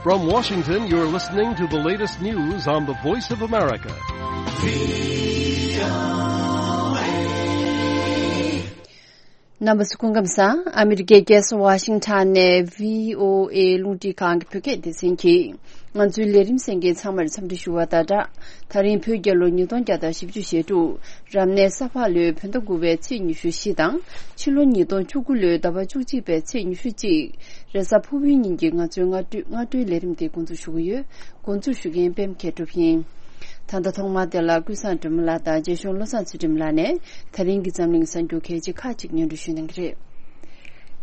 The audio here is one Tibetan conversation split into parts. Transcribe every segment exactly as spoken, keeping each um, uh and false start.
From Washington, you're listening to the latest news on the Voice of America. རྣམ་པ་ཚོ་སྐུ་ཁམས་བཟང་། ཨ་མི་རི་ཀའི་རྒྱལ་ས་ཝ་ཤིང་ཊོན་ནས་བྷི་ཨོ་ཨེ་རླུང་འཕྲིན་ཁང་གི་བོད་སྐད་སྡེ་ཚན་གྱིས་ང་ཚོའི་ལས་རིམ་གསན་མཁན་ཚང་མར་འཚམས་འདྲི་ཞུ་བ་དང་སྦྲགས། ད་རིང་བོད་རྒྱལ་ལོ་ཉིས་སྟོང་བརྒྱ་དང་བཞི་བཅུ་ཞེ་དྲུག་རབ་གནས་ས་ཕག་ལོའི་བོད་ཟླ་དགུ་པའི་ཚེས་ཉི་ཤུ་བཞི་དང་། ཕྱི་ལོ་ཉིས་སྟོང་བཅུ་དགུ་ལོའི་ཟླ་བ་བཅུ་གཅིག་པའི་ཚེས་ཉི་ཤུ་གཅིག་རེས་གཟའ་ཕུར་བུའི་ཉིན་གྱི་ང་ཚོའི་སྔ་དྲོའི་སྔ་དྲོའི་ལས་རིམ་དེ་འགོ་འཛུགས་ཞུ་གི་ཡོད། འགོ་འཛུགས་ཞུ་མཁན་པད་མ་མཁས་གྲུབ་ཡིན། ད་ལྟ་ཐོག་མར་དེ་ལ་ཀུན་བཟང་སྒྲོལ་མ་ལགས་དང་རྗེ་གཞུང་བློ་བཟང་ཚུལ་ཁྲིམས་ལགས་ནས་ད་རིང་གི་འཛམ་གླིང་གསར་འགྱུར་གལ་ཆེ་ཁག་ཅིག་སྙན་སྒྲོན་ཞུ་གནང་གི་རེད།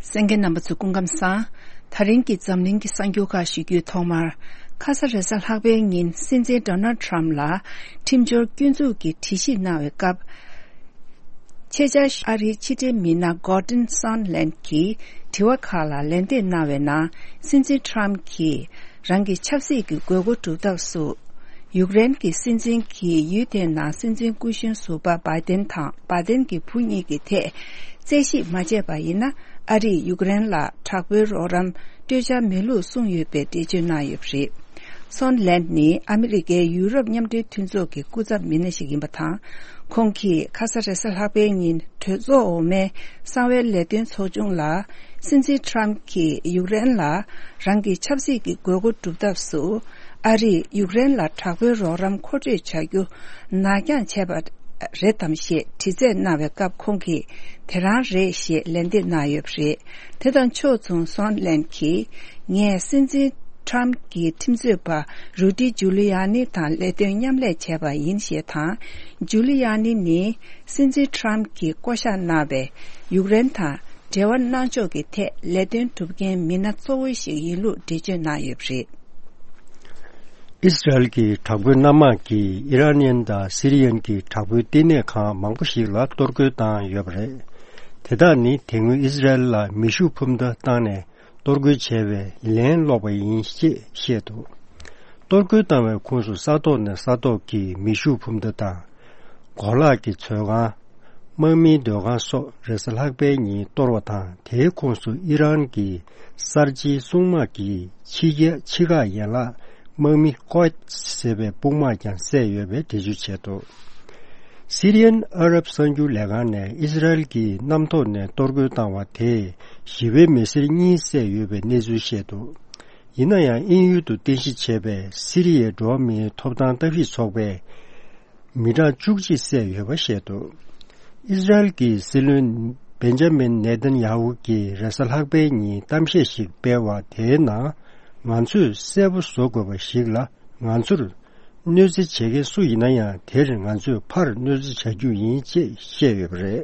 གསན་མཁན་རྣམ་པ་ཚོ་སྐུ་ཁམས་བཟང་། ད་རིང་གི་འཛམ་གླིང་གི་གསར་འགྱུར་ཁག་ཞུ་རྒྱུའི་ཐོག་མར། ཁ་ས་རེས་གཟའ་ལྷག་པའི་ཉིན་སྲིད་འཛིན་ཌོ་ནལ་ཊམ་ལ་ཁྲིམས་སྦྱོར་སྐྱོན་འཛུགས་ཀྱི་དྲི་ཞིབ་གནང་བའི་སྐབས། ཆེད་བཅར་ཨ་རིའི་ཕྱི་འབྲེལ་མི་སྣ་གོར་ཌོན་སོན་ལན་གྱིས་དྲི་བ་ཁག་ལ་ལན་འདེབས་གནང་བའི་ནང་། སྲིད་འཛིན་ཊམ་གྱིས་རང་གི་ཆབ་སྲིད་ཀྱི་དགོས་མཁོ་སྒྲུབ་ཐབས་སུ། ཡུཀ་རེན་གྱི་སྲིད་འཛིན་གྱིས་ཡུལ་དེའི་ནང་སྲིད་འཛིན་སྐུ་གཞོན་ཟུར་པ་བྷའི་ཏན་དང་བྷའི་ཏན་གྱི་བུ་གཉིས་ཀྱི་ཐད་རྩད་ཞིབ་མ་བྱས་པ་ཡིན་ན། ཨ་རིས་ཡུཀ་རེན་ལ་དྲག་པོའི་རོགས་རམ་སྤྲོད་འཆར་མེད་ལུགས་གསུངས་ཡོད་པའི་འགྲེལ་བརྗོད་གནང་ཡོད་པ་རེད། སོན་ལན་ནི་ཨ་མི་རི་ཀའི་ཡུ་རོབ་མཉམ་འབྲེལ་མཐུན་ཚོགས་ཀྱི་སྐུ་ཚབ་མི་སྣ་ཞིག་ཡིན་པ་དང་། ཁོང་གིས་ཁ་ས་རེས་གཟའ་ལྷག་པའི་ཉིན་གྲོས་ཚོགས་འོག་མའི་གསང་བའི་ལས་དོན་ཚོགས་ཆུང་ལ། སྲིད་འཛིན་ཊམ་གྱིས་ཡུཀ་རེན་ལ་རང་གི་ཆབ་སྲིད་ཀྱི་དགོས་མཁོ་སྒྲུབ་ཐབས་སུ། ཨ་རིས་ཡུཀ་རེན་ལ་དྲག་པོའི་རོགས་རམ་མཁོ་སྤྲོད་བྱ་རྒྱུ་ནར་འགྱངས་བྱས་པ་རེད་དམ་ཞེས་དྲི་རྩད་གནང་བའི་སྐབས། ཁོང་གིས་དེ་རང་རེད་ཞེས་ལན་འདེབས་གནང་ཡོད་པ་རེད། དེ་དང་ཕྱོགས་མཚུངས་སོན་ལན་གྱིས། ངས་སྲིད་འཛིན་ཊམ་གྱི་ཁྲིམས་རྩོད་པ་རུ་ཌི་ཇུ་ལི་ཡ་ནི་དང་ལས་དོན་མཉམ་ལས་བྱས་པ་ཡིན་ཞེས་དང་། ཇུ་ལི་ཡ་ནི་ནི་སྲིད་འཛིན་ཊམ་གྱིས་བསྐོ་གཞག་གནང་བའི་ཡུཀ་རེན་དང་འབྲེལ་བ་གནང་ཕྱོགས་ཀྱི་ཐད་ལས་དོན་སྒྲུབ་མཁན་མི་སྣ་གཙོ་བོ་ཞིག་ཡིན་ལུགས་འགྲེལ་བརྗོད་གནང་ཡོད་པ་རེད། ཨིས་རལ་གྱི་དྲག་པོའི་གནམ་དམག་གིས་ཨི་རན་ཡན་དང་སི་རི་ཡན་གྱི་དྲག་པོའི་བསྟི་གནས་ཁང་མང་པོ་ཞིག་ལ་གཏོར་རྒོལ་བཏང་ཡོད་པ་རེད། དེ་དག་ནི་དེ་སྔོན་ཨིས་རལ་ལ་མེ་ཤུགས་འཕུར་མདའ་བཏང་ནས། གཏོར་རྒོལ་བྱས་པའི་ལན་སློག་པ་ཡིན་ཞེས་བཤད་འདུག་གཏོར་རྒོལ་བཏང་བའི་ཁོངས་སུ་ས་ཐོག་ནས་ས་ཐོག་གི་མེ་ཤུགས་འཕུར་མདའ་དང་། གོ་ལག་གི་མཛོད་ཁང་། དམག་མིའི་སྡོད་ཁང་སོགས་རེས་གཟའ་ལྷག་པའི་ཉིན་གཏོར་བ་དང་། དེའི་ཁོངས་སུ་ཨི་རན་གྱི་གསར་བརྗེའི་སྲུང་དམག་གི་ཕྱི་རྒྱལ་ཕྱི་ཁག་ཡན་ལག་དམག་མི་ཀོད་ཟེར་བའི་དཔུང་དམག་ཀྱང་བསད་ཡོད་པའི་འགྲེལ་བརྗོད་བྱས་འདུག་སི་རི་ཡན་ཨ་རབ་གསར་འགྱུར་ལས་ཁང་ནས་ཨིས་རལ་གྱིས་གནམ་ཐོག་ནས་གཏོར་རྒོལ་བཏང་བ་དེས་ཞི་བའི་མི་སེར་གཉིས་བསད་ཡོད་པའི་གནས་ཚུལ་བཤད་འདུག་ཡིན་ན་ཡང་དབྱིན་ཡུལ་དུ་རྟེན་གཞི་བྱས་པའི་སི་རི་ཡའི་འགྲོ་བ་མིའི་ཐོབ་ཐང་ལྟ་བཤེར་ཚོགས་པས་མི་གྲངས་བཅུ་གཅིག་བསད་ཡོད་པ་བཤད་འདུག་ཨིས་རལ་གྱི་སྲིད་བློན་བེན་ཇ་མིན་ནེ་ཐན་ཡ་ཧུ་གྱིས་རེས་གཟའ་ལྷག་པའི་ཉིན་གཏམ་བཤད་ཞིག་སྤེལ་བ་དེའི་ནང་། ང་ཚོས་གསལ་པོ་བཟོ་དགོས་པ་ཞིག་ལ། ང་ཚོར་གནོད་འཚེ་བྱེད་མཁན་སུ་ཡིན་ན་ཡང་། དེར་ང་ཚོས་ཕར་གནོད་འཚེ་བྱ་རྒྱུ་ཡིན་ཅེས་བཤད་ཡོད་པ་རེད།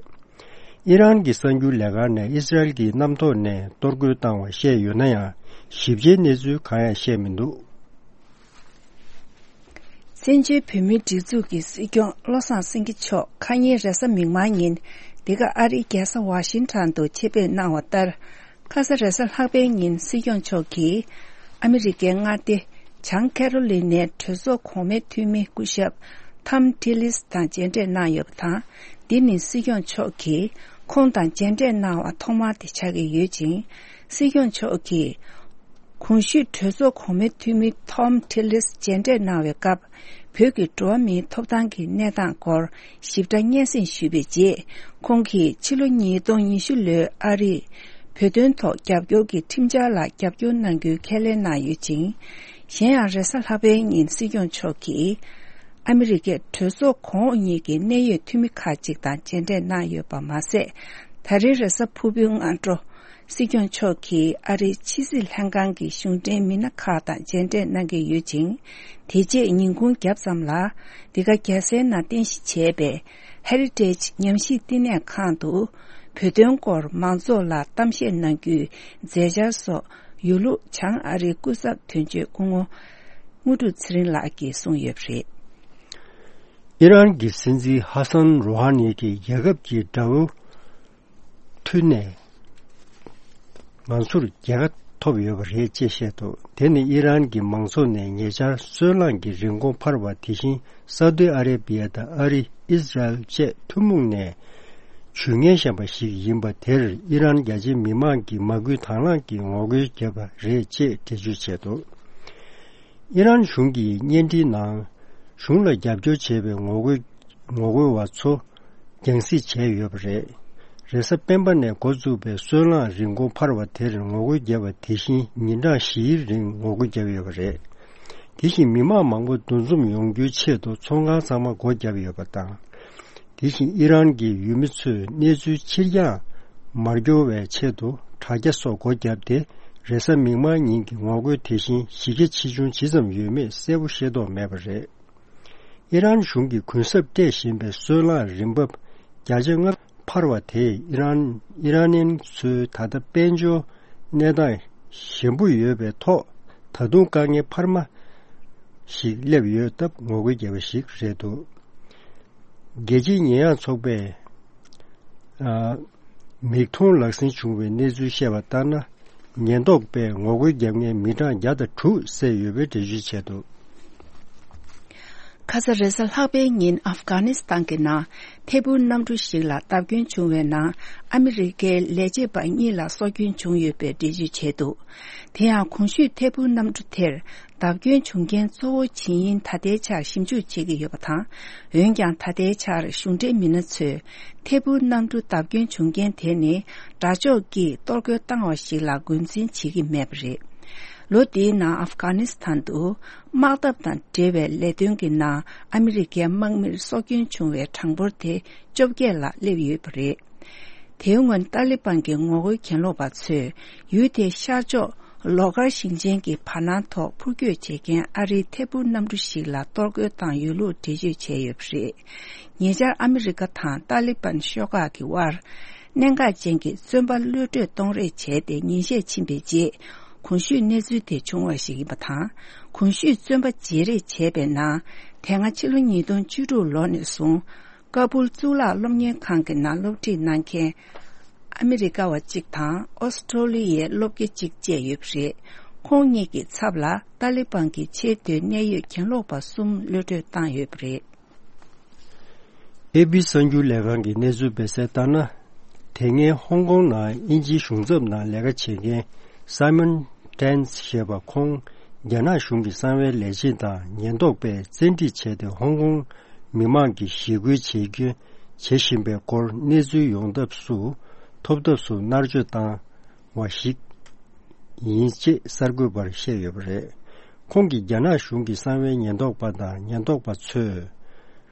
ཨི་རན་གྱི་གསར་འགྱུར་ལས་ཁང་ནས་ཨིས་རལ་གྱིས་གནམ་ཐོག་ནས་གཏོར་རྒོལ་བཏང་བ་བཤད་ཡོད་ན་ཡང་། ཞིབ་ཆའི་གནས་ཚུལ་གང་ཡང་བཤད་མི་འདུག་བཙན་བྱོལ་བོད་མིའི་སྒྲིག་འཛུགས་ཀྱི་སྲིད་སྐྱོང་བློ་བཟང་སེང་གེ་མཆོག་ཁ་ཉིན་རེས་གཟའ་མིག་དམར་ཉིན་འདི་ག་ཨ་རིའི་རྒྱལ་ས་ཝ་ཤིང་ཊོན་དུ་ཆེད་ཕེབས་གནང་བ་ལྟར། ཁ་ས་རེས་གཟའ་ལྷག་པའི་ཉིན་སྲིད་སྐྱོང་མཆོག་གིས་ཨ་མི་རི་ཀའི་མངའ་སྡེ་བྱང་ཁེ་རོ་ལི་ནའི་གྲོས་ཚོགས་གོང་མའི་འཐུས་མི་སྐུ་ཞབས་ཐམ་ཊི་ལིས་དང་མཇལ་འཕྲད་གནང་ཡོད་པ་དང་། འདི་ནི་སྲིད་སྐྱོང་མཆོག་གིས་ཁོང་དང་མཇལ་འཕྲད་གནང་བ་ཐོག་མ་དེ་ཆགས་ཀྱི་ཡོད་ཅིང་། སྲིད་སྐྱོང་མཆོག་གིས་གོང་ཞུས་གྲོས་ཚོགས་གོང་མའི་འཐུས་མི་ཐོམ་ཐི་ལིས་མཇལ་འཕྲད་གནང་བའི་སྐབས། བོད་ཀྱི་འགྲོ་བ་མིའི་ཐོབ་ཐང་གི་གནས་སྟངས་སྐོར་ཞིབ་ཕྲ་སྙན་སེང་ཞུས་པའི་རྗེས། ཁོང་གིས་ཕྱི་ལོ་ཉིས་སྟོང་ཉི་ཤུ་ལོའི་ཨ་རིས་བོད་དོན་ཐོག་རྒྱབ་སྐྱོར་གྱི་ཁྲིམས་འཆར་ལ་རྒྱབ་སྐྱོར་གནང་རྒྱུའི་ཁས་ལེན་གནང་ཡོད་ཅིང་། གཞན་ཡང་རེས་གཟའ་ལྷག་པའི་ཉིན་སྲིད་སྐྱོང་མཆོག་གིས་ཨ་མི་རི་ཀའི་གྲོས་ཚོགས་གོང་འོག་གཉིས་ཀྱི་གནད་ཡོད་འཐུས་མི་ཁག་ཅིག་དང་མཇལ་འཕྲད་གནང་ཡོད་པ་མ་ཟད། ད་རེས་རེས་གཟའ་ཕུར་བུའི་སྔ་དྲོ། སྲིད་སྐྱོང་མཆོག་གིས་ཨ་རིའི་ཕྱི་སྲིད་ལྷན་ཁང་གི་གཞུང་འབྲེལ་མི་སྣ་ཁག་དང་མཇལ་འཕྲད་གནང་གི་ཡོད་ཅིང་། དེ་རྗེས་ཉིན་གུང་རྒྱབ་ཙམ་ལ། འདི་ག་རྒྱལ་སའི་ནང་རྟེན་གཞི་བྱས་པའི་ཧེ་རི་ཊེཇ་ཉམས་ཞིབ་བསྟི་གནས་ཁང་དུ། བོད་དོན་སྐོར་མང་ཚོགས་ལ་གཏམ་བཤད་གནང་རྒྱུའི་མཛད་འཆར་སོགས་ཡོད་ལུགས་བྱང་ཨ་རིའི་སྐུ་ཚབ་དོན་གཅོད་སྐུ་ངོ་དངོས་གྲུབ་ཚེ་རིང་ལགས་ཀྱིས་གསུངས་ཡོད་པ་རེད། ཨི་རན་གྱི་སྲིད་འཛིན་ཧ་སན་རུ་ཧ་ནི་གྱིས་རྒྱལ་ཁབ་ཀྱི་དགྲ་བོ། མཐུད་ནས་ང་ཚོར་རྒྱལ་ཁ་ཐོབ་ཡོད་པ་རེད་ཅེས་བཤད་འདུག་དེ་ནི་ཨི་རན་གྱི་མང་ཚོགས་ནས་ཉེ་ཆར་སོལ་རླངས་ཀྱི་རིན་གོང་འཕར་བ། དེ་བཞིན་ས་ཨུ་ཏི་ཨ་རེ་བི་ཡ་དང་ཨ་རི། ཨིས་རལ་བཅས་ཐུན་མོང་ནས་ཇུས་ངན་བཞག་པ་ཞིག་ཡིན་པ་དེར་ཨི་རན་རྒྱ་ཆེའི་མི་མང་གིས་མ་སྐུལ་དང་བླངས་ཀྱིས་ངོ་རྒོལ་བརྒྱབ་པ་རེད་ཅེས་འགྲེལ་བརྗོད་བྱས་འདུག་ཨི་རན་གཞུང་གིས་བརྙན་འཕྲིན་ནང་གཞུང་ལ་རྒྱབ་སྐྱོར་བྱེད་པའི་ངོ་རྒོལ་ངོ་རྒོལ་བ་ཚོ་རྒྱང་སྲིང་བྱས་ཡོད་པ་རེད། རེས་གཟའ་སྤེན་པ་ནས་འགོ་བཙུགས་པའི་སོལ་རླངས་རིན་གོང་འཕར་བ་དེར་ངོ་རྒོལ་བརྒྱབ་པ་དེ་བཞིན་ཉིན་གྲངས་བཞིའི་རིང་ངོ་རྒོལ་བརྒྱབ་ཡོད་པ་རེད། དེ་བཞིན་མི་མང་མང་པོ་འདུ་འཛོམས་ཡོང་རྒྱུའི་ཆེད་དུ་ཚོང་ཁང་ཚང་མ་སྒོ་བརྒྱབ་ཡོད་པ་དང་། དེ་བཞིན་ཨི་རན་གྱི་ཡུལ་མི་ཚོས་གནས་ཚུལ་ཕྱིར་འགྱངས་མ་འགྱོ་བའི་ཆེད་དུ་དྲ་རྒྱ་སོགས་སྒོ་བརྒྱབ་སྟེ། རེས་གཟའ་མིག་དམར་ཉིན་གྱི་ངོ་རྒོལ་དེ་བཞིན་གཞི་རྒྱ་ཆེ་ཆུང་ཇི་ཙམ་ཡོད་མེད་གསལ་པོ་ཤེས་རྟོགས་མེད་པ་རེད། ཨི་རན་གཞུང་གིས་གུན་གསབ་སྤྲད་བཞིན་པའི་སོལ་རླངས་རིན་འབབ་བརྒྱ་ཆ་ལྔ་འཕར་བ་དེས་ཨི་རན་ཨི་རན་ནན་ཚོའི་ད་ལྟ་དཔལ་འབྱོར་གནས་སྟངས་ཞན་པོ་ཡོད་པའི་ཐོག་ད་དུང་དཀའ་ངལ་འཕར་མ་ཞིག་སླེབས་ཡོད་སྟབས་ངོ་རྒོལ་བརྒྱབ་པ་ཞིག་རེད་འདུག་རྒྱལ་སྤྱིའི་ཉེས་ཡངས་ཚོགས་པས་ཨ། མིག་མཐོང་ལག་ཟིན་བྱུང་བའི་གནས་ཚུལ་བཤད་པ་ལྟར་ན། ཉེན་རྟོག་པས་ངོ་རྒོལ་བརྒྱབ་མཁན་མི་གྲངས་བརྒྱ་དང་དྲུག་བསད་ཡོད་པའི་འགྲེལ་བརྗོད་བྱས་འདུག་ཁ་ས་རེས་གཟའ་ལྷག་པའི་ཉིན་ཨབ་གྷ་ནི་སི་ཐན་གྱི་ནང་ཐད་འཕུར་གནམ་གྲུ་ཞིག་ལ་བརྡབ་སྐྱོན་བྱུང་བའི་ནང་ཨ་མི་རི་ཀའི་ལས་བྱེད་པ་གཉིས་ལ་སྲོག་སྐྱོན་བྱུང་ཡོད་པའི་འགྲེལ་བརྗོད་བྱས་འདུག་དེ་ཡང་གོང་ཞུས་ཐད་འཕུར་གནམ་གྲུ་དེར་བརྡབ་སྐྱོན་བྱུང་རྐྱེན་གཙོ་བོ་ཇི་ཡིན་ད་ལྟའི་ཆར་ཞིབ་འཇུག་བྱེད་ཀྱི་ཡོད་པ་དང་། འོན་ཀྱང་ད་ལྟའི་ཆར་གཞུང་འབྲེལ་མི་སྣ་ཚོས་ཐད་འཕུར་གནམ་གྲུ་བརྡབ་སྐྱོན་བྱུང་རྐྱེན་དེ་ནི་དགྲ་ཕྱོགས་ཀྱིས་གཏོར་རྒོལ་བཏང་བ་ཞིག་ལ་ངོས་འཛིན་བྱེད་ཀྱི་མེད་པ་རེད། ལོ་འདིའི་ནང་ཨབ་གྷ་ནི་སི་ཐན་དུ་དམག་འཐབ་དང་འབྲེལ་བའི་ལས་དོན་གྱི་ནང་ཨ་མི་རི་ཀའི་དམག་མིར་སྲོག་སྐྱོན་བྱུང་བའི་གྲངས་འབོར་དེ་བཅོ་བརྒྱད་ལ་སླེབས་ཡོད་པ་རེད། དེའི་སྔོན་ཏཱ་ལི་པན་གྱི་ངོ་རྒོལ་གྱེན་ལོག་པ་ཚོས་ཡུལ་དེའི་ཤར་ཕྱོགས་ལོ་ཀར་ཞིང་ཆེན་གྱི་བར་སྣང་ཐོག་འཕུར་སྐྱོད་བྱེད་མཁན་ཨ་རིའི་ཐད་འཕུར་གནམ་གྲུ་ཞིག་ལ་གཏོར་རྒོལ་བཏང་ཡོད་ལུགས་འགྲེལ་བརྗོད་བྱས་ཡོད་པ་རེད། ཉེ་ཆར་ཨ་མི་རི་ཀ་དང་ཏཱ་ལི་པན་ཤོག་ཁག་གི་དབར་གནད་འགག་ཅན་གྱི་བཙོན་པ་གློད་གྲོལ་གཏོང་རེས་བྱས་ཏེ་ཉིན་ཤས་ཕྱིན་པའི་རྗེས། གོང་ཞུས་གནས་ཚུལ་དེ་བྱུང་བ་ཞིག་ཡིན་པ་དང་། གོང་ཞུས་བཙོན་པ་བརྗེ་རེས་བྱས་པའི་ནང་། དེ་སྔ་ཕྱི་ལོ་ཉིས་སྟོང་བཅུ་དྲུག་ལོ་ནས་བཟུང་། ཀ་བུལ་གཙུག་ལག་སློབ་གཉེར་ཁང་གི་ནང་སློབ་ཁྲིད་གནང་མཁན་ཨ་མི་རི་ཀ་བ་གཅིག་དང་ཨོ་སི་ཀྲོ་ལི་ཡའི་སློབ་དགེ་གཅིག་བཅས་ཡོད་པ་རེད། ཁོང་གཉིས་ཀྱི་ཚབ་ལ་ཏཱ་ལི་པན་གྱི་ཆེས་མཐོའི་གནད་ཡོད་གྱེན་ལོག་པ་གསུམ་གློད་གྲོལ་བཏང་ཡོད་པ་རེད། ཨེ་པི་གསར་འགྱུར་ལས་ཁང་གིས་གནས་ཚུལ་སྤེལ་གསལ་ལྟར་ན། དེ་སྔའི་ཧོང་ཀོང་ནང་དབྱིན་ཇིའི་གཞུང་ཚབ་ནང་ལས་ཀ་བྱེད་མཁན་སཱི་མོན་ཏན་ཞེས་པ་ཁོང་རྒྱ་ནག་གཞུང་གི་གསང་བའི་ལས་བྱེད་དང་ཉེན་རྟོག་པས་བཙན་ཁྲིད་བྱས་ཏེ་ཧོང་ཀོང་མི་མང་གི་ཞི་རྒོལ་བྱེད་རྒྱུ་བྱེད་བཞིན་པའི་སྐོར་གནས་ཚུལ་ཡོང་ཐབས་སུ་ཐོབ་ཐབས་སུ་མནར་གཅོད་བཏང་བ་ཞིག་ཡིན་ཅེས་གསར་འགོད་པར་བཤད་ཡོད་པ་རེད། ཁོང་གིས་རྒྱ་ནག་གཞུང་གི་གསང་བའི་ཉེན་རྟོག་པ་དང་ཉེན་རྟོག་པ་ཚོས་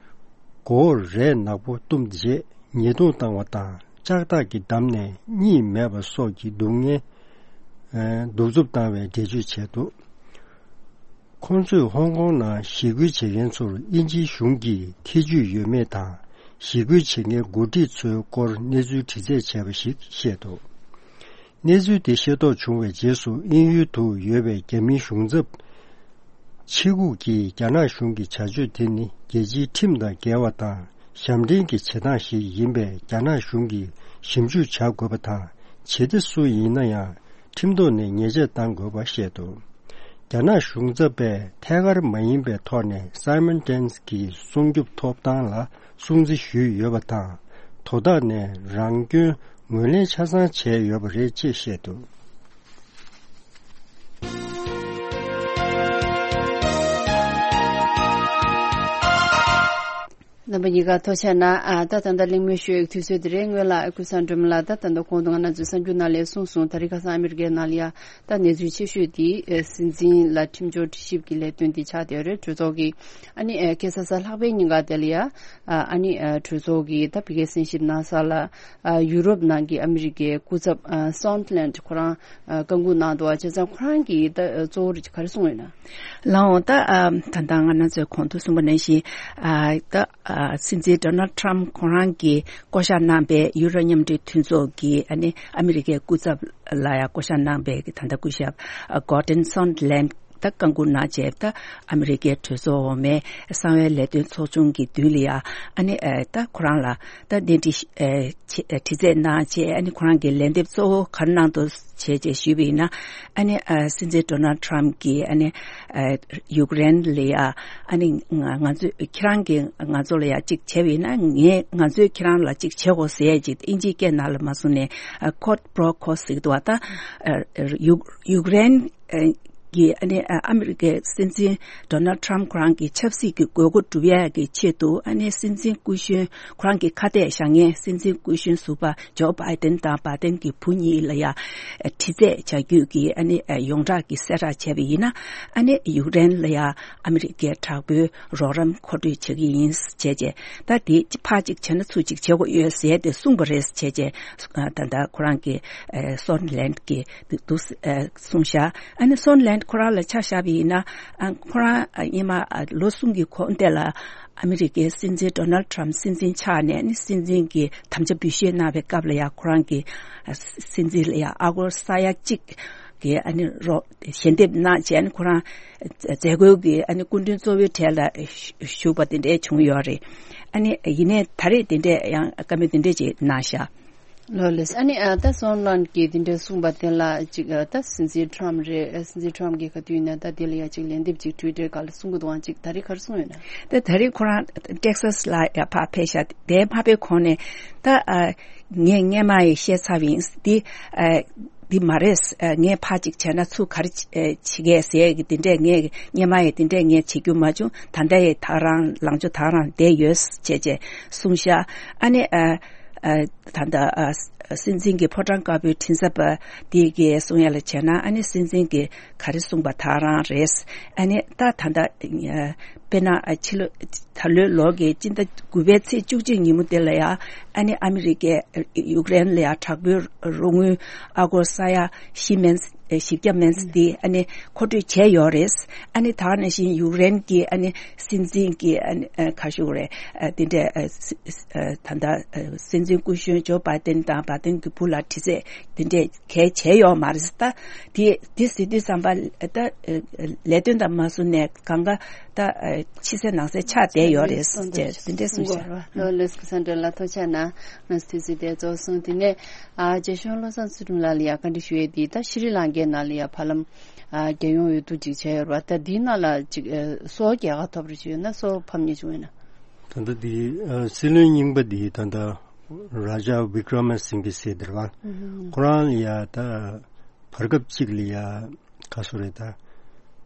མགོ་བོར་རས་ནག་པོ་བཏུམས་རྗེས་ཉེས་རྡུང་བཏང་བ་དང་ལྕགས་ཐག་གིས་བསྡམས་ནས་གཉིད་མེད་པ་སོགས་ཀྱི་སྡུག་བསྔལ་ཨ་གདུག་རྩུབ་བཏང་བའི་འགྲེལ་བརྗོད་བྱས་འདུག་ཁོང་ཚོས་ཧོང་ཀོང་ནང་ཞི་རྒོལ་བྱེད་མཁན་ཚོར་དབྱིན་ཇིའི་གཞུང་གིས་ཐེ་ཇུས་ཡོད་མེད་དང་། ཞི་རྒོལ་བྱེད་མཁན་འགོ་ཁྲིད་ཚོའི་སྐོར་གནས་ཚུལ་དྲི་རྩད་བྱས་པ་ཞིག་བཤད་འདུག་གནས་ཚུལ་དེ་ཤེས་རྟོགས་བྱུང་བའི་རྗེས་སུ་དབྱིན་ཡུལ་དུ་ཡོད་པའི་རྒྱ་མིའི་གཞུང་ཚབ་ཆེ་ཁག་གིས་རྒྱ་ནག་གཞུང་གི་བྱ་སྤྱོད་དེ་ནི་རྒྱལ་སྤྱིའི་ཁྲིམས་དང་འགལ་བ་དང་ཞབས་འདྲེན་གྱི་བྱེད་སྟངས་ཤིག་ཡིན་པས་རྒྱ་ནག་གཞུང་གིས་ཞིབ་འཇུག་བྱ་དགོས་པ་དང་། བྱེད་གཏེ་སུ་ཡིན་ན་ཡང་ཁྲིམས་ཐོག་ནས་ཉེས་ཆད་གཏང་དགོས་པ་བཤད་འདུག་རྒྱ་ནག་གཞུང་ཚབ་པས་ཐད་ཀར་མ་ཡིན་པའི་ཐོག་ནས་སཱི་མོན་ཏན་གྱི་སྲུང་སྐྱོབ་ཐོབ་ཐང་ལ་སྲུང་བརྩི་ཞུས་ཡོད་པ་དང་། དོ་བདག་ནས་རང་སྐྱོན་ངོས་ལེན་ཆ་ཚང་བྱས་ཡོད་པ་རེད་ཅེས་བཤད་འདུག་རྣམ་པ་གཉིས་ཀ་ཐུགས་རྗེ་གནང་། ཨ་ད་ད་ལྟ་གླེང་མོལ་ཞུ་ཡག་དུས་ཚོད་དེ་རེད། སྔོན་ལ་ཨ་ཁུ་སངས་སྒྲོལ་མ་ལགས་ད་ད་ལྟ་གོང་དུ་ང་རང་ཚོའི་གསར་འགྱུར་ནང་ལ་གསུངས་སོང་། ད་རེས་ཁ་སང་ཨ་མི་རི་ཀའི་ནང་ལ་ཡ་ད་གནས་ཚུལ་ཆེ་ཤོས་དེ་ཨ་སྲིད་འཛིན་ལ་ཁྲིམས་སྦྱོར་དྲི་ཞིབ་ཀྱི་ལས་དོན་དེ་ཆགས་བསྡད་ཡོད་རེད། གྲོས་ཚོགས་ཀྱི་ཨ་ནི་ཨ་ཁ་སང་གཟའ་ལྷག་པའི་ཉིན་ཀ་དེ་ལ་ཡ་ཨ་ཨ་ནི་ཨ་གྲོས་ཚོགས་ཀྱི་ད་ཕ་གིའི་གསན་ཞིབ་གནང་ས་ལ་ཨ་ཡུ་རོབ་ནང་གི་ཨ་མི་རི་ཀའི་སྐུ་ཚབ་ཨ་སོན་ལན་ཁོ་རང་ཨ་བཀའ་འགུག་གནང་འདུག་བ། བྱས་ཙང་ཁོ་རང་གིས་ད་གཙོ་བོ་ག་རེ་གསུངས་ཡོད་ན། ལགས་འོང་། ད་ཨ་ད་ལྟ་ང་རང་ཚོས་གོང་དུ་གསུངས་པ་ནང་བཞིན་ཨ་ད་ཨ་སྲིད་འཛིན་Donald Trump ཁོ་རང་གིས་བསྐོ་བཞག་གནང་པའི་ཡུ་རོབ་མཉམ་འབྲེལ་མཐུན་ཚོགས་ཀྱི་ཨ་ནི་ཨ་མི་རི་ཀའི་སྐུ་ཚབ་ལ་ཡང་བསྐོ་བཞག་གནང་པའི་གི་ད་ལྟ་སྐུ་ཞབས་ཨ་Gordon Sondland ད་བཀའ་འགུག་གནང་བྱས། ད་ཨ་མི་རི་ཀའི་གྲོས་ཚོགས་འོག་མའི་གསང་བའི་ལས་དོན་ཚོགས་ཆུང་གི་མདུན་ལ་ཡང་ཨ་ནི་ཨ་ད་ཁོ་རང་ལ་ད་གནས་འདྲི་ཨ་བྱེད་ཨ་དྲི་རྩད་གནང་བྱས། ཨ་ནི་ཁོ་རང་གི་ལན་འདེབས་གཙོ་བོ་ག་རེ་གནང་འདུག་བྱས་བྱས་ཞུས་པ་ཡིན་ན། ཨ་ནི་ཨ་སྲིད་འཛིན་Donald Trump གིས་ཨ་ནི་ཨ་ཡུཀ་རེན་ལ་ཡ་ཨ་ནི་ང་ང་ཚོས་ཁྱེད་རང་གིས་ང་ཚོ་ལ་ཡ་གཅིག་བྱས་པ་ཡིན་ན། ངས་ང་ཚོས་ཁྱེད་རང་ལ་གཅིག་བྱེད་དགོས་ཟེར་ཡས་ཅིག་དབྱིན་ཇིའི་སྐད་ནང་ལ་མ་སོང་ནས་ཨ་quid pro quo ཟེར་གྱི་འདུག་བ། ད་ཨ་ཡུཀ་ཡུཀ་རེན་ཨ་ གིས་ཨ་ནི་ཨ་ཨ་མི་རི་ཀའི་སྲིད་འཛིན་ཌོ་ནལ་ཊམ་ཁོ་རང་གི་ཆབ་སྲིད་ཀྱི་དགོས་མཁོ་སྒྲུབ་ཡས་ཀྱི་ཆེད་དུ་ཨ་ནི་སྲིད་འཛིན་སྐུ་གཞོན་ཁོ་རང་གི་ཁ་གཏད་བཞག་མཁན་སྲིད་འཛིན་སྐུ་གཞོན་ཟུར་པ་ཇོ་བྷའི་ཏན་དང་བྷའི་ཏན་གྱི་བུ་གཉིས་ལ་ཡ་དྲི་རྩད་བྱ་རྒྱུ་གི་ཨ་ནི་ཡོངས་གྲགས་ཀྱི་གསལ་བསྒྲགས་བྱས་པ་ཡིན་ན། ཨ་ནི་ཡུཀ་རེན་ལ་ཡ་ཨ་མི་རི་ཀའི་དྲག་པོའི་རོགས་རམ་མཁོ་སྤྲོད་བྱེད་ཀྱི་ཡིན་བྱས་རྗེས། ད་དེ་ཕར་གཅིག་བྱས་ན་ཚུར་གཅིག་བྱེད་དགོས་ཡོད་ཟེར་ཏེ་གསུངས་པ་རེད་བྱས་རྗེས། ད་ལྟ་ཁོ་རང་གི་སོན་ལན་གྱི་འདུག་གསུངས་ཤག་ཨ་ནི་སོན་ལན་ཁོ་རང་ལ་ཆ་བཞག་པ་ཡིན་ན། ཁོ་རང་སྔོན་མ་ལོ་གསུམ་གྱི་གོང་དེ་ལ་ཨ་མི་རི་ཀའི་སྲིད་འཛིན་ཌོ་ནལ་ཊམ་སྲིད་འཛིན་ཆགས་ནས་ནི་སྲིད་འཛིན་གྱི་དམ་བཅའ་འབུལ་བཞེས་གནང་བའི་སྐབས་ལ་ཡང་ཁོ་རང་གི་སྲིད་འཛིན་ལ་ཡང་ཨ་སྒོར་ས་ཡ་གཅིག་གི་ཨ་ནི་རོགས་ཞལ་འདེབས་གནང་བྱས་ནི་ཁོ་རང་མཛད་སྒོའི་གི་ཨ་ནི་སྐུ་མགྲོན་གཙོ་བོའི་གྲས་ལ་ཞུགས་པ་དེ་འདྲས་བྱུང་ཡོད་རེད། ཨ་ནི་ཡིན་ནའི་ད་རེས་དེ་འདྲས་ཡང་བཀའ་མོལ་དེ་འདྲས་ཅིག་གནང་ཤག་ལགས་ལགས། ཨ་ནི་ཨ་ད་སོན་ལན་གྱིས་དེ་འདྲ་གསུངས་པ་དེ་ལ་ཅིག་ཨ་ད་སྲིད་འཛིན་ཊམ་རེད། སྲིད་འཛིན་ཊམ་གྱིས་ག་དུས་ཡིན་ན་ད་དེ་ལ་ཡ་ཅིག་ལན་འདེབས་ཅིག་ཊུའི་ཊར་སྒང་ལ་གསུང་གི་འདུག་ཨང་། ཅིག་ད་རེས་ག་རེ་གསུངས་ཡོད་ན། ད་ད་རེས་ཁོ་རང་ཊེག་སཱས་ལ་ཡ་ཕར་ཕེབས་ཤག་དེ་མ་ཕེབས་གོང་ནས་ད་ཨ་ངས་སྔོན་མ་ཡི་བཤད་ཚར་བ་ཡིན། འདི་ཨ་འདི་མ་རེད། ཨ་ངས་ཕར་ཅིག་བྱས་ན་ཚུར་ག་རེ་བྱེད་གས་ཟེར་གི་དེ་འདྲས་ངས་སྔོན་མ་ཡི་དེ་འདྲས་ངས་བྱེད་རྒྱུ་མ་བྱུང་། ད་ལྟ་ཡི་ད་རང་ལངས་ཕྱོགས་ད་རང་བསྡད་ཡོད་བྱས་བྱས་གསུངས་ཤག་ཨ་ནི་ཨ། ཨ་ད་ལྟ་ཨ་སྲིད་འཛིན་གྱི་ཕོ་བྲང་དཀར་པོའི་མགྲིན་ཚབ་པ་དེ་གའི་གསུང་ཡ་ལ་བྱས་ན། ཨ་ནི་སྲིད་འཛིན་གྱིས་ག་རེ་གསུངས་པ་ད་རང་རེད། ཨ་ནི་ད་ད་ལྟ་ཨ་དཔེར་ན་ཨ་ཕྱི་ལོ་ད་ལོའི་ལོ་གི་སྤྱི་ཟླ་དགུ་པའི་ཚེས་བཅུ་གཅིག་ཉིན་མོ་དེ་ལ་ཡ་ཨ་ནི་ཨ་མི་རི་ཀས་ཡུཀ་རེན་ལ་ཡ་དྲག་པོའི་རོགས་དངུལ་ཨ་སྒོར་ས་ཡ་བཞི་མན། ཨེ་བཞི་བརྒྱ་མན་ཙམ་དེ་ཨ་ནི་མཁོ་སྤྲོད་བྱས་ཡོད་རེད། ཨ་ནི་ད་ག་ནང་བཞིན་ཡུཀ་རེན་གྱི་ཨ་ནི་སྲིད་འཛིན་གྱི་ཨ་ནི་ཨ་ག་ཞུ་དགོས་རེད། ཨ་དེ་འདྲས་ཨ་སི་ཨ་ད་ལྟ་ཨ་སྲིད་འཛིན་སྐུ་གཞོན་ཇོ་བྷའི་ཏན་དང་བྷའི་ཏན་གྱི་བུ་ལ་དྲི་རྩད་དེ་འདྲས་གལ་བྱས་ཡོད་མ་རེད། ད་དེ་དེ་ཟེར་དུས་ཙམ་པ་ད་ཨ་ལས་དོན་དང་མ་བཟུང་ནས་གང་ག་ད་ཨ་ཕྱི་གསལ་ནང་གསལ་ཆགས་བསྡད་ཡོད་རེད་ཅེས་དེ་འདྲས་གསུངས་ཤག་ལགས་ལགས། ཀ་སན་དྲ་ལགས་ཐུགས་རྗེ་གནང་། ང་ཚོ་དུས་ཚོད་དེ་རྫོགས་སོང་། དེ་ནས་ཨ་རྒྱ་གཞུང་བློ་བཟང་ཚུལ་ཁྲིམས་ལགས་ལ་ཡ་བཀའ་འདྲི་ཞུ་ཡས་དེ་ད་ཤྲི་ལང་ཀའི་ནང་ལ་ཡ་ཕ་ལམ་ཨ་རྒྱལ་ཡོངས་འོས་བསྡུ་ཅིག་བྱས་ཡོད་རེད་བ། ད་འདིའི་ནང་ལ་ཅིག་ཨ་སོ་རྒྱལ་ཁ་ཐོབ་རེ་བྱས་ཡོད་ན་སོ་ཕམ་ཉེས་བྱུང་ཡོད་ན། ད་ལྟ་འདི་ཨ་སྲིད་བློན་རྙིང་པ་འདི་ད་ལྟ་རཱ་ཇཱ་བི་ཀྲ་མ་སིང་གྷེ་ཟེར་དེ་རེད་བ། ཁོ་རང་ལ་ཡ་ད་བར་སྐབས་གཅིག་ལ་ཡ་ག་སོ་རེད་ད།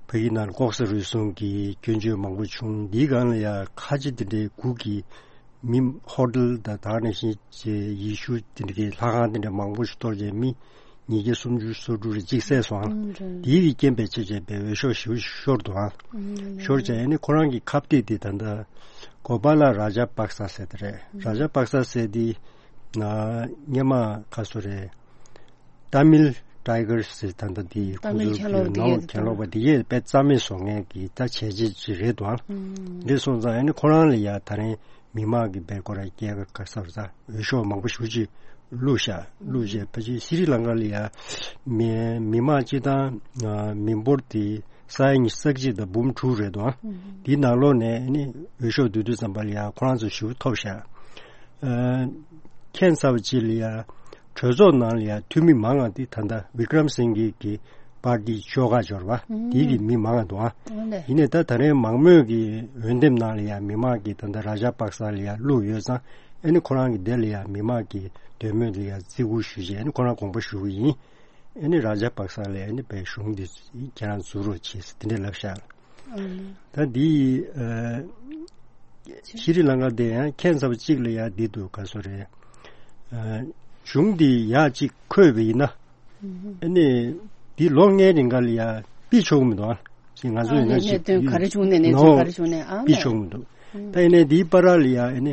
ཕ་གི་ནང་ལྐོག་ཟ་རུལ་སུངས་ཀྱི་སྐྱོན་བརྗོད་མང་པོ་བྱུང་། འདིའི་སྒང་ལ་ཡ་ཁ་ཆེ་དེ་འདྲའི་གུ་གི་མི་ཧོ་ཊེལ་དང་ད་ག་ནང་བཞིན་ཡེ་ཤུ་དེ་འདྲའི་ལྷ་ཁང་དེ་འདྲ་མང་པོ་ཞིག་གཏོར་བྱས་མི་ཉིས་བརྒྱ་སུམ་ཅུ་སོ་དྲུག་རེ་གཅིག་བསད་སོང་། ཨང་། དེའི་རྐྱེན་པས་ཆེ་ཆེ་བའི་འོས་ཤོག་ཞེ་པོ་ཤོར་འདུག་ཨང་། ཤོར་བྱས་ཨ་ནི་ཁོ་རང་གི་ཁ་གཏད་དེ་ད་ལྟ་གོ་པཱ་ལ་རཱ་ཇཱ་པག་ས་ཟེར་དེ་རེད། རཱ་ཇཱ་པག་ས་ཟེར་དེ་སྔོན་མ་ག་སོ་རེད། ཏཱ་མིལ་ཊའི་གར་སི་ཟེར་ད་ལྟ་དེ་ཏཱ་མིལ་ཁོང་ཚོའི་གྱེན་ལོག་དེ་ནང་གྱེན་ལོག་པ་དེ་ཡས་དཔེ་རྩ་མེད་བཟོ་མཁན་གྱི་ད་བྱས་རྗེས་ཅིག་རེད་འདུག་ཨང་། འདི་སོང་ཙང་ཨ་ནི་ཁོ་རང་ལ་ཡ་ད་རིང་མི་མང་གི་བེད་སྐོར་ར་སྐྱེལ་ག་ག་ས་ར་ད་འོས་ཤོག་མང་པོ་ཞེ་ཅིག་བླུགས་ཤག་བླུགས་རྗེས་ཕལ་ཆེར་ཤྲི་ལང་ཀ་ལ་ཡ་མི་མི་མང་སྤྱི་བཏང་མི་འབོར་དེ་ས་ཡ་ཉི་ཤུ་རྩ་གཅིག་དང་འབུམ་དྲུག་རེད་འདུག་ཨང་། འདིའི་ནང་ལོགས་ནས་ཨ་ནི་འོས་ཤོག་བསྡུ་དུས་ཙམ་པ་ལ་ཡ་ཁོ་རང་ཚོ་ཞེ་པོ་ཐོབ་ཤག་ཨ་ཁྱད་མཚར་བ་ཅིག་ལ་ཡ་གྲོས་ཚོགས་ནང་ལ་ཡ་འཐུས་མི་མང་བ་འདི་ད་ལྟ་བི་ཀྲམ་སིང་གྷེ་གི་པར་ཏི་ཤོག་ཁག་འབྱོར་བ་འདི་གི་མི་མང་བ་འདུག་ཨ། ཡིན་ནའི་ད་ད་རེས་མང་མོས་ཀྱི་འོས་འདེམས་ནང་ལ་ཡ་མི་མང་གིས་ད་ལྟ་རཱ་ཇཱ་པག་ས་ལ་ཡ་བླུགས་ཡོད་ཙང་ཨ་ནི་ཁོ་རང་གི་དེ་ལ་ཡ་མི་མང་གི་འདོད་མོས་ལ་ཡ་བརྩི་བཀུར་ཞུས་རྗེས་ཨ་ནི་ཁོ་རང་དགོངས་པ་ཞུ་གི་ཡིན། ཨ་ནི་རཱ་ཇཱ་པག་ས་ལ་ཨ་ནི་བའི་གཞུང་འདི་ཁྱེད་རང་འཛུགས་རོགས་བྱེད་ཟེར་དེ་འདྲ་ལབ་ཤག་ད་འདི་ཨ་ཤྲི་ལང་ཀ་དེ་ཡང་ཁྱད་མཚར་བ་གཅིག་ལ་ཡ་འདི་འདུག་ག་སོ་རེད། ཨ་གཞུང་འདི་ཡག་གཅིག་འཁོད་པ་ཡིན་ན་ཨ་ནི་འདི་ལོ་ལྔའི་རིང་ག་ལ་ཡ་ཕུད་ཆོག་གི་མི་འདུག་ཨ། ང་ཚོ་ཡིན་ན་ཅིག་གནད་དོན་ག་རེ་བྱུང་ནས་གནས་ཚུལ་ག་རེ་བྱུང་ནས་ཨ་ཕུད་ཆོག་གི་མི་འདུག་ད་ཡིན་ནའི་འདིའི་བར་ལ་ཡ་ཨ་ནི་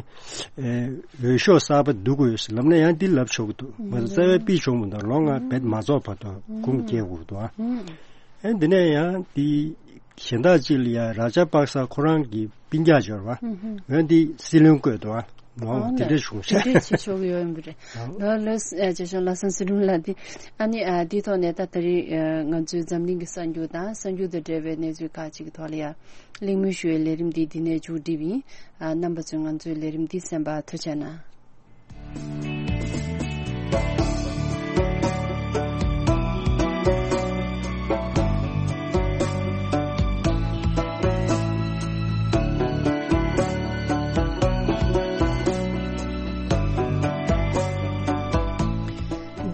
ཨེ་འོས་ཤོག་གསར་པ་བསྡུ་དགོས་ཟེར་ལབ་ན་ཡང་འདི་ལབ་ཆོག་གི་འདུག་ང་ཚོ་རྩ་བའི་ཕུད་ཆོག་མི་འདུག་ལོ་ལྔ་བེད་མ་རྫོགས་བར་དུ་ཁུངས་སྐྱེལ་དགོས་ཀྱི་འདུག་ཨ། ཨེ་འདི་ནས་ཡང་འདི་གཞན་དག་ཅིག་ལ་ཡ་རཱ་ཇཱ་པག་ས་ཁོ་རང་གི་སྤུན་ཀྱག་འབྱོར་བ་འོན་འདི་སྲིད་བློན་བསྐོས་འདུག་ཨ། ནོ་ཨོ་དེ་ལེ། འདྲས་བྱུང་ཤག་དེ་འདྲས་བྱེད་ཆོག་གི་ཡོད་ཡིན་པ་རེད། ནོ་ལོས་ཨ་ཅེ་ཤོ་ལ་སང་སི་རུང་ལ་དེ་ཨ་ནི་ཨ་དེའི་ཐོག་ནས་ད་ད་རེས་ཨ་ང་ཚོའི་འཛམ་གླིང་གི་གསར་འགྱུར་དང་གསར་འགྱུར་དང་འབྲེལ་བའི་གནས་ཚུལ་ཁག་ཅིག་གི་ཐོག་ལ་ཡ་གླེང་མོལ་ཞུ་བའི་ལས་རིམ་འདི་འདི་ནས་མཇུག་སྒྲིལ་བ་ཡིན། ཨ་རྣམ་པ་ཚོས་ང་ཚོའི་ལས་རིམ་འདི་གསན་པར་ཐུགས་རྗེ་གནང་།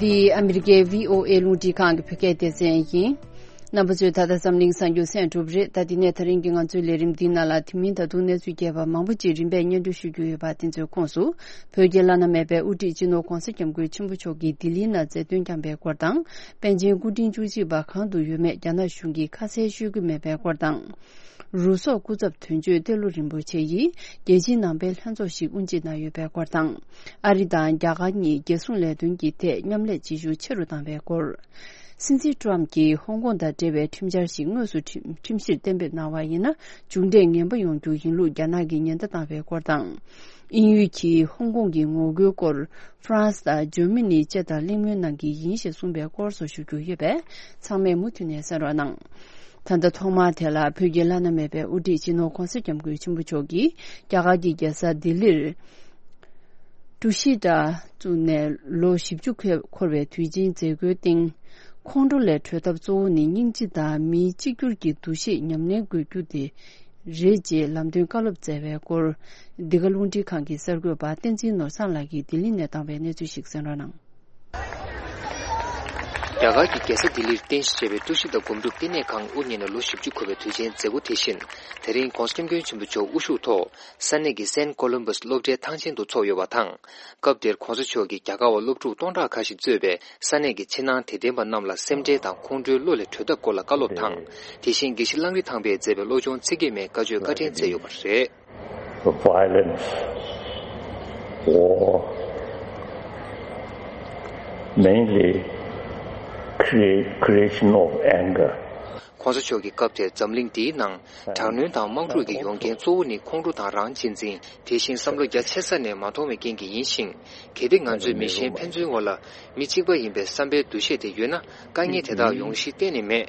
འདི་ཨ་མི་རི་ཀའི་བྷི་ཨོ་ཨེ་རླུང་འཕྲིན་ཁང་གི་བོད་སྐད་སྡེ་ཚན་ཡིན། རྣམ་པ་ཚོས་ད་ལྟ་འཛམ་གླིང་གསར་འགྱུར་གསན་གྲུབ་རེད། ད་དེ་ནས་ད་རིང་གི་ང་ཚོའི་ལས་རིམ་འདིའི་ནང་ལ་དེ་མིན་ད་དུང་གནས་ཚུལ་རྒྱས་པ་མང་པོ་ཅིག་རིམ་པས་སྙན་སྒྲོན་ཞུ་རྒྱུ་ཡོད་པ་དེ་ཚོའི་ཁོངས་སུ། བོད་རྒྱལ་བླ་ན་མེད་པའི་དབུ་ཁྲིད་སྤྱི་ནོར་༧གོང་ས་༧སྐྱབས་མགོན་ཆེན་པོ་མཆོག་གིས་ལྡི་ལིའི་ནང་མཛད་སྟོན་བསྐྱངས་པའི་སྐོར་དང་། པཎ་ཆེན་སྐུ་ཕྲེང་བཅུ་གཅིག་པ་གང་དུ་ཡོད་མེད་རྒྱ་ནག་གཞུང་གིས་ཁ་གསལ་ཤོད་ཀྱི་མེད་པའི་སྐོར་དང་། རུ་སོག་སྐུ་ཚབ་དོན་གཅོད་ཏེ་ལོ་རིན་པོ་ཆེ་ཡིས་རྒྱལ་སྤྱིའི་ནང་པའི་ལྷན་ཚོགས་ཤིག་དབུ་འབྱེད་གནང་ཡོད་པའི་སྐོར་དང་། ཨ་རི་དང་རྒྱ་གར་གཉིས་རྒྱལ་སྲུང་ལས་དོན་གྱི་ཐད་མཉམ་ལས་བྱེད་ཤུགས་ཆེ་རུ་བཏང་བའི་སྐོར། སྲིད་འཛིན་ཀྲམ་གྱིས་ཧོང་ཀོང་དང་འབྲེལ་བའི་ཁྲིམས་འཆར་ཞིག་དངོས་སུ་ཁྲིམས་ཁྲིམས་གཞིར་གཏན་འབེབས་གནང་བ་ཡིན་ན། མཇུག་འབྲས་ངན་པ་ཡོང་རྒྱུ་ཡིན་ལུགས་རྒྱ་ནག་གིས་ཉེན་བརྡ་བཏང་བའི་སྐོར་དང་། དབྱིན་ཡུལ་གྱིས་ཧོང་ཀོང་གི་ངོ་རྒོལ་སྐོར་ཧྥ་རན་སི་དང་འཇར་མ་ནི་བཅས་དང་གླེང་མོལ་གནང་གི་ཡིན་ཞེས་གསུངས་པའི་སྐོར་སོགས་ཞུ་རྒྱུ་ཡོད་པས། ཚང་མས་མུ་མཐུད་ནས་གསན་རོགས་གནང་། ད་ལྟ་ཐོག་མར་དེ་ལ་བོད་ཀྱི་བླ་ན་མེད་པའི་དབུ་ཁྲིད་སྤྱི་ནོར་༧གོང་ས་༧སྐྱབས་མགོན་ཆེན་པོ་མཆོག་གིས་རྒྱ་གར་གྱི་རྒྱལ་ས་ལྡི་ལིར། ཀྲུ་ཤི་ཏྲ་བཙུགས་ནས་ལོ་བཞི་བཅུ་འཁོར་བའི་དུས་ཆེན་མཛད་སྒོའི་སྟེང་། ཁོང་ཁྲོ་ལས་གྲོལ་ཐབས་གཙོ་བོ་ནི་སྙིང་རྗེ་དང་མིའི་གཅིག་གྱུར་གྱི་འདུ་ཤེས་ཉམས་ལེན་དགོས་རྒྱུ་དེ་རེད་ཅེས་ལམ་སྟོན་བཀའ་སློབ་སྩལ་བའི་སྐོར། འདི་ག་རླུང་འཕྲིན་ཁང་གི་གསར་འགོད་པ་བསྟན་འཛིན་ནོར་བཟང་ལགས་ཀྱིས་ལྡི་ལི་ནས་བཏང་བའི་གནས་ཚུལ་ཞིག་གསན་རོགས་གནང་། རྒྱ་གར་གྱི་རྒྱལ་ས་ལྡི་ལིར་རྟེན་གཞི་བྱས་པའི་ཀྲུ་ཤི་ཏ་སྒོམ་སྒྲུབ་བསྟི་གནས་ཁང་དབུ་བརྙེས་ནས་ལོ་བཞི་བཅུ་འཁོར་བའི་དུས་ཆེན་མཛད་སྒོ་དེ་བཞིན། དེ་རིང་༧གོང་ས་༧སྐྱབས་མགོན་ཆེན་པོ་མཆོག་དབུ་བཞུགས་ཐོག་ས་གནས་ཀྱི་སེན་ཀོ་ལམ་བྷས་སློབ་གྲྭའི་ཐང་ཆེན་དུ་ཚོགས་ཡོད་པ་དང་། སྐབས་དེར་༧གོང་ས་མཆོག་གིས་རྒྱ་གར་བ་སློབ་ཕྲུག་སྟོང་ཕྲག་ཁ་ཤས་གཙོས་པའི་ས་གནས་ཀྱི་ཕྱི་ནང་དད་ལྡན་པ་རྣམས་ལ་སེམས་ཁྲལ་དང་ཁོང་ཁྲོའི་བློ་ལས་གྲོལ་ཐབས་སྐོར་ལ་བཀའ་སློབ་དང་། དེ་བཞིན་དགེ་བཤེས་གླང་རི་ཐང་པས་མཛད་པའི་བློ་སྦྱོང་ཚིག་བརྒྱད་མའི་བཀའ་ཆོས་བཀའ་དྲིན་སྩལ་ཡོད་པ་རེད། Violence or mainly create, creation of anger. ༧གོང་ས་མཆོག་གིས་སྐབས་དེར་འཛམ་གླིང་འདིའི་ནང་དྲག་གནོན་དང་དམག་འཁྲུག་གི་ཡོང་རྐྱེན་གཙོ་བོ་ནི་ཁོང་ཁྲོ་དང་རང་གཅེས་འཛིན། དེ་བཞིན་བསམ་བློ་རྒྱ་ཆེ་ས་ནས་མ་མཐོང་བའི་རྐྱེན་གྱིས་ཡིན་ཞིང་། གལ་ཏེ་ང་ཚོས་མི་གཞན་ཕན་ཚུན་བར་ལ་མི་གཅིག་པ་ཡིན་པའི་བསམ་པའི་འདུ་ཤེས་དེ་ཡོད་ན། དཀའ་ངལ་དེ་དག་ཡོང་གཞི་གཏན་ནས་མེད།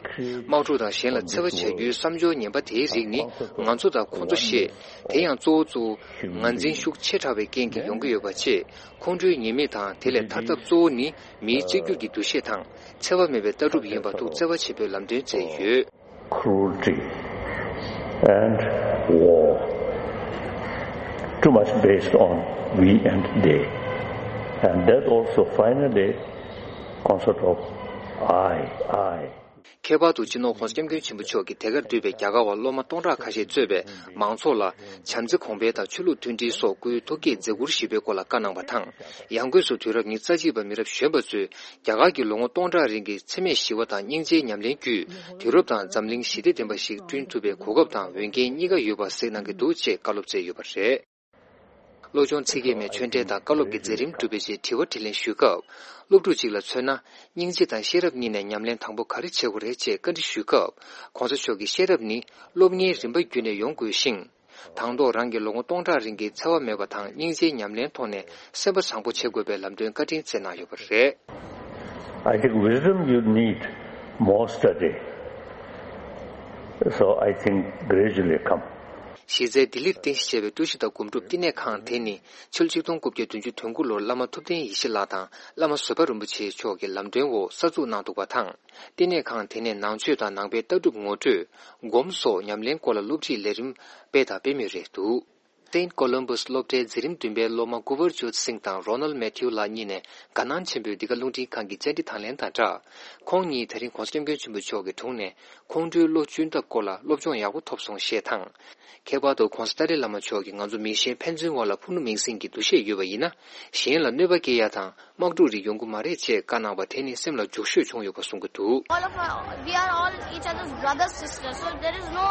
དམག་འཁྲུག་དང་གཞན་ལ་འཚེ་བ་བྱ་རྒྱུའི་བསམ་སྦྱོར་ངན་པ་དེའི་རིགས་ནི་ང་ཚོ་དང་ཁོ་ཚོ་ཞེས། དེ་ཡང་གཙོ་བོ་གཙོ་བོ་ངར་འཛིན་ཤུགས་ཆེ་དྲགས་པའི་རྐྱེན་གྱིས་ཡོང་གི་ཡོད་པ་བཅས། ཁོང་ཁྲོའི་ཉེས་དམིགས་དང་དེ་ལས་ཐར་ཐབས་གཙོ་བོ་ནི་མིའི་གཅིག་གྱུར་གྱི་འདུ་ཤེས་དང་འཚེ་བ་མེད་པའི་ལྟ་གྲུབ་ཡིན་པ་ཐུགས་བརྩེ་བ་ཆེན་པོས་ལམ་སྟོན་མཛད་ཡོད། Cruelty and war too much based on we and they, and that also finally concept of I, I. ཁྱད་པར་དུ་སྤྱི་ནོར་༧གོང་ས་༧སྐྱབས་མགོན་ཆེན་པོ་མཆོག་གིས་དེ་གར་འདུས་པའི་རྒྱ་གར་བ་སློབ་མ་སྟོང་ཕྲག་ཁ་ཤས་གཙོས་པའི་མང་ཚོགས་ལ་བྱམས་བརྩེ་གོང་འཕེལ་དང་ཆོས་ལུགས་མཐུན་སྒྲིལ་སོགས་སྐུའི་ཐུགས་བསྐྱེད་མཛད་ཁུར་ཞུས་པའི་སྐོར་ལ་བཀའ་གནང་བ་དང་། ཡང་སྒོས་སུ་དུས་རབས་ཉི་ཤུ་རྩ་གཅིག་པ་མི་རབས་གཞོན་པ་ཚོས་རྒྱ་གར་གྱི་ལོ་ངོ་སྟོང་ཕྲག་རིང་གི་འཚེ་མེད་ཞི་བ་དང་སྙིང་རྗེའི་ཉམས་ལེན་བརྒྱུད། དུས་རབས་དང་འཛམ་གླིང་ཞི་བདེ་ལྡན་པ་ཞིག་བསྐྲུན་ཐུབ་པའི་གོ་སྐབས་དང་འོས་འགན་གཉིས་ཀ་ཡོད་པ་གཟིགས་གནང་གི་འདུག་ཅེས་བཀའ་སློབ་སྩལ་ཡོད་པ་རེད། བློ་སྦྱོང་ཚིག་བརྒྱད་མའི་ཆོས་འབྲེལ་དང་བཀའ་སློབ་ཀྱི་མཛད་རིམ་གྲུབ་པའི་རྗེས་དྲི་བ་དྲིས་ལན་ཞུས་སྐབས། སློབ་ཕྲུག་ཅིག་ལ་མཚོན་ན། སྙིང་རྗེ་དང་ཤེས་རབ་གཉིས་ནས་ཉམས་ལེན་དང་པོ་ག་རེ་བྱེད་དགོས་རེད་ཅེས་བཀའ་འདྲི་ཞུས་སྐབས། ༧གོང་ས་མཆོག་གིས་ཤེས་རབ་ནི་སློབ་གཉེར་རིམ་པ་བརྒྱུད་ནས་ཡོང་དགོས་ཤིང་། དང་ཐོག་རང་གི་ལོ་ངོ་སྟོང་ཕྲག་རིང་གི་འཚེ་བ་མེད་པ་དང་སྙིང་རྗེའི་ཉམས་ལེན་ཐོག་ནས་སེམས་པ་བཟང་པོ་བྱེད་དགོས་པའི་ལམ་སྟོན་བཀའ་དྲིན་སྩལ་གནང་ཡོད་པ་རེད། I think wisdom you need more study. So I think gradually come. གཞི་རྩའི་ལྡི་ལིར་རྟེན་གཞི་བྱས་པའི་ཀྲུ་ཤི་ཏ་སྒོམ་སྒྲུབ་བསྟི་གནས་ཁང་དེ་ནི་ཕྱི་ལོ་ཆིག་སྟོང་དགུ་བརྒྱ་བདུན་ཅུ་དོན་དགུ་ལོར་བླ་མ་ཐུབ་བསྟན་ཡེ་ཤེས་ལགས་དང་བླ་མ་བཟོད་པ་རིན་པོ་ཆེ་མཆོག་གི་ལམ་སྟོན་འོག་གསར་འཛུགས་གནང་འདུག་པ་དང་། བསྟི་གནས་ཁང་དེ་ནས་ནང་ཆོས་དང་ནང་པའི་ལྟ་གྲུབ་ངོ་སྤྲོད། སྒོམ་སོགས་ཉམས་ལེན་སྐོར་ལ་སློབ་ཁྲིད་ལས་རིམ་སྤེལ་དང་སྤེལ་མུས་རེད་འདུག Saint Columbus སློབ་གྲྭའི་འཛིན་རིམ་བདུན་པའི་སློབ་མ་གུ་བར་ཇོད་སིང་དང་རོ་ནལ་མེ་ཐིའུ་ལགས་གཉིས་ནས་དགའ་སྣང་ཆེན་པོས་འདི་ག་རླུང་འཕྲིན་ཁང་གི་བཅར་འདྲི་དང་ལེན་དང་སྦྲགས། ཁོང་གཉིས་ད་རིང་༧གོང་ས་༧སྐྱབས་མགོན་ཆེན་པོ་མཆོག་གི་དྲུང་ནས་ཁོང་ཁྲོའི་བློ་གཅུན་ཐབས་སྐོར་ལ་སློབ་སྦྱོང་ཡག་པོ་ཐོབ་སོང་ཞེས་དང་། ཁྱད་པར་དུ་༧གོང་ས་ཏཱ་ལའི་བླ་མ་མཆོག་གིས་ང་ཚོ་མི་གཞན་ཕན་ཚུན་བར་ལ་ཕུ་ནུ་མིང་སྲིང་གི་འདུ་ཤེས་ཡོད་པ་ཡིན་ན། གཞན་ལ་གནོད་པ་སྐྱེལ་ཡ་དང་། དམག་འཁྲུག་རིགས་ཡོང་གི་མ་རེད་ཅེས་བཀའ་གནང་བ་དེ་ནི་སེམས་ལ་འཇུག་ཤོས་བྱུང་ཡོད་པ་གསུང་གི་འདུག All of us, we are all each other's brother, sister. So there is no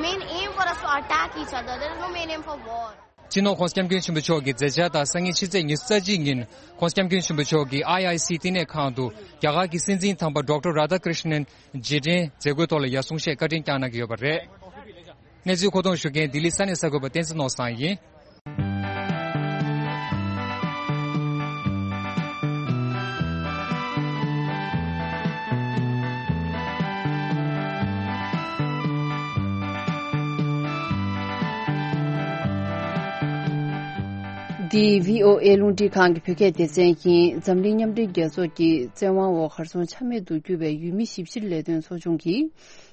main aim for us to attack each other. There is no main aim for war. སྤྱི་ནོར་༧གོང་ས་༧སྐྱབས་མགོན་ཆེན་པོ་མཆོག་གིས་མཛད་འཆར་ལྟར་སང་ཉིན་ཕྱི་ཚེས་ཉི་ཤུ་རྩ་གཅིག་ཉིན་༧གོང་ས་༧སྐྱབས་མགོན་ཆེན་པོ་མཆོག་གིས་ཨའི་ཨའི་སི་བསྟི་གནས་ཁང་དུ་རྒྱ་གར་གྱི་སྲིད་འཛིན་དམ་པ་ཌོག་ཊར་རཱ་དྷ་ཀྲིཤ་ནན་རྗེས་དྲན་མཛད་སྒོའི་ཐོག་ལ་ཡར་སོང་ཞེས་བཀའ་དྲིན་བསྐྱངས་གནང་གི་ཡོད་པ་རེད། གནས་ཚུལ་མཁོ་གཏོང་ཞུ་མཁན་ལྡི་ལི་ས་གནས་གསར་འགོད་པ་བསྟན་འཛིན་ནོར་བཟང་ཡིན། འདི་བྷི་ཨོ་ཨེ་རླུང་འཕྲིན་ཁང་གི་བོད་སྐད་སྡེ་ཚན་ཡིན། འཛམ་གླིང་མཉམ་འབྲེལ་རྒྱལ་ཚོགས་ཀྱི་བཙན་དབང་འོག་གར་སོང་ཆ་མེད་དུ་གྱུར་བའི་ཡུལ་མི་ཞིབ་བཤེར་ལས་དོན་ཚོགས་ཆུང་གིས།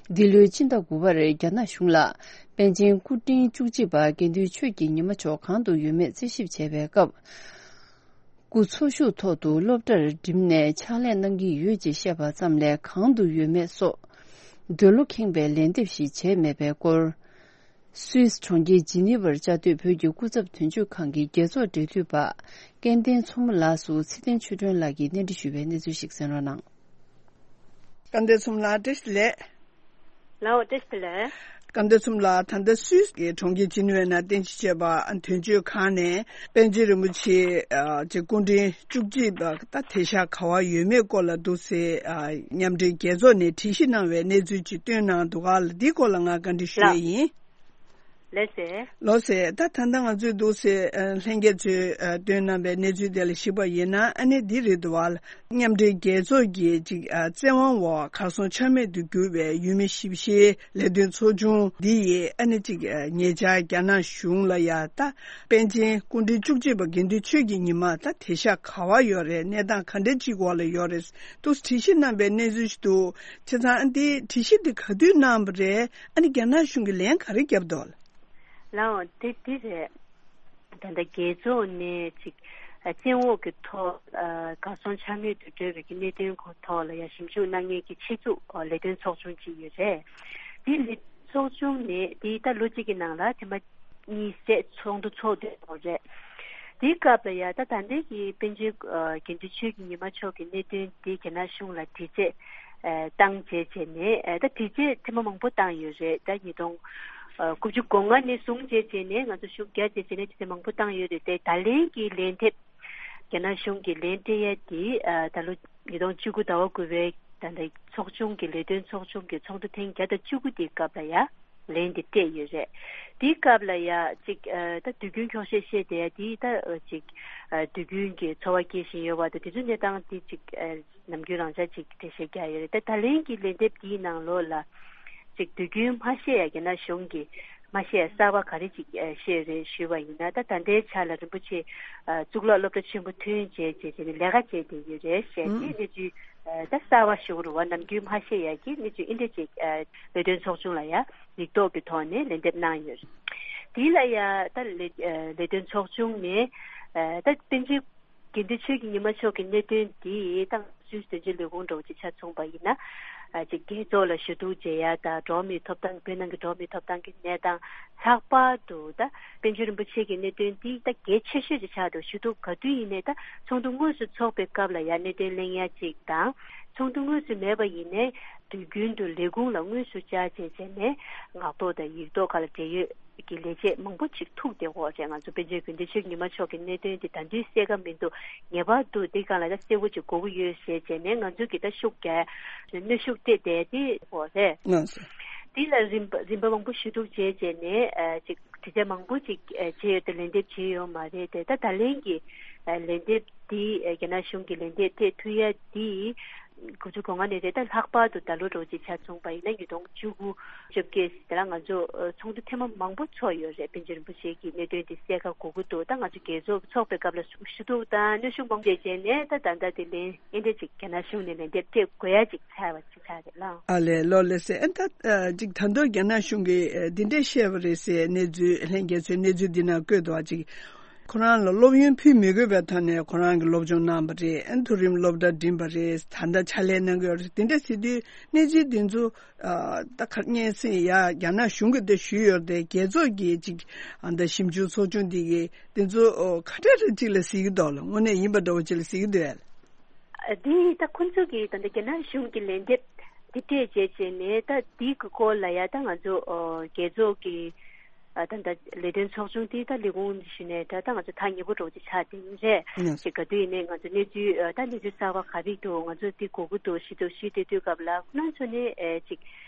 འདི་ལོའི་སྤྱི་ཟླ་དགུ་པར་རྒྱ་ནག་གཞུང་ལ་པཎ་ཆེན་སྐུ་ཕྲེང་བཅུ་གཅིག་པ་དགེ་འདུན་ཆོས་ཀྱི་ཉི་མ་མཆོག་གང་དུ་ཡོད་མེད་རྩད་ཞིབ་བྱས་པའི་སྐབས། སྐུ་འཚོ་བཞུགས་ཐོག་ཏུ་སློབ་གྲྭར་འགྲིམས་ནས་ཕྱག་ལས་གནང་གི་ཡོད་ཅེས་བཤད་པ་ཙམ་ལས་གང་དུ་ཡོད་མེད་སོགས། འདོད་བློ་ཁེངས་པའི་ལན་འདེབས་ཤིག་བྱས་མེད་པའི་སྐོར། སུད་སི་གྲོང་ཁྱེར་ཇི་ནི་ཝར་བཅའ་སྡོད་བོད་ཀྱི་སྐུ་ཚབ་དོན་གཅོད་ཁང་གི་རྒྱལ་ཚོགས་འབྲེལ་མཐུད་པ་སྐལ་ལྡན་མཚོ་མོ་ལགས་སུ་ཚེ་བརྟན་ཆོས་སྒྲོན་ལགས་ཀྱིས་གནས་འདྲི་ཞུས་པའི་གནས་ཚུལ་ཞིག་གསན་རོགས་གནང་། སྐལ་ལྡན་མཚོ་མོ་ལགས་བཀྲ་ཤིས་བདེ་ལེགས། ལགས་འོ་བཀྲ་ཤིས་བདེ་ལེགས། སྐལ་ལྡན་མཚོ་མོ་ལགས། ད་ལྟ་སུད་སི་གི་གྲོང་ཁྱེར་ཇི་ནི་ཝའི་ནང་རྟེན་གཞི་བྱས་པ་དོན་གཅོད་ཁང་ནས་པཎ་ཆེན་རིན་པོ་ཆེ་ཨ་ཅེ་སྐུ་ཕྲེང་བཅུ་གཅིག་པ་ད་དེ་ཤག་ག་བ་ཡོད་མེད་སྐོར་ལ་འདུག་སེ་ཨ་མཉམ་འབྲེལ་རྒྱལ་ཚོགས་ནས་དྲི་ཞིབ་གནང་བའི་གནས་ཚུལ་ཅིག་བཏོན་གནང་འདུག་ག་ལ། འདིའི་སྐོར་ལ་ང་བཀའ་འདྲི་ཞུ་ཡ་ལགས། ཡིན། ལགས་སེ། ལགས་སེ། ད་ད་ལྟ་ང་ཚོས་འདུག་སེ་ཨ་ལྷན་རྒྱས་ཚོས་ཨ་བཏོན་གནང་བའི་གནས་ཚུལ་དེ་ལ་གཞིགས་པ་ཡིན་ན་ཨ་ནི་འདི་རེད་འདུག་བ། མཉམ་འབྲེལ་རྒྱལ་ཚོགས་ཀྱི་ཅིག་ཨ་བཙན་དབང་འོག་གར་སོང་ཆ་མེད་དུ་གྱུར་བའི་ཡུལ་མི་ཞིབ་བཤེར་ལས་དོན་ཚོགས་ཆུང་འདི་ཡིས་ཨ་ནི་ཅིག་ཨ་ཉེ་ཆར་རྒྱ་ནག་གཞུང་ལ་ཡ་ད་པཎ་ཆེན་སྐུ་ཕྲེང་བཅུ་གཅིག་པ་དགེ་འདུན་ཆོས་ཀྱི་ཉི་མ་ད་དེ་ཤག་ག་བ་ཡོད་རེད། གནས་སྟངས་ག་འདྲ་ཅིག་འོག་ལ་ཡོད་རེད་འདུག་དྲི་ཞིབ་གནང་བའི་གནས་ཚུལ་ཞིག་འདུག་བྱས་ཙང་ཨ་འདི་དྲི་ཞིབ་འདི་ག་དུས་གནང་བ་རེད། ཨ་ནི་རྒྱ་ནག་གཞུང་གིས་ལན་ག་རེ་བརྒྱབ་འདུག་ལགས། ལའོ་དེ་དེ་རེད། ད་ལྟ་རྒྱལ་ཚོགས་ནས་ཅིག་ཨ་བཙན་འོག་གི་ཐོག་ཨ་གར་སོང་ཆ་མེད་དུ་བགྲོད་པའི་གི་གནད་དོན་ཁོ་ཐོག་ལ་ཡང་ཞིབ་འཇུག་གནང་མཁན་གྱི་ཆེད་འཛུགས་ཨ་ལས་དོན་ཚོགས་ཆུང་ཅིག་ཡོད་རེད། དེ་ལས་ཚོགས་ཆུང་ནས་དེ་ད་ལོ་གཅིག་གི་ནང་ལ་ཐེངས་མ་གཉིས་ཙམ་ཚོགས་འདུ་ཚོགས་བསྡད་ཡོད་རེད། དེའི་སྐབས་ལ་ཡང་ད་ད་ལྟའི་གི་པཎ་ཆེན་ཨ་དགེ་འདུན་ཆོས་ཀྱི་ཉི་མ་མཆོག་གི་གནད་དོན་དེ་རྒྱ་ནག་གཞུང་ལ་དྲི་རྩད་ཨ་བཏང་བྱས་བྱས་ནས་ཨ་ད་དྲི་རྩད་ཐེངས་མ་མང་པོ་བཏང་ཡོད་རེད། ད་ཉིས་སྟོང་ཨ་དགུ་བཅུ་གོ་ལྔ་ནས་བཟུང་བྱས་བྱས་ནས་ང་ཚོ་ཤུགས་རྒྱག་བྱས་བྱས་ནས་དྲི་རྩད་མང་པོ་བཏང་ཡོད་རེད་དེ། ད་ལན་གྱི་ལན་འདེབས་རྒྱ་ནག་གཞུང་གིས་ལན་སྤྲད་ཡ་དེ་ཨ་ད་ལོ་ཉིས་སྟོང་བཅུ་དགུ་ཟླ་བ་དགུ་པའི་ད་ལྟ་ཚོགས་ཆུང་གི་ལས་དོན་ཚོགས་ཆུང་གི་ཚོགས་འདུ་ཐེངས་བརྒྱ་དང་བཅུ་དགུ་དེའི་སྐབས་ལ་ཡ་ལན་དེ་སྤྲད་ཡོད་རེད། དེའི་སྐབས་ལ་ཡ་ཅིག་ཨ་ད་དུས་རྒྱུན་འཁྱོག་བཤད་བཤད་དེ་ཡ་དེ་ད་ཨ་ཅིག་ཨ་དུས་རྒྱུན་གྱི་འཚོ་བ་སྐྱེལ་བཞིན་ཡོད་པ་དང་དེ་ཚོའི་གནས་སྟངས་དེ་ཅིག་ཨ་ནམ་རྒྱུན་རང་འཇགས་ཅིག་འགྲེལ་བཤད་རྒྱག་ཡོད་རེད། ད་ད་ལན་གྱི་ལན་འདེབས་དེའི་ནང་ལོགས་ལ་ཅིག་དུས་རྒྱུན་མ་བཤད་ཡ་རྒྱ་ནག་གཞུང་གིས་མ་བཤད་ཡ་གསར་པ་ག་རེ་ཅིག་ཨ་བཤད་རེད་ཞུས་པ་ཡིན་ན། ད་ད་ལྟའི་ཆ་ལ་རིན་པོ་ཆེ་ཨ་གཙུག་ལག་སློབ་གྲྭ་ཆེན་པོ་ཐོན་བྱས་བྱས་བྱས་ནས་ལས་ཀ་བྱས་བསྡད་ཡོད་རེད་ཞེས་ཨུ། དེ་གནས་ཚུལ་ཨ་ད་གསར་པ་ཞུ་རུ་བ་ནམ་རྒྱུན་མ་བཤད་ཡ་གི་གནས་ཚུལ་ཨིན་འདྲ་ཅིག་ཨ་ལས་དོན་ཚོགས་ཆུང་ལ་ཡ་ཡིག་ཐོག་གི་ཐོག་ནས་ལན་འདེབས་གནང་ཡོད་རེད། དེ་ལ་ཡ་ད་ལས་ཨ་ལས་དོན་ཚོགས་ཆུང་ནས་ཨ་ད་པཎ་ཆེན་དགེ་འདུན་ཆོས་ཀྱི་ཉི་མ་མཆོག་གི་གནད་དོན་འདི་ཏང་སྲིད་དོན་གཅོད་ལས་ཁུངས་འདྲ་བོ་ཅིག་ཆ་མཚུངས་པ་ཡིན་ན། ཨ་ཅིག་རྒྱལ་ཚོགས་ལ་ཞུ་གཏུག་བྱེད་ཡ་དང་འགྲོ་བ་མིའི་ཐོབ་ཐང་བོད་ནང་གི་འགྲོ་བ་མིའི་ཐོབ་ཐང་གི་གནས་སྟངས། ལྷག་པར་དུ་ད་པཎ་ཆེན་རིན་པོ་ཆེ་གི་གནད་དོན་འདི་ད་གལ་ཆེ་ཤོས་ཅིག་ཆགས་འདུག་ཞུ་གཏུག་ག་དུས་ཡིན་ནའི་ད་ཚོགས་འདུ་དངོས་སུ་ཚོགས་པའི་སྐབས་ལ་ཡ་གནད་དོན་གླེང་ཡ་ཅིག་དང་། ཚོགས་འདུ་དངོས་སུ་མེད་པ་ཡིན་ནའི་དུས་རྒྱུན་དུ་ལས་ཁུངས་ལ་དངོས་སུ་བཅར་བྱས་བྱས་ནས་ངག་ཐོག་དང་ཡིག་ཐོག་ཁག་ལ་འབྲེལ་ཡོད་ཀྱི་ལས་བྱེད་མང་པོ་ཅིག་ཐུག་བསྡད་ཡོད་རེད། ང་ཚོ་པཎ་ཆེན་དགེ་འདུན་ཆོས་ཉི་མ་མཆོག་གི་གནད་དོན་དེ་ད་དུང་གསལ་ཁ་མི་འདུག་ངེས་པར་དུ་འདི་སྒང་ལ་ད་གསལ་པོ་ཅིག་དགོས་ཀྱི་ཡོད་ཟེར་བྱས་ནས་ང་ཚོ་གི་ད་ཤུགས་རྒྱག་གནོན་ཤུགས་སྤྲད་བསྡད་དེ་ཡོད་རེད། ལགས་སོ། འདི་ལ་རིམ་པ་རིམ་པ་མང་པོ་ཞུ་གཏུག་བྱས་བྱས་ནས་ཨ་ཅིག་དྲི་རྩད་མང་པོ་ཅིག་ཨ་བྱས་ཡོད་དེ་ལན་འདེབས་བྱས་ཡོད་མ་རེད་དེ། ད་ད་ལན་གྱི་ཨ་ལན་འདེབས་འདི་ཨ་རྒྱ་ནག་གཞུང་གི་ལན་འདེབས་སྤྲད་ཐུབ་ཡ་འདི། དགུ་བཅུ་གོ་ལྔ་ནས་རེད། ད་ལྷག་པར་དུ་ད་ལོ་རོགས་ཀྱི་ཆ་མཚུངས་པ་ཡིན་ན་ཉིས་སྟོང་བཅུ་དགུ་བཅོ་བརྒྱད་དེ་ལ་ང་ཚོ་ཚོགས་འདུ་ཐེངས་མ་མང་པོ་ཚོགས་ཡོད་རེད། པཎ་ཆེན་རིན་པོ་ཆེ་གི་གནད་དོན་དེ་གསལ་ཁ་དགོས་ཀྱི་འདུག་ད་ང་ཚོ་རྒྱལ་ཚོགས་ཚོགས་པའི་སྐབས་ལ་ཞུ་གཏུག་དང་གནོན་ཤུགས་མང་པོ་བྱས་བྱས་ནས་ད་ད་ལྟ་དེ་ལན་ཨེ་འདྲ་ཅིག་རྒྱ་ནག་གཞུང་ནས་ལན་འདེབས་སྤྲད་དགོས་ཡ་ཅིག་ཆགས་པ་ཅིག་ཆགས་རེད་ལགས། ཨ་ལས་ལོ་ལེ་སེ། ཨ་ད་ཅིག་ད་དུང་རྒྱ་ནག་གཞུང་གིས་འདི་འདྲས་བཤད་པ་རེད་ཟེར་གནས་ཚུལ་ལྷན་རྒྱས་ཚོས་གནས་ཚུལ་འདི་ན་བཀོད་འདུག་ཅིག་ཁོ་རང་ལ་སློབ་ཡོན་ཕུལ་མི་དགོས་པའི་ཐོག་ནས་ཁོ་རང་གི་སློབ་སྦྱོང་གནང་བ་རེད། ཨ་མཐོ་རིམ་སློབ་གྲྭ་འགྲིམས་པ་རེད། ད་ལྟ་ཕྱག་ལས་གནང་གི་ཡོད་རེད། དེ་འདྲ་ཟེར་དུས་གནས་ཚུལ་འདི་ཚོ་ཨ་ད་ག་སྙན་སེང་ཡ་རྒྱ་ནག་གཞུང་གིས་དེ་ཞུས་ཡོད་རེད་དེ། རྒྱལ་ཚོགས་ཀྱིས་ཅིག་ཨ་ད་ཞིབ་འཇུག་ཚོགས་ཆུང་འདི་གིས་དེ་ཚོ་ཨོ་ག་འདྲ་རེ་ཅིག་ལ་གཟིགས་ཀྱི་འདུག་ལ། དངོས་གནས་ཡིན་པ་འདྲ་བོ་ཅིག་ལ་གཟིགས་ཀྱི་འདུག་ཨ། འདི་ད་ཁོང་ཚོ་གིས་ད་ལྟ་རྒྱ་ནག་གཞུང་གི་ལན་འདེབས་འདི་སྤྲད་རྗེས་བྱས་ནས་ད་འདི་གི་སྐོར་ལ་ཡ་ད་ང་ཚོ་ཨོ་རྒྱལ་ཚོགས་ཀྱི་ཨ་ད་ལྟ་ལས་དོན་ཚོགས་ཆུང་དེ་ད་ལས་ཁུངས་ཞུས་ནས་ད་ད་ང་ཚོ་ཐག་ཉེ་པོ་འདྲ་བོ་ཅིག་ཆགས་བསྡད་ཡོད་རེད། ཡིན། ཅིག་ག་དུས་ཡིན་ནའི་ང་ཚོ་གནས་ཚུལ་ཨ་ད་གནས་ཚུལ་གསར་པ་ག་རེ་འདུག་ང་ཚོ་འདི་དགོས་ཀྱི་འདུག་ཞུ་འདུག་ཞུས་བསྡད་དུས་སྐབས་ལ་ཁོ་རང་ཚོ་ནས་ཨེ་ཅིག་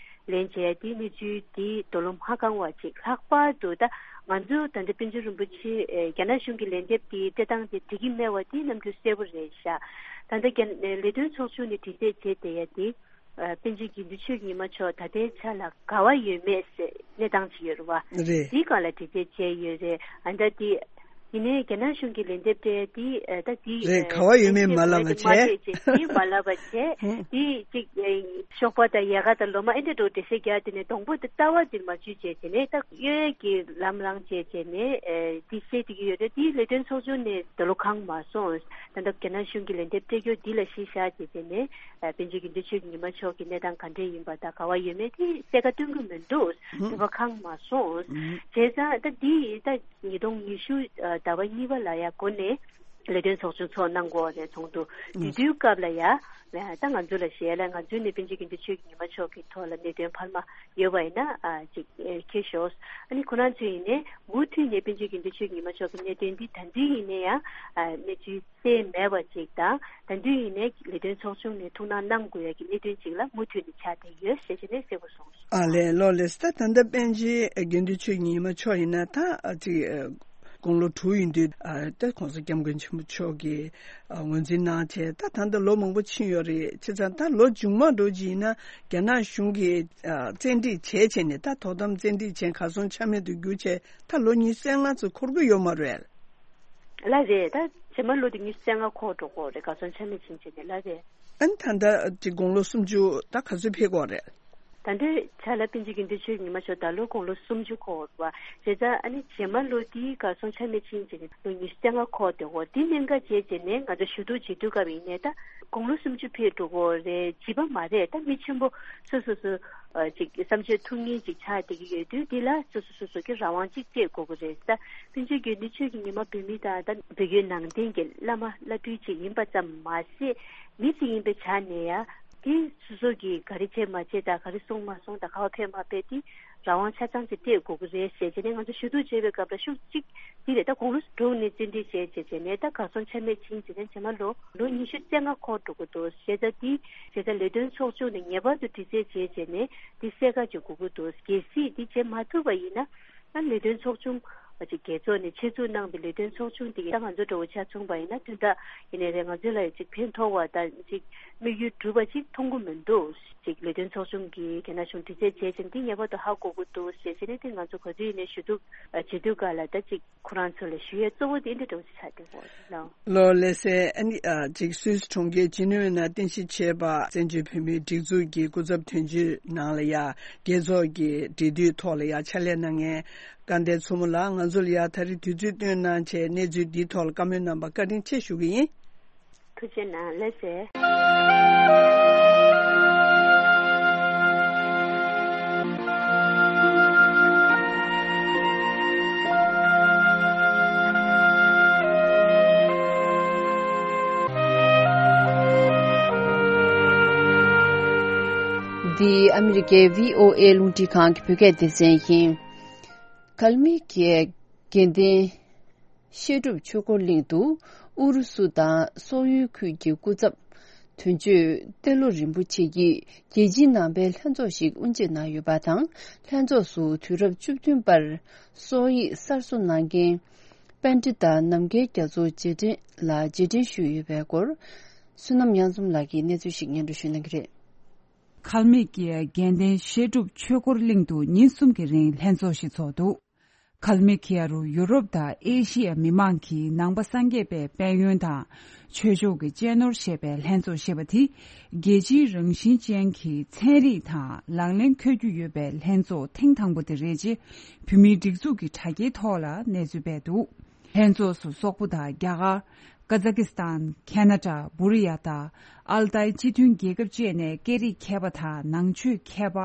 ལན་བྱས་དེ་གནས་ཚུལ་དེ་དོ་ལོ་མ་གང་བ་ཅིག་ལྷག་པར་དུ་ད་ང་ཚོ་ད་ལྟ་པཎ་ཆེན་རིན་པོ་ཆེ་ཨེ་རྒྱ་ནག་གཞུང་གི་ལན་འདེབས་དེ་སྤྲད་སྟངས་དེ་འགྲིག་གི་མེད་པ་དེ་ནམ་རྒྱུན་གསལ་པོ་རེད་ཤག་ད་ལྟ་རྒྱ་ལས་དོན་ཚོགས་ཆུང་ནས་དྲི་རྩད་བྱས་བསྡད་ཡ་དེ་ཨ་པཎ་ཆེན་དགེ་འདུན་ཆོས་ཀྱི་ཉི་མ་མཆོག་ད་ལྟའི་ཆ་ལ་ག་བ་ཡོད་མེད་ཟེར་གནས་སྟངས་ཅིག་ཡོད་རེད་བ། རེད། དེའི་སྒང་ལ་དྲི་རྩད་བྱས་ཡོད་རེད། ཨ་ད་དེ་ཡིན་ནའི་རྒྱ་ནག་གཞུང་གི་ལན་འདེབས་སྤྲད་དེ་ཨ་ད་དེ་རེད། ག་བ་ཡོད་མེད་མ་ལབ་པ་བྱས། མ་བྱས་བྱས་དེ་མ་ལབ་པ་བྱས། དེ་ཅིག་ཨེ། ཞོགས་པ་དང་ཡལ་ག་དང་ལོ་མ་ཨེ་འདྲ་འགྲོ་འགྲེལ་བཤད་རྒྱག་དེ་ནས་སྡོང་པོ་དེ་ལྟ་བ་འདིར་མ་འཇུས་བྱས་བྱས་ནས་ད་གཡོ་ཡས་ཀྱི་ལམ་རང་བྱས་བྱས་ནས་ཨེ་འདི་བཤད་བསྡད་ཀྱི་ཡོད་རེད། དེའི་ལས་དོན་ཚོགས་ཆུང་ནས་ད་ལོ་གང་མ་སོང་། ད་ལྟ་རྒྱ་ནག་གཞུང་གི་ལན་འདེབས་སྤྲད་རྒྱུ་འདི་ལ་གཞི་བཞག་བྱས་བྱས་ནས་ཨེ་པཎ་ཆེན་དགེ་འདུན་ཆོས་ཀྱི་ཉི་མ་མཆོག་གི་གནས་སྟངས་ག་འདྲས་ཡིན་པ་དང་ག་བ་ཡོད་མེད་དེ་གསལ་ཁ་སྟོན་གྱི་མི་འདུག་དེ་བ་གང་མ་སོང་། བྱས་ཙང་ད་འདི་ད་ཉིས་སྟོང་ཉི་ཤུ་ཟླ་བ་གཉིས་པ་ལ་ཡ་འགོ་ནས། ལས་དོན་ཚོགས་ཆུང་ཚོགས་གནང་དགོས་རེད་ཚོགས་འདུ་དེ་དུས་སྐབས་ལ་ཡ། ད་ང་ཚོ་ལ་ཞེས་ལ་ང་ཚོའི་ནས་པཎ་ཆེན་དགེ་འདུན་ཆོས་ཀྱི་ཉི་མ་མཆོག་གི་ཐོག་ལ་གནད་དོན་འཕར་མ་ཡོད་པ་ཡིན་ན་ཅིག་ཁྱེར་ཤོག་ཨ་ནི་ཁོ་རང་ཚོས་ཡིན་ནས་མུ་མཐུད་ནས་པཎ་ཆེན་དགེ་འདུན་ཆོས་ཀྱི་ཉི་མ་མཆོག་གི་གནད་དོན་འདི་ད་དུས་ཡིན་ནས་ཡང་གནས་ཚུལ་གསལ་མེད་པ་ཅིག་དང་ད་དུས་ཡིན་ནས་ལས་དོན་ཚོགས་ཆུང་ནས་ཐུགས་སྣང་གནང་དགོས་ཡ་གི་གནད་དོན་ཅིག་ལ་མུ་མཐུད་ནས་ཆགས་བསྡད་ཡོད་ཞེས་བྱས་ནས་གསལ་པོ་གསུངས་སོང་། ཨ་ལས་ལོ་ལས་ད་ད་ལྟ་པཎ་ཆེན་དགེ་འདུན་ཆོས་ཀྱི་ཉི་མ་མཆོག་ཡིན་ན་ད་ཅིག་དགུང་ལོ་དྲུག་ཡིན་དུས་ཨ་ད་༸གོང་ས་༸སྐྱབས་མགོན་ཆེན་པོ་མཆོག་གིས་ཨ་ངོས་འཛིན་གནང་བྱས་ད་ད་ལྟ་ལོ་མང་པོ་ཕྱིན་ཡོད་རེད། བྱས་ཙང་ད་ལོ་མཇུག་མ་འགྲོ་རྒྱུ་ཡིན་ན་རྒྱ་ནག་གཞུང་གིས་ཨ་བཙན་ཁྲིད་བྱས་བྱས་ནས་ད་དོ་དམ་བཙན་ཁྲིད་བྱས་གར་སོང་ཆ་མེད་དུ་གྱུར་བྱས་ད་ལོ་ཉི་ཤུ་རྩ་ལྔ་ཙམ་འཁོར་གྱི་ཡོད་མ་རེད། ལགས་རེད། ད་རྗེས་མ་ལོ་དེ་ཉི་ཤུ་རྩ་ལྔ་འཁོར་འགྲོ་གི་རེད། གར་སོང་ཆ་མེད་ཕྱིན་བྱས་ནས་ལགས་རེད། ཨ་ནི་ད་ལྟ་དེ་དགུང་ལོ་སུམ་ཅུ་ད་ག་ཚོད་ཕེབས་ཀྱི་ཡོད་རེད། ད་ལྟའི་ཆ་ལ་པཎ་ཆེན་དགེ་འདུན་ཆོས་ཉི་མ་མཆོག་ད་ལོ་དགུང་ལོ་སུམ་ཅུ་འཁོར་བ། བྱས་ཙང་ཨ་ནི་རྗེས་མ་ལོ་དེའི་གར་སོང་ཆ་མེད་ཕྱིན་བྱས་ནས་ལོ་ཉི་ཤུ་རྩ་ལྔ་འཁོར་བསྡད་ཡོད་དེ་གནད་འགག་བྱས་བྱས་ནས་ང་ཚོ་ཞུ་གཏུག་བྱེད་དུས་སྐབས་ཡིན་ནའི་ད་དགུང་ལོ་སུམ་ཅུ་ཕེབས་འགྲོ་གི་ཡོད་རེད། བྱིས་པ་མ་རེད། ད་མི་ཆེན་པོ་སོ་སོ་སོ་ཨ་ཅིག་བསམ་སྤྱོད་ཐུགས་མཉེས་ཅིག་ཆགས་བསྡད་ཀྱི་ཡོད་དུས་འདི་ལ་སོ་སོ་སོ་སོ་གི་རང་དབང་ཅིག་སྤྲད་དགོས་ཀྱི་རེད། ད་པཎ་ཆེན་དགེ་འདུན་ཆོས་ཀྱི་ཉི་མ་བོད་མི་དང་ད་བོད་བརྒྱུད་ནང་བསྟན་གྱི་བླ་མ་བླ་སྤྲུལ་ཅིག་ཡིན་པ་ཙམ་མ་ཟད་མི་ཅིག་ཡིན་པའི་ཆ་ནས་ཡང་དེ་སོ་སོ་གིས་ག་རེ་བྱས་མ་བྱས་དང་ག་རེ་གསུངས་མ་གསུངས་དང་ག་བ་ཕེབས་མ་ཕེབས་དེ་རང་དབང་ཆ་ཚང་ཅིག་སྤྲད་དགོས་ཀྱི་རེད་ཟེར་བྱས་ནས་ང་ཚོ་ཞུ་གཏུག་བྱས་པའི་སྐབས་ལ་ཤུགས་གཅིག་འདི་རེད། ད་དགུང་ལོ་དྲུག་ནས་རྩིས་འབྲི་བྱས་བྱས་བྱས་ནས་ད་གར་སོང་ཆ་མེད་ཕྱིན་བྱས་ནས་རྗེས་མ་ལོ་ལོ་ཉི་ཤུ་རྩ་ལྔ་འཁོར་འགྲོ་གི་འདུག་ཟེར། ད་འདི་བྱས་ཙང་ལས་དོན་ཚོགས་ཆུང་ནས་ངེས་པར་དུ་དྲི་རྩད་བྱས་བྱས་ནས་འདི་གསལ་ཁ་ཅིག་དགོས་ཀྱི་འདུག་གལ་སྲིད་འདི་བྱེད་མ་ཐུབ་པ་ཡིན་ན་ད་ལས་དོན་ཚོགས་ཆུང་ཅིག་རྒྱལ་ཚོགས་ནས་ཆེད་འཛུགས་གནང་བའི་ལས་དོན་ཚོགས་ཆུང་འདི་ད་ང་ཚོ་འདྲ་བོ་ཆ་མཚུངས་པ་ཡིན་ན་དོན་དག་ཡིན་ནའི་རེད། ང་ཚོ་ལ་ཅིག་ཕན་ཐོགས་པ་དང་ཅིག་དམིགས་ཡུལ་འགྲུབ་པ་ཅིག་མཐོང་གི་མི་འདུག་ཅིག་ལས་དོན་ཚོགས་ཆུང་གིས་རྒྱ་ནག་གཞུང་དྲི་རྩད་བྱས་ཙང་འདི་ངེས་པར་དུ་ཧ་གོ་དགོས་འདུག་ཞེས་བྱས་ནས་དེ་ང་ཚོ་ག་དུས་ཡིན་ནའི་ཞུ་གཏུག་བྱེད་དུས་ག་ལ་ད་ཅིག་ཁོ་རང་ཚོ་ལ་ཞུ་ཡས་གཙོ་བོ་དེ་འདི་འདྲ་བོ་ཞིག་ཆགས་བསྡད་ཡོད་རེད་ལགས། ལོ་ལེ་སེ་ཨ་ནི་ཨ་ཅིག་སུད་སི་གྲོང་ཁྱེར་ཇི་ནི་ཝའི་ནང་རྟེན་གཞི་བྱས་པ་བཙན་བྱོལ་བོད་མིའི་སྒྲིག་འཛུགས་ཀྱི་སྐུ་ཚབ་དོན་གཅོད་ནང་ལ་ཡ་རྒྱལ་ཚོགས་ཀྱི་འབྲེལ་མཐུད་ཐོག་ལ་ཡ་ཕྱག་ལས་གནང་མཁན་སྐལ་ལྡན་མཚོ་མོ་ལགས་ང་ཚོ་ལ་ཡ་ད་རེས་དུས་ཚོད་བཏོན་གནང་བྱས་གནས་ཚུལ་འདིའི་ཐོག་ལ་བཀའ་མོལ་གནང་པ་བཀའ་དྲིན་ཆེ་ཞུ་གི་ཡིན། ཐུགས་རྗེ་གནང་། ལགས་སེ། འདི་ཨ་མི་རི་ཀའི་བྷི་ཨོ་ཨེ་རླུང་འཕྲིན་ཁང་གི་བོད་སྐད་སྡེ་ཚན་ཡིན། གལ་མི་གི་དགེ་ལྡན་བཤད་སྒྲུབ་ཆོས་འཁོར་གླིང་དུ་ཨུ་རུ་སུ་དང་སོག་ཡུལ་ཁུལ་གྱི་སྐུ་ཚབ་དོན་གཅོད་ཏེ་ལོ་རིན་པོ་ཆེ་ཡིས་རྒྱལ་སྤྱིའི་ནང་པའི་ལྷན་ཚོགས་ཤིག་དབུ་འབྱེད་གནང་ཡོད་པ་དང་། ལྷན་ཚོགས་སུ་དུས་རབས་བཅུ་བདུན་པར་སོག་ཡིག་གསར་བཟོ་གནང་མཁན་པཎྜི་ཏ་ནམ་མཁའི་རྒྱ་མཚོ་རྗེས་དྲན་ལ་རྗེས་དྲན་ཞུས་ཡོད་པའི་སྐོར། བསོད་ནམས་དབྱངས་འཛོམས་ལགས་ཀྱིས་གནས་ཚུལ་ཞིག་སྙན་སྒྲོན་ཞུ་གནང་གི་རེད། གལ་མི་ཀི་ཡ་དགེ་ལྡན་བཤད་སྒྲུབ་ཆོས་འཁོར་གླིང་དུ་ཉིན་གསུམ་གྱི་རིང་ལྷན་ཚོགས་ཤིག་ཚོགས་འདུག་གལ་མི་ཀི་ཡ་རུ་ཡུ་རོབ་དང་ཨེ་ཤི་ཡ་མི་མང་གིས་ནང་པ་སངས་རྒྱས་པའི་དཔལ་ཡོན་དང་ཆོས་ཕྱོགས་ཀྱི་གཅེས་ནོར་ཞེས་པའི་ལྷན་ཚོགས་ཞེས་པ་དེ་རྒྱལ་སྤྱིའི་རང་བཞིན་ཅན་གྱི་ཚན་རིག་དང་ལག་ལེན་འཁོད་རྒྱུ་ཡོད་པའི་ལྷན་ཚོགས་ཐེངས་དང་པོ་དེ་རེད་ཅེས་བོད་མིའི་སྒྲིག་འཛུགས་ཀྱི་དྲ་རྒྱའི་ཐོག་ལ་གནས་ཚུལ་སྤེལ་འདུག་ལྷན་ཚོགས་སུ་སོག་པོ་དང་རྒྱ་གར། ཀ་ཛ་ཀི་སི་ཐན། ཁེ་ན་ཌ། བུ་རི་ཡ་དང་ཨལ་ཏའི་སྤྱི་མཐུན་རྒྱལ་ཁབ་བཅས་ནས་སྐད་རིགས་མཁས་པ་དང་ནང་ཆོས་མཁས་པ་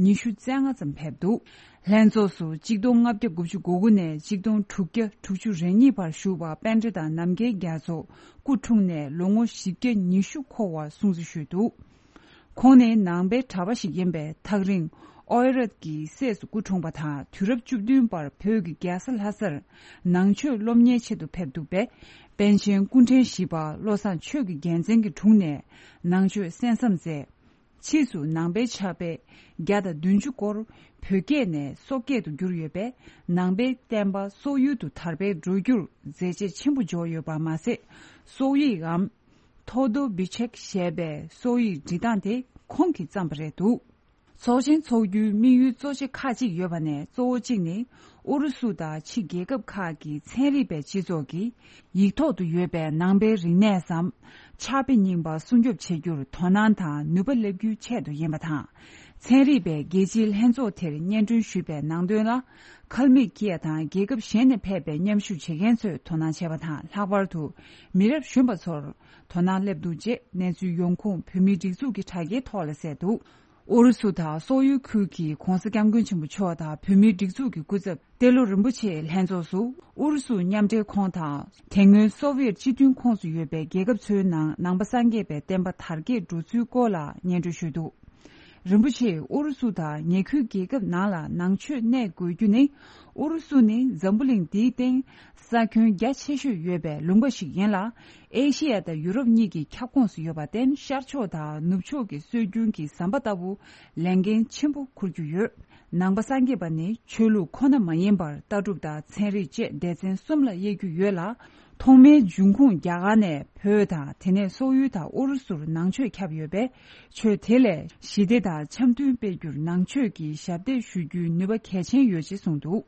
ཉི་ཤུ་རྩ་ལྔ་ཙམ་ཕེབས་འདུག་ལྷན་ཚོགས་སུ་གཅིག་སྟོང་ལྔ་བརྒྱ་དགུ་བཅུ་གོ་དགུ་ནས་གཅིག་སྟོང་དྲུག་བརྒྱ་དྲུག་ཅུ་རེ་གཉིས་བར་བཞུགས་པ་པཎྜི་ཏ་ནམ་མཁའི་རྒྱ་མཚོ་སྐུ་འཁྲུངས་ནས་ལོ་ངོ་བཞི་བརྒྱ་ཉི་ཤུ་འཁོར་བ་སྲུང་བརྩི་ཞུས་འདུག་ཁོང་ནི་ནང་པའི་གྲྭ་པ་ཞིག་ཡིན་པས་ཐག་རིང་ཨོ་ཨེ་རད་ཀྱི་སྲས་སུ་སྐུ་འཁྲུངས་པ་དང་དུས་རབས་བཅུ་བདུན་པར་བོད་ཀྱི་རྒྱལ་ས་ལྷ་སར་ནང་ཆོས་སློབ་གཉེར་ཆེད་དུ་ཕེབས་འདུག་པས། པཎ་ཆེན་སྐུ་ཕྲེང་བཞི་པ་བློ་བཟང་ཆོས་ཀྱི་རྒྱལ་མཚན་གྱི་དྲུང་ནས་ནང་ཆོས་གསན་བསམ་མཛད། ཕྱིས་སུ་ནང་པའི་ཕྱག་དཔེ་བརྒྱ་དང་བདུན་ཅུ་སྐོར་བོད་སྐད་ནས་སོག་སྐད་དུ་བསྒྱུར་ཡོད་པས། ནང་པའི་བསྟན་པ་སོག་ཡུལ་དུ་དར་སྤེལ་འགྲོ་རྒྱུར་མཛད་རྗེས་ཆེན་པོ་འཇོག་ཡོད་པ་མ་ཟད། སོག་ཡིག་གམ། ཐོ་དོ་བི་ཆེག་ཞེས་པའི་སོག་ཡིག་འབྲི་སྟངས་དེ་ཁོང་གིས་བརྩམས་པ་རེད་འདུག་ཚོགས་ཆེན་འཚོགས་རྒྱུའི་དམིགས་ཡུལ་གཙོ་ཆེ་ཁག་ཅིག་ཡོད་པ་ནས། གཙོ་བོ་གཅིག་ནི་ཨུ་རུ་སུ་དང་ཕྱི་རྒྱལ་ཁབ་ཁག་གི་ཚན་རིག་པའི་སྤྱི་ཚོགས་ཀྱིས་ཡིག་ཐོག་ཏུ་ཡོད་པའི་ནང་པའི་རིག་གནས་སམ་ཕྱག་དཔེ་རྙིང་པ་སྲུང་སྐྱོབ་བྱེད་རྒྱུར་དོ་སྣང་དང་ནུས་པ་སླེབས་རྒྱུའི་ཆེད་དུ་ཡིན་པ་དང་། ཚན་རིག་པའི་རྒྱལ་སྤྱིའི་ལྷན་ཚོགས་དེར་སྙན་སྒྲོན་ཞུས་པའི་ནང་དོན་ལ། ཁལ་མིག་ཀི་ཡ་དང་རྒྱལ་ཁབ་གཞན་ནས་ཕེབས་པའི་མཉམ་ཞུགས་བྱེད་མཁན་ཚོས་དོ་སྣང་བྱས་པ་དང་། ལྷག་པར་དུ་མི་རབས་གཞོན་པ་ཚོར་དོ་སྣང་སླེབས་འདུག་ཅེས་གནས་ཚུལ་ཡོང་ཁུངས་བོད་མིའི་སྒྲིག་འཛུགས་ཀྱི་དྲ་རྒྱའི་ཐོག་ལ་གསལ་འདུག་ཨུ་རུ་སུ་དང་སོག་ཡུལ་ཁུལ་གྱི་༧གོང་ས་༧སྐྱབས་མགོན་ཆེན་པོ་མཆོག་དང་བོད་མིའི་སྒྲིག་འཛུགས་ཀྱི་སྐུ་ཚབ་ཏེ་ལོ་རིན་པོ་ཆེའི་ལྷན་ཚོགས་སུ། ཨུ་རུ་སུ་མཉམ་འབྲེལ་ཁོངས་དང་དེ་སྔོན་སོ་བྷི་ཡེ་ཊི་སྤྱི་མཐུན་ཁོངས་སུ་ཡོད་པའི་རྒྱལ་ཁབ་ཚོའི་ནང་ནང་པ་སངས་རྒྱས་པའི་བསྟན་པ་དར་རྒྱས་འགྲོ་ཚུལ་སྐོར་ལ་སྙན་སྒྲོན་ཞུས་འདུག་རིན་པོ་ཆེས་ཨུ་རུ་སུ་དང་ཉེ་ཁུལ་རྒྱལ་ཁབ་ནང་ལ་ནང་ཆོས་གནས་དགོས་རྒྱུ་ནི། ཨུ་རུ་སུ་ནི་འཛམ་བུ་གླིང་འདིའི་སྟེང་ས་ཁྱོན་རྒྱ་ཆེ་ཤོས་ཡོད་པའི་ལུང་པ་ཞིག་ཡིན་ལ། ཨེ་ཤི་ཡ་དང་ཡུ་རོབ་གཉིས་ཀྱི་ཁྱབ་ཁོངས་སུ་ཡོད་པར་བརྟེན། ཤར་ཕྱོགས་དང་ནུབ་ཕྱོགས་ཀྱི་སྲོལ་རྒྱུན་གྱི་ཟམ་པ་ལྟ་བུ་ལས་འགན་ཆེན་པོ་འཁུར་རྒྱུ་ཡོད། ནང་པ་སངས་རྒྱས་པ་ནི་ཆོས་ལུགས་ཁོ་ན་མ་ཡིན་པར་ལྟ་གྲུབ་དང་ཚན་རིག་བཅས་སྡེ་ཚན་གསུམ་ལ་དབྱེ་རྒྱུ་ཡོད་ལ། ཐོག་མའི་འབྱུང་ཁུངས་རྒྱ་གར་ནས་བོད་དང་དེ་ནས་སོག་ཡུལ་དང་ཨུ་རུ་སུར་ནང་ཆོས་ཁྱབ་ཡོད་པས། ཆོས་དེ་ལས་ཞི་བདེ་དང་འཆམ་མཐུན་སྤེལ་རྒྱུར་ནང་ཆོས་ཀྱི་ཞབས་འདེགས་ཞུ་རྒྱུའི་ནུས་པ་གལ་ཆེན་ཡོད་ཅེས་གསུངས་འདུག་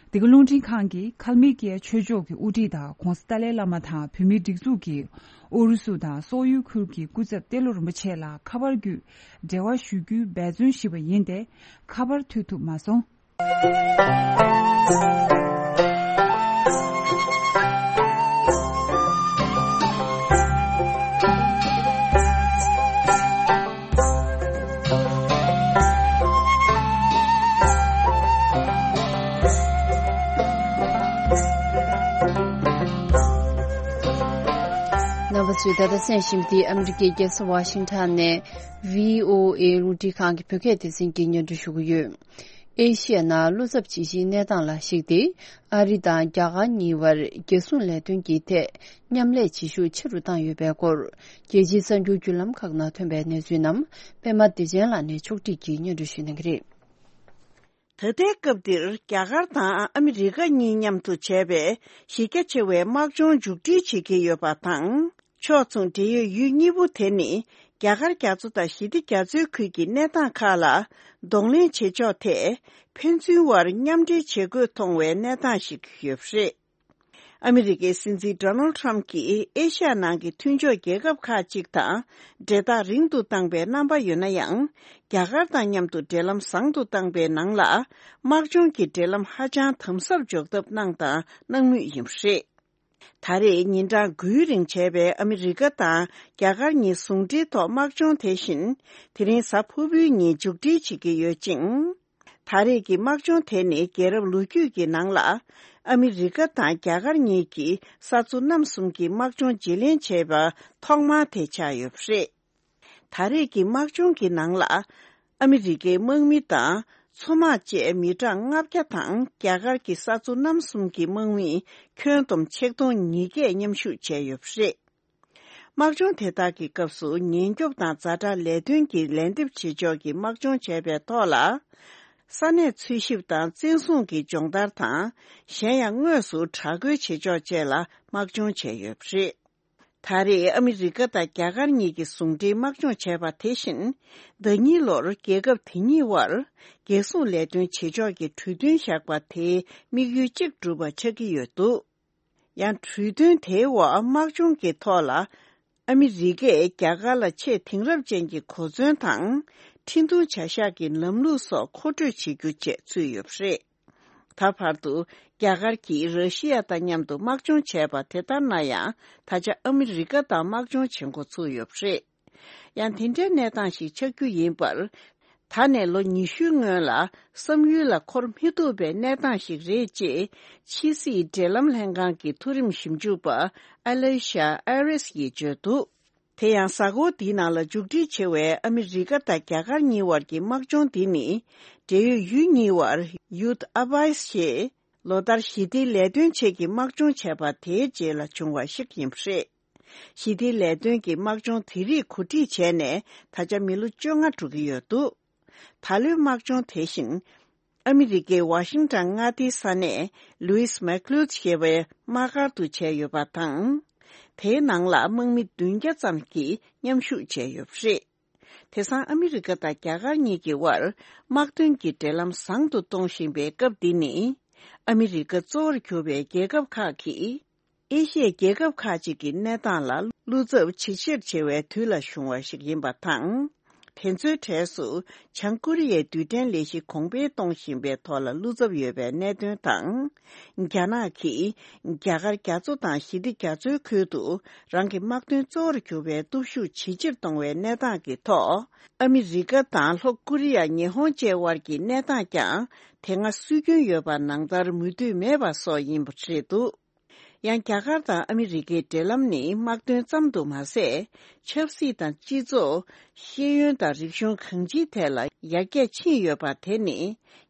འདི་ག་རླུང་འཕྲིན་ཁང་གིས་ཁལ་མི་ཀི་ཡ་ཆོས་ཕྱོགས་ཀྱི་དབུ་ཁྲིད་དང་༧གོང་ས་ཏཱ་ལའི་བླ་མ་དང་བོད་མིའི་སྒྲིག་འཛུགས་ཀྱིས་ཨུ་རུ་སུ་དང་སོག་ཡུལ་ཁུལ་གྱི་སྐུ་ཚབ་ཏེ་ལོ་རིན་པོ་ཆེ་ལ་ཁ་པར་བརྒྱུད་འབྲེལ་བ་ཞུ་རྒྱུའི་འབད་བརྩོན་ཞུས་པ་ཡིན་ཏེ། ཁ་པར་ཐུག་ཐུབ་མ་སོང་། རྣམ་པ་ཚོས་ད་ལྟ་གསན་བཞིན་པ་འདི་ཨ་མི་རི་ཀའི་རྒྱལ་ས་ཝ་ཤིང་ཊོན་ནས་བྷི་ཨོ་ཨེ་རླུང་འཕྲིན་ཁང་གི་བོད་སྐད་སྡེ་ཚན་གྱིས་སྙན་སྒྲོན་ཞུ་གི་ཡོད། ཨེ་ཤི་ཡ་ནང་བློ་འཚབ་ཇི་ཆེའི་གནས་སྟངས་ལ་གཞིགས་ཏེ། ཨ་རི་དང་རྒྱ་གར་གཉིས་བར་རྒྱལ་སྲུང་ལས་དོན་གྱི་ཐད་མཉམ་ལས་བྱེད་ཤུགས་ཆེ་རུ་བཏང་ཡོད་པའི་སྐོར། རྒྱལ་སྤྱིའི་གསར་འགྱུར་བརྒྱུད་ལམ་ཁག་ནང་ཐོན་པའི་གནས་ཚུལ་རྣམས་པད་མ་བདེ་ཆེན་ལགས་ནས་ཕྱོགས་སྒྲིག་གིས་སྙན་སྒྲོན་ཞུ་གནང་གི་རེད། ད་ལྟའི་སྐབས་འདིར་རྒྱ་གར་དང་ཨ་མི་རི་ཀ་གཉིས་མཉམ་དུ་བྱས་པའི་གཞི་རྒྱ་ཆེ་བའི་དམག་སྦྱོང་མཇུག་སྒྲིལ་བྱེད་ཀྱི་ཡོད་པ་དང་། ཕྱོགས་མཚུངས་འབྲེལ་ཡོད་ཡུལ་གཉིས་པོ་དེ་ནི་རྒྱ་གར་རྒྱ་མཚོ་དང་ཞི་བདེ་རྒྱ་མཚོའི་ཁུལ་གྱི་གནས་སྟངས་ཁག་ལ་གདོང་ལེན་བྱེད་ཕྱོགས་ཐད་ཕན་ཚུན་བར་མཉམ་འབྲེལ་བྱེད་དགོས་མཐོང་བའི་གནས་སྟངས་ཤིག་ཡོད་པ་རེད། ཨ་མི་རི་ཀའི་སྲིད་འཛིན་ཌོ་ནལ་ཌི་ཊརམ་གྱིས་ཨེ་ཤ་ཡ་ནང་གི་མཐུན་ཕྱོགས་རྒྱལ་ཁབ་ཁག་ཅིག་དང་འབྲེལ་ཐག་རིང་དུ་བཏང་པའི་རྣམ་པ་ཡོད་ན་ཡང་། རྒྱ་གར་དང་མཉམ་དུ་འབྲེལ་ལམ་བཟང་དུ་བཏང་པའི་ནང་ལ། དམག་སྦྱོང་གི་འབྲེལ་ལམ་ཧ་ཅང་དམ་ཟབ་འཇོག་ཐབས་གནང་དང་གནང་མུས་ཡིན་པ་རེད། ད་རེས་ཉིན་གྲངས་དགུའི་རིང་བྱས་པའི་ཨ་མི་རི་ཀ་དང་རྒྱ་གར་གཉིས་ཟུང་འབྲེལ་ཐོག་དམག་སྦྱོང་དེ་བཞིན། དེ་རིང་གཟའ་ཕུར་བུའི་ཉིན་མཇུག་སྒྲིལ་བྱེད་ཀྱི་ཡོད་ཅིང་། ད་རེས་ཀྱི་དམག་སྦྱོང་དེ་ནི་རྒྱལ་རབས་ལོ་རྒྱུས་ཀྱི་ནང་ལ། ཨ་མི་རི་ཀ་དང་རྒྱ་གར་གཉིས་ཀྱིས་ས་མཚོ་གནམ་གསུམ་གྱི་དམག་སྦྱོང་བརྗེ་ལེན་བྱས་པ་ཐོག་མ་དེ་ཆགས་ཡོད་པ་རེད། ད་རེས་ཀྱི་དམག་སྦྱོང་གི་ནང་ལ། ཨ་མི་རི་ཀའི་དམག་མི་དང་མཚོ་དམག་བཅས་མི་གྲངས་ལྔ་བརྒྱ་དང་རྒྱ་གར་གྱི་ས་མཚོ་གནམ་གསུམ་གྱི་དམག་མི་ཁྱོན་བསྡོམས་ཆིག་སྟོང་ཉིས་བརྒྱས་མཉམ་ཞུགས་བྱས་ཡོད་པ་རེད། དམག་སྦྱོང་དེ་དག་གི་སྐབས་སུ་ཉེན་སྐྱོབ་དང་ཛ་དྲག་ལས་དོན་གྱི་ལན་འདེབས་བྱེད་ཕྱོགས་ཀྱི་དམག་སྦྱོང་བྱས་པའི་ཐོག་ལ། ས་གནས་འཚོལ་ཞིབ་དང་བཙན་བཟུང་གི་སྦྱོང་བརྡར་དང་། གཞན་ཡང་དངོས་སུ་དྲག་རྒོལ་བྱེད་ཕྱོགས་བཅས་ལ་དམག་སྦྱོང་བྱས་ཡོད་པ་རེད། ད་རེས་ཨ་མི་རི་ཀ་དང་རྒྱ་གར་གཉིས་ཀྱིས་ཟུང་འབྲེལ་དམག་སྦྱོང་བྱས་པ་དེ་བཞིན། ཟླ་གཉིས་ལོར་རྒྱལ་ཁབ་དེ་གཉིས་བར་རྒྱལ་སྲུང་ལས་དོན་བྱེད་ཕྱོགས་ཀྱི་གྲོས་མཐུན་བཞག་པ་དེའི་དམིགས་ཡུལ་གཅིག་སྒྲུབ་པ་ཆགས་ཀྱི་ཡོད་འདུག་ཡང་གྲོས་མཐུན་དེའི་འོག་དམག་སྦྱོང་གི་ཐོག་ལ། ཨ་མི་རི་ཀས་རྒྱ་གར་ལ་ཆེས་དེང་རབས་ཅན་གྱི་གོ་མཚོན་དང་། འཕྲིན་ཐུང་བྱ་གཞག་གི་ལམ་ལུགས་སོགས་མཁོ་སྤྲོད་བྱེད་རྒྱུ་བཅས་ཚུད་ཡོད་པ་རེད། ད་བར་དུ་རྒྱ་གར་གྱིས་ར་ཤི་ཡ་དང་མཉམ་དུ་དམག་སྦྱོང་བྱས་པ་དེ་ལྟར་ན་ཡང་། ད་ཆ་ཨ་མི་རི་ཀ་དང་དམག་སྦྱོང་བྱེད་འགོ་ཚུགས་ཡོད་པ་རེད། ཡང་དེ་འདྲའི་གནས་སྟངས་ཤིག་ཆགས་རྒྱུ་ཡིན་པར། ད་ནས་ལོ་ཉི་ཤུའི་སྔོན་ལ་བསམ་ཡུལ་ལ་འཁོར་མི་ཐུབ་པའི་གནས་སྟངས་ཤིག་རེད་ཅེས་ཕྱི་སྲིད་འབྲེལ་ལམ་ལྷན་ཁང་གི་མཐོ་རིམ་ཞིབ་འཇུག་པ་ཨ་ལེ་ཤ་ཨེ་རེས་ཡིས་བརྗོད་འདུག་དེ་ཡང་གཟའ་འཁོར་འདིའི་ནང་ལ་མཇུག་སྒྲིལ་བྱེད་པའི་ཨ་མི་རི་ཀ་དང་རྒྱ་གར་གཉིས་བར་གྱི་དམག་སྦྱོང་འདི་ནི། འབྲེལ་ཡོད་ཡུལ་གཉིས་བར་ཡུད་ཨ་བྷའི་ཞེས་ལོ་ལྟར་ཞི་བདེའི་ལས་དོན་ཆེད་ཀྱི་དམག་སྦྱོང་བྱས་པ་དེའི་རྗེས་ལ་བྱུང་བ་ཞིག་ཡིན་པ་རེད། ཞི་བདེའི་ལས་དོན་གྱི་དམག་སྦྱོང་དེ་རིགས་གོ་སྒྲིག་བྱས་ནས་ད་ཆ་མི་ལོ་བཅོ་ལྔ་འགྲོ་གི་ཡོད་འདུག་ད་ལོའི་དམག་སྦྱོང་དེ་བཞིན། ཨ་མི་རི་ཀའི་ཝ་ཤིང་ཊོན་མངའ་སྡེའི་ས་གནས་ལུའིས་མེག་ལུའུ་ཞེས་པའི་དམག་སྒར་དུ་བྱས་ཡོད་པ་དང་། དེའི་ནང་ལ་དམག་མི་བདུན་བརྒྱ་ཙམ་གྱིས་མཉམ་ཞུགས་བྱས་ཡོད་པ་རེད། དེང་སང་ཨ་མི་རི་ཀ་དང་རྒྱ་གར་གཉིས་ཀྱི་དབར་དམག་དོན་གྱི་འབྲེལ་ལམ་བཟང་དུ་གཏོང་བཞིན་པའི་སྐབས་འདི་ནི། ཨ་མི་རི་ཀ་གཙོ་བོར་གྱུར་པའི་རྒྱལ་ཁབ་ཁག་གིས། ཨེ་ཤི་ཡའི་རྒྱལ་ཁབ་ཁག་ཅིག་གི་གནས་སྟངས་ལ་བློ་འཚབ་ཇེ་ཆེར་ཆེ་བའི་དུས་ལ་བྱུང་བ་ཞིག་ཡིན་པ་དང་། དེ་ཚོའི་གྲས་སུ་བྱང་ཀོ་རི་ཡའི་རྡུལ་ཕྲན་ལས་གཞི་གོང་འཕེལ་གཏོང་བཞིན་པའི་ཐོག་ལ་བློ་འཚབ་ཡོད་པའི་གནད་དོན་དང་། རྒྱ་ནག་གིས་རྒྱ་གར་རྒྱ་མཚོ་དང་ཞི་བདེ་རྒྱ་མཚོའི་ཁུལ་དུ་རང་གི་དམག་དོན་གཙོ་བོར་གྱུར་པའི་སྟོབས་ཤུགས་ཇེ་ཆེར་གཏོང་བའི་གནས་སྟངས་ཀྱི་ཐོག་ཨ་མི་རི་ཀ་དང་ལྷོ་ཀོ་རི་ཡ། ཉི་ཧོང་བཅས་དབར་གྱི་གནས་སྟངས་ཀྱང་དེ་སྔ་སྲོལ་རྒྱུན་ཡོད་པ་ནང་ལྟར་མུ་མཐུད་མེད་པ་སོགས་ཡིན་པ་རེད་འདུག་ཡང་རྒྱ་གར་དང་ཨ་མི་རི་ཀའི་འབྲེལ་ལམ་ནི་དམག་དོན་ཙམ་དུ་མ་ཟད། ཆབ་སྲིད་དང་སྤྱི་ཚོགས། ཤེས་ཡོན་དང་རིག་གཞུང་གང་ཅིའི་ཐད་ལ་ཡར་རྒྱས་ཕྱིན་ཡོད་པ་དེ་ནི།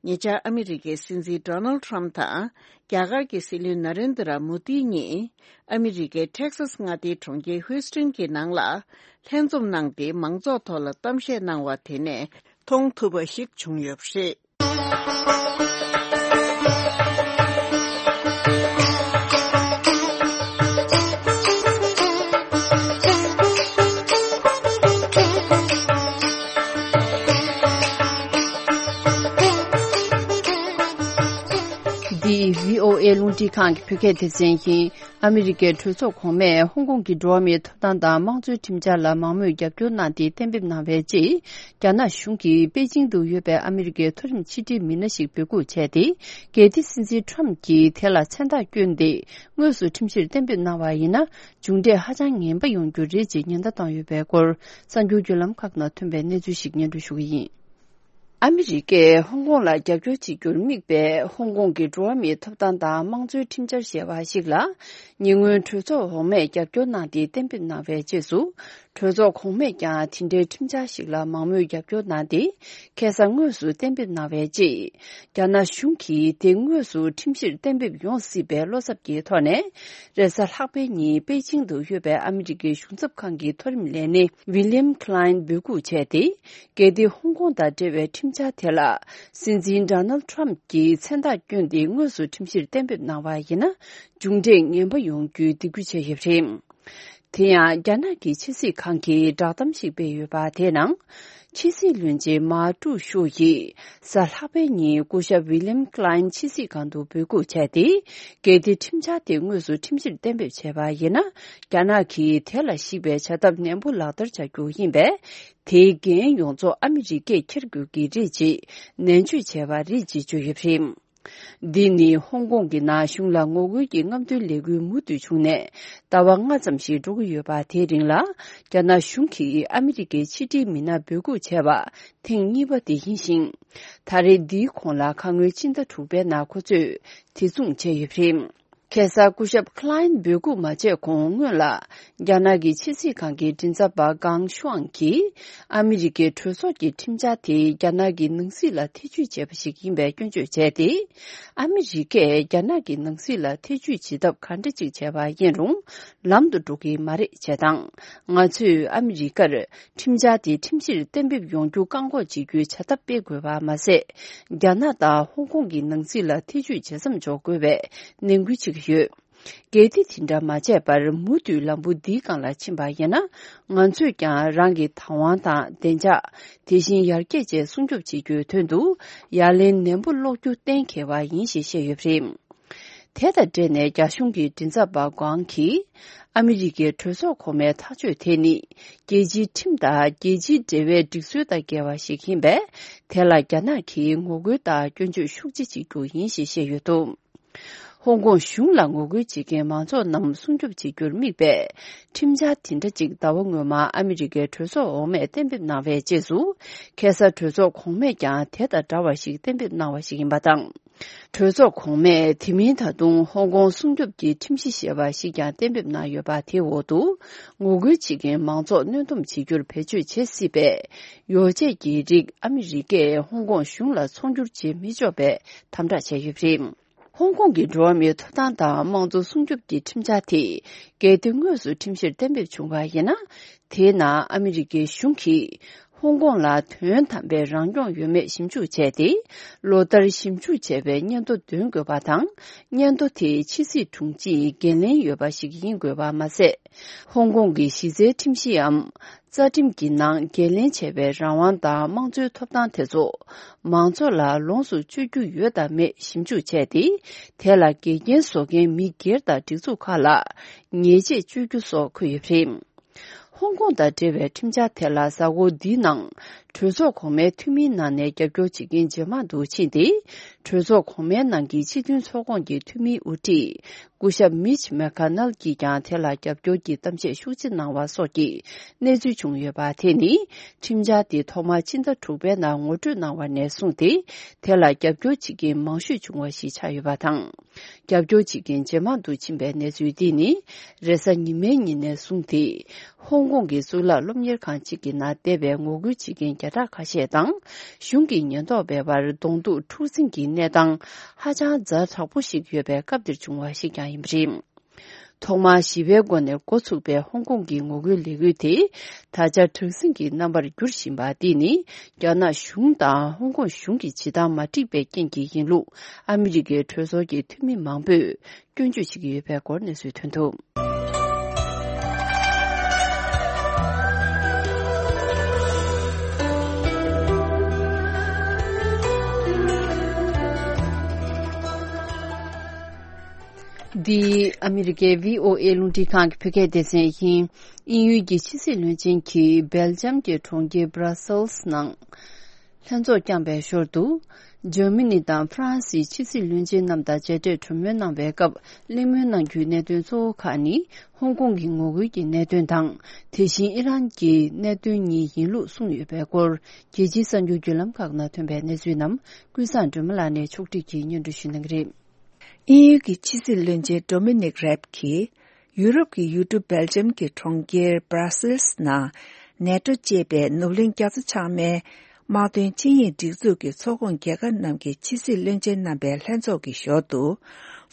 ཉེ་ཆར་ཨ་མི་རི་ཀའི་སྲིད་འཛིན་ཌོ་ནལ་ཊམ་དང་རྒྱ་གར་གྱི་སྲིད་བློན་ན་རེན་དྲ་མོ་དི་གཉིས་ཨ་མི་རི་ཀའི་ཊེག་སཱས་མངའ་སྡེའི་གྲོང་ཁྱེར་ཧུའུ་སྟན་གྱི་ནང་ལ་ལྷན་འཛོམས་གནང་སྟེ་མང་ཚོགས་ཐོག་ལ་གཏམ་བཤད་གནང་བ་དེ་ནས་མཐོང་ཐུབ་པ་ཞིག་བྱུང་ཡོད་པ་རེད། འདི་བྷི་ཨོ་ཨེ་རླུང་འཕྲིན་ཁང་གི་བོད་སྐད་སྡེ་ཚན་ཡིན། ཨ་མི་རི་ཀའི་གྲོས་ཚོགས་གོང་མས་ཧོང་ཀོང་གི་འགྲོ་བ་མིའི་ཐོབ་ཐང་དང་དམངས་གཙོའི་ཁྲིམས་འཆར་ལ་མང་མོས་རྒྱབ་སྐྱོར་གནང་སྟེ་གཏན་འབེབས་གནང་བའི་རྗེས། རྒྱ་ནག་གཞུང་གིས་པེ་ཅིང་དུ་ཡོད་པའི་ཨ་མི་རི་ཀའི་མཐོ་རིམ་ཕྱི་དྲིལ་མི་སྣ་ཞིག་འབོད་འགུག་བྱས་ཏེ། འགན་འཁྲི་སྲིད་འཛིན་ཊམ་གྱིས་དེ་ལ་མཚན་རྟགས་བསྐྱོན་ཏེ། དངོས་སུ་ཁྲིམས་གཞིར་གཏན་འབེབས་གནང་བ་ཡིན་ན། མཇུག་འབྲས་ཧ་ཅང་ངན་པ་ཡོང་རྒྱུ་རེད་ཅེས་ཉེན་བརྡ་བཏང་ཡོད་པའི་སྐོར། གསར་འགྱུར་བརྒྱུད་ལམ་ཁག་ནང་ཐོན་པའི་གནས་ཚུལ་ཞིག་སྙན་སྒྲོན་ཞུ་གི་ཡིན། ཨ་མི་རི་ཀས་ཧོང་ཀོང་ལ་རྒྱབ་སྐྱོར་བྱེད་རྒྱུར་དམིགས་པའི་ཧོང་ཀོང་གི་འགྲོ་བ་མིའི་ཐོབ་ཐང་དང་དམངས་གཙོའི་ཁྲིམས་འཆར་ཞེས་པ་ཞིག་ལ། ཉེ་སྔོན་གྲོས་ཚོགས་འོག་མས་རྒྱབ་སྐྱོར་གནང་སྟེ་གཏན་འབེབས་གནང་བའི་རྗེས་སུ། གྲོས་ཚོགས་གོང་མས་ཀྱང་དེ་འདྲའི་ཁྲིམས་འཆར་ཞིག་ལ་མང་མོས་རྒྱབ་སྐྱོར་གནང་སྟེ། ཁ་སང་དངོས་སུ་གཏན་འབེབས་གནང་བའི་རྗེས། རྒྱ་ནག་གཞུང་གིས་དེ་དངོས་སུ་ཁྲིམས་གཞིར་གཏན་འབེབས་ཡོང་སྲིད་པའི་བློ་འཚབ་ཀྱི་ཐོག་ནས། རེས་གཟའ་ལྷག་པའི་ཉིན་པེ་ཅིང་དུ་ཡོད་པའི་ཨ་མི་རི་ཀའི་གཞུང་ཚབ་ཁང་གི་མཐོ་རིམ་ལས་སྣེ་ཝི་ལི་ཡམ་ཁི་ལའིན་འབོད་འགུག་བྱས་ཏེ། གལ་ཏེ་ཧོང་ཀོང་དང་འབྲེལ་བའི་ཁྲིམས་འཆར་དེ་ལ་སྲིད་འཛིན་ཌོ་ནལ་ཊམ་གྱིས་མཚན་རྟགས་བསྐྱོན་ཏེ་དངོས་སུ་ཁྲིམས་གཞིར་གཏན་འབེབས་གནང་བ་ཡིན་ན། མཇུག་འབྲས་ངན་པ་ཡོང་རྒྱུའི་སྡིགས་སྐུལ་བྱས་ཡོད་པ་རེད། དེ་ཡང་རྒྱ་ནག་གི་ཕྱི་སྲིད་ཁང་གིས་བསྒྲགས་གཏམ་ཞིག་སྤེལ་ཡོད་པ་དེའི་ནང་། ཕྱི་སྲིད་བློན་ཆེན་མཱ་ཀྲུའུ་ཞུ་ཡིས་གཟའ་ལྷག་པའི་ཉིན་སྐུ་ཞབས་ཝི་ལི་ཡམ་ཁི་ལའིན་ཕྱི་སྲིད་ཁང་དུ་འབོད་འགུག་བྱས་ཏེ། གལ་ཏེ་ཁྲིམས་འཆར་དེ་དངོས་སུ་ཁྲིམས་གཞིར་གཏན་འབེབས་བྱས་པ་ཡིན་ན། རྒྱ་ནག་གིས་དེ་ལ་གཞིགས་པའི་བྱ་ཐབས་ནན་པོ་ལག་བསྟར་བྱ་རྒྱུ་ཡིན་པས། དེའི་འགན་ཡོངས་རྫོགས་ཨ་མི་རི་ཀས་འཁྱེར་དགོས་ཀྱི་རེད་ཅེས་ནན་བརྗོད་བྱས་པ་རེད་ཅེས་བརྗོད་ཡོད་པ་རེད། འདི་ནི་ཧོང་ཀོང་གི་ནང་གཞུང་ལ་ངོ་རྒོལ་གྱི་རྔམ་སྟོན་ལས་འགུལ་མུ་མཐུད་བྱུང་ནས་ཟླ་བ་ལྔ་ཙམ་ཞིག་འགྲོ་གི་ཡོད་པ། དེའི་རིང་ལ་རྒྱ་ནག་གཞུང་གིས་ཨ་མི་རི་ཀའི་ཕྱི་དྲིལ་མི་སྣ་འབོད་འགུག་བྱས་པ་ཐེངས་གཉིས་པ་དེ་ཡིན་ཞིང་། ད་རེས་འདིའི་གོང་ལ་ཁ་སྔོན་ཕྱི་ཟླ་དྲུག་པའི་ནང་ཁོ་ཚོས་དེ་མཚུངས་བྱས་ཡོད་པ་རེད། ཁ་སང་སྐུ་ཞབས་ཁི་ལའིན་འབོད་འགུག་མ་བྱས་གོང་སྔོན་ལ། རྒྱ་ནག་གི་ཕྱི་སྲིད་ཁང་གི་མགྲིན་ཚབ་པ་ཀང་ཤུའང་གིས། ཨ་མི་རི་ཀའི་གྲོས་ཚོགས་ཀྱི་ཁྲིམས་འཆར་དེ་རྒྱ་ནག་གི་ནང་སྲིད་ལ་ཐེ་བྱུས་བྱས་པ་ཞིག་ཡིན་པའི་སྐྱོན་བརྗོད་བྱས་ཏེ། ཨ་མི་རི་ཀས་རྒྱ་ནག་གི་ནང་སྲིད་ལ་ཐེ་བྱུས་བྱེད་ཐབས་ག་འདྲ་ཅིག་བྱས་པ་ཡིན་རུང་། ལམ་དུ་འགྲོ་གི་མ་རེད་ཅེས་དང་། ང་ཚོས་ཨ་མི་རི་ཀར། ཁྲིམས་འཆར་དེ་ཁྲིམས་གཞིར་གཏན་འབེབས་ཡོང་རྒྱུ་བཀག་འགོག་བྱེད་རྒྱུའི་བྱ་ཐབས་སྤེལ་དགོས་པ་མ་ཟད། རྒྱ་ནག་དང་ཧོང་ཀོང་གི་ནང་སྲིད་ལ་ཐེ་བྱུས་བྱེད་མཚམས་འཇོག་དགོས་པའི་ནན་སྐུལ་བྱེད་ཀྱི་ཡོད། གལ་ཏེ་དེ་འདྲ་མ་བྱས་པར་མུ་མཐུད་ལམ་བུ་འདིའི་སྒང་ལ་ཕྱིན་པ་ཡིན་ན། ང་ཚོས་ཀྱང་རང་གི་བདག་དབང་དང་བདེ་འཇགས། དེ་བཞིན་ཡར་རྒྱས་བཅས་སྲུང་སྐྱོབ་བྱེད་རྒྱུའི་དོན་དུ། ཡ་ལན་ནན་པོ་སློག་རྒྱུ་གཏན་འཁེལ་བ་ཡིན་ཞེས་བཤད་ཡོད་པ་རེད། དེ་དང་འབྲེལ་ནས་རྒྱ་གཞུང་གི་མགྲིན་ཚབ་པ་ཀོང་གིས། ཨ་མི་རི་ཀའི་གྲོས་ཚོགས་གོང་མའི་ཐག་གཅོད་དེ་ནི། རྒྱལ་སྤྱིའི་ཁྲིམས་དང་རྒྱལ་སྤྱིའི་འབྲེལ་བའི་སྒྲིག་སྲོལ་དང་འགལ་བ་ཞིག་ཡིན་པས། དེ་ལ་རྒྱ་ནག་གིས་ངོ་རྒོལ་དང་སྐྱོན་བརྗོད་ཤུགས་ཆེ་བྱེད་རྒྱུ་ཡིན་ཞེས་བཤད་ཡོད་འདུག་ཧོང་ཀོང་གཞུང་ལ་ངོ་རྒོལ་བྱེད་མཁན་མང་ཚོགས་རྣམས་སྲུང་སྐྱོབ་བྱེད་རྒྱུར་དམིགས་པའི་ཁྲིམས་འཆར་དེ་འདྲ་ཅིག་ཟླ་བ་སྔོན་མ་ཨ་མི་རི་ཀའི་གྲོས་ཚོགས་འོག་མས་གཏན་འབེབས་གནང་བའི་རྗེས་སུ། ཁ་སང་གྲོས་ཚོགས་གོང་མས་ཀྱང་དེ་དང་འདྲ་བ་ཞིག་གཏན་འབེབས་གནང་བ་ཞིག་ཡིན་པ་དང་། གྲོས་ཚོགས་གོང་མས་དེ་མིན་ད་དུང་ཧོང་ཀོང་སྲུང་སྐྱོབ་ཀྱི་ཁྲིམས་གཞི་ཞེས་པ་ཞིག་ཀྱང་གཏན་འབེབས་གནང་ཡོད་པ། དེའི་འོག་ཏུ་ངོ་རྒོལ་བྱེད་མཁན་མང་ཚོགས་གནོན་སྡོམ་བྱེད་རྒྱུར་བེད་སྤྱོད་བྱེད་སྲིད་པའི་ཡོ་བྱད་ཀྱི་རིགས་ཨ་མི་རི་ཀས་ཧོང་ཀོང་གཞུང་ལ་ཚོང་སྒྱུར་བྱེད་མི་ཆོག་པའི་དམ་དྲག་བྱས་ཡོད་པ་རེད། ཧོང་ཀོང་གི་འགྲོ་བ་མིའི་ཐོབ་ཐང་དང་དམངས་གཙོ་སྲུང་སྐྱོབ་ཀྱི་ཁྲིམས་འཆར་དེ། གལ་ཏེ་དངོས་སུ་ཁྲིམས་གཞིར་གཏན་འབེབས་བྱུང་བ་ཡིན་ན། དེའི་ནང་ཨ་མི་རི་ཀའི་གཞུང་གིས། ཧོང་ཀོང་ལ་དོན་དམ་པའི་རང་སྐྱོང་ཡོད་མེད་ཞིབ་འཇུག་བྱས་ཏེ། ལོ་ལྟར་ཞིབ་འཇུག་བྱས་པའི་སྙན་ཐོ་འདོན་དགོས་པ་དང་། སྙན་ཐོ་དེ་ཕྱི་སྲིད་དྲུང་ཆེས་འགན་ལེན་ཡོད་པ་ཞིག་ཡིན་དགོས་པ་མ་ཟད། ཧོང་ཀོང་གི་གཞི་རྩའི་ཁྲིམས་གཞིའམ་རྩ་ཁྲིམས་ཀྱི་ནང་འགན་ལེན་བྱས་པའི་རང་དབང་དང་དམངས་གཙོའི་ཐོབ་ཐང་དེ་ཚོ་མང་ཚོགས་ལ་ལོངས་སུ་སྤྱོད་རྒྱུ་ཡོད་དམ་མེད་ཞིབ་འཇུག་བྱས་ཏེ། དེ་ལ་འགལ་རྐྱེན་བཟོ་མཁན་མི་སྒེར་དང་སྒྲིག་འཛུགས་ཁག་ལ་ཉེས་ཆད་གཅོད་རྒྱུ་སོགས་འཁོད་ཡོད་པ་རེད། ཧོང་ཀོང་དང་འབྲེལ་བའི་ཁྲིམས་འཆར་དེ་ལ་གཟའ་འཁོར་འདིའི་ནང་། གྲོས་ཚོགས་གོང་མའི་འཐུས་མིའི་ནང་ནས་རྒྱབ་སྐྱོར་བྱེད་མཁན་ཇེ་མང་དུ་ཕྱིན་ཏེ། གྲོས་ཚོགས་གོང་མའི་ནང་གི་སྤྱི་མཐུན་ཚོགས་ཁོངས་ཀྱི་འཐུས་མིའི་དབུ་ཁྲིད་སྐུ་ཞབས་མིཆ་མེ་ཁ་ནལ་གྱིས་ཀྱང་དེ་ལ་རྒྱབ་སྐྱོར་གྱི་གཏམ་བཤད་ཤུགས་ཆེ་གནང་བ་སོགས་ཀྱི་གནས་ཚུལ་བྱུང་ཡོད་པ་དེ་ནི། ཁྲིམས་འཆར་དེ་ཐོག་མར་ཕྱི་ཟླ་དྲུག་པའི་ནང་ངོ་སྤྲོད་གནང་བ་ནས་བཟུང་སྟེ། དེ་ལ་རྒྱབ་སྐྱོར་བྱེད་མཁན་མང་ཤོས་བྱུང་བ་ཞིག་ཆགས་ཡོད་པ་དང་། རྒྱབ་སྐྱོར་བྱེད་མཁན་ཇེ་མང་དུ་ཕྱིན་པའི་གནས་ཚུལ་འདི་ནི། རེས་གཟའ་ཉི་མའི་ཉིན་ནས་བཟུང་སྟེ། ཧོང་ཀོང་གི་གཙུག་ལག་སློབ་གཉེར་ཁང་གཅིག་གི་ནང་བསྡད་པའི་ངོ་རྒོལ་བྱེད་མཁན་བརྒྱ་ཕྲག་ཁ་ཤས་དང་། གཞུང་གི་ཉེན་རྟོག་པའི་བར་གདོང་ཐུག་འཁྲུག་འཛིང་གི་གནས་སྟངས་ཧ་ཅང་ཛ་དྲག་པོ་ཞིག་ཡོད་པའི་སྐབས་འདིར་བྱུང་བ་ཞིག་ཀྱང་ཡིན་པ་རེད། ཐོག་མར་ཞི་བའི་སྒོ་ནས་འགོ་ཚུགས་པའི་ཧོང་ཀོང་གི་ངོ་རྒོལ་ལས་འགུལ་དེ། ད་ཆ་དྲག་ཟིང་གི་རྣམ་པར་འགྱུར་བཞིན་པ་འདི་ནི། རྒྱ་ནག་གཞུང་དང་ཧོང་ཀོང་གཞུང་གི་བྱེད་སྟངས་མ་འགྲིག་པའི་རྐྱེན་གྱིས་ཡིན་ལུགས། ཨ་མི་རི་ཀའི་གྲོས་ཚོགས་ཀྱི་འཐུས་མི་མང་པོས་སྐྱོན་བརྗོད་བྱེད་ཀྱི་ཡོད་པའི་སྐོར་གནས་ཚུལ་ཐོན་འདུག། འདི་ཨ་མི་རི་ཀའི་བྷི་ཨོ་ཨེ་རླུང་འཕྲིན་ཁང་གི་བོད་སྐད་སྡེ་ཚན་ཡིན། དབྱིན་ཡུལ་གྱི་ཕྱི་སྲིད་བློན་ཆེན་གྱིས་སྦེལ་ཇམ་གྱི་གྲོང་ཁྱེར་Brussels་ནང་ལྷན་ཚོགས་བསྐྱངས་པའི་ཞོར་དུ། འཇར་མ་ནི་དང་ཧྥ་རན་སིའི་ཕྱི་སྲིད་བློན་ཆེན་རྣམས་དང་མཇལ་འཕྲད་གྲོས་མོལ་གནང་བའི་སྐབས། གླེང་མོལ་གནང་རྒྱུའི་གནད་དོན་གཙོ་བོ་ཁག་ནི། ཧོང་ཀོང་གི་ངོ་རྒོལ་གྱི་གནད་དོན་དང་། དེ་བཞིན་ཨི་རན་གྱི་གནད་དོན་གཉིས་ཡིན་ལུགས་གསུངས་ཡོད་པའི་སྐོར། རྒྱལ་སྤྱིའི་གསར་འགྱུར་བརྒྱུད་ལམ་ཁག་ནང་ཐོན་པའི་གནས་ཚུལ་རྣམས། ཀུན་བཟང་སྒྲོལ་མ་ལགས་ནས་ཕྱོགས་སྒྲིག་གིས་སྙན་སྒྲོན་ཞུ་གནང་གི་རེད། དབྱིན་ཡུལ་གྱི་ཕྱི་སྲིད་བློན་ཆེན་Dominic Raab་གྱིས། ཡུ་རོབ་ཀྱི་ཡུལ་གྲུ་སྦེལ་ཇམ་གྱི་གྲོང་ཁྱེར་Brussels་ནང་ནེ་ཏྲོ་ཅེས་པའི་ནུབ་གླིང་རྒྱ་མཚོ་བྱང་མའི་དམག་དོན་ཆིངས་ཡིག་སྒྲིག་འཛུགས་ཀྱི་ཚོགས་ཁོངས་རྒྱལ་ཁབ་རྣམས་ཀྱི་ཕྱི་སྲིད་བློན་ཆེན་རྣམ་པའི་ལྷན་ཚོགས་ཀྱི་ཞོར་དུ།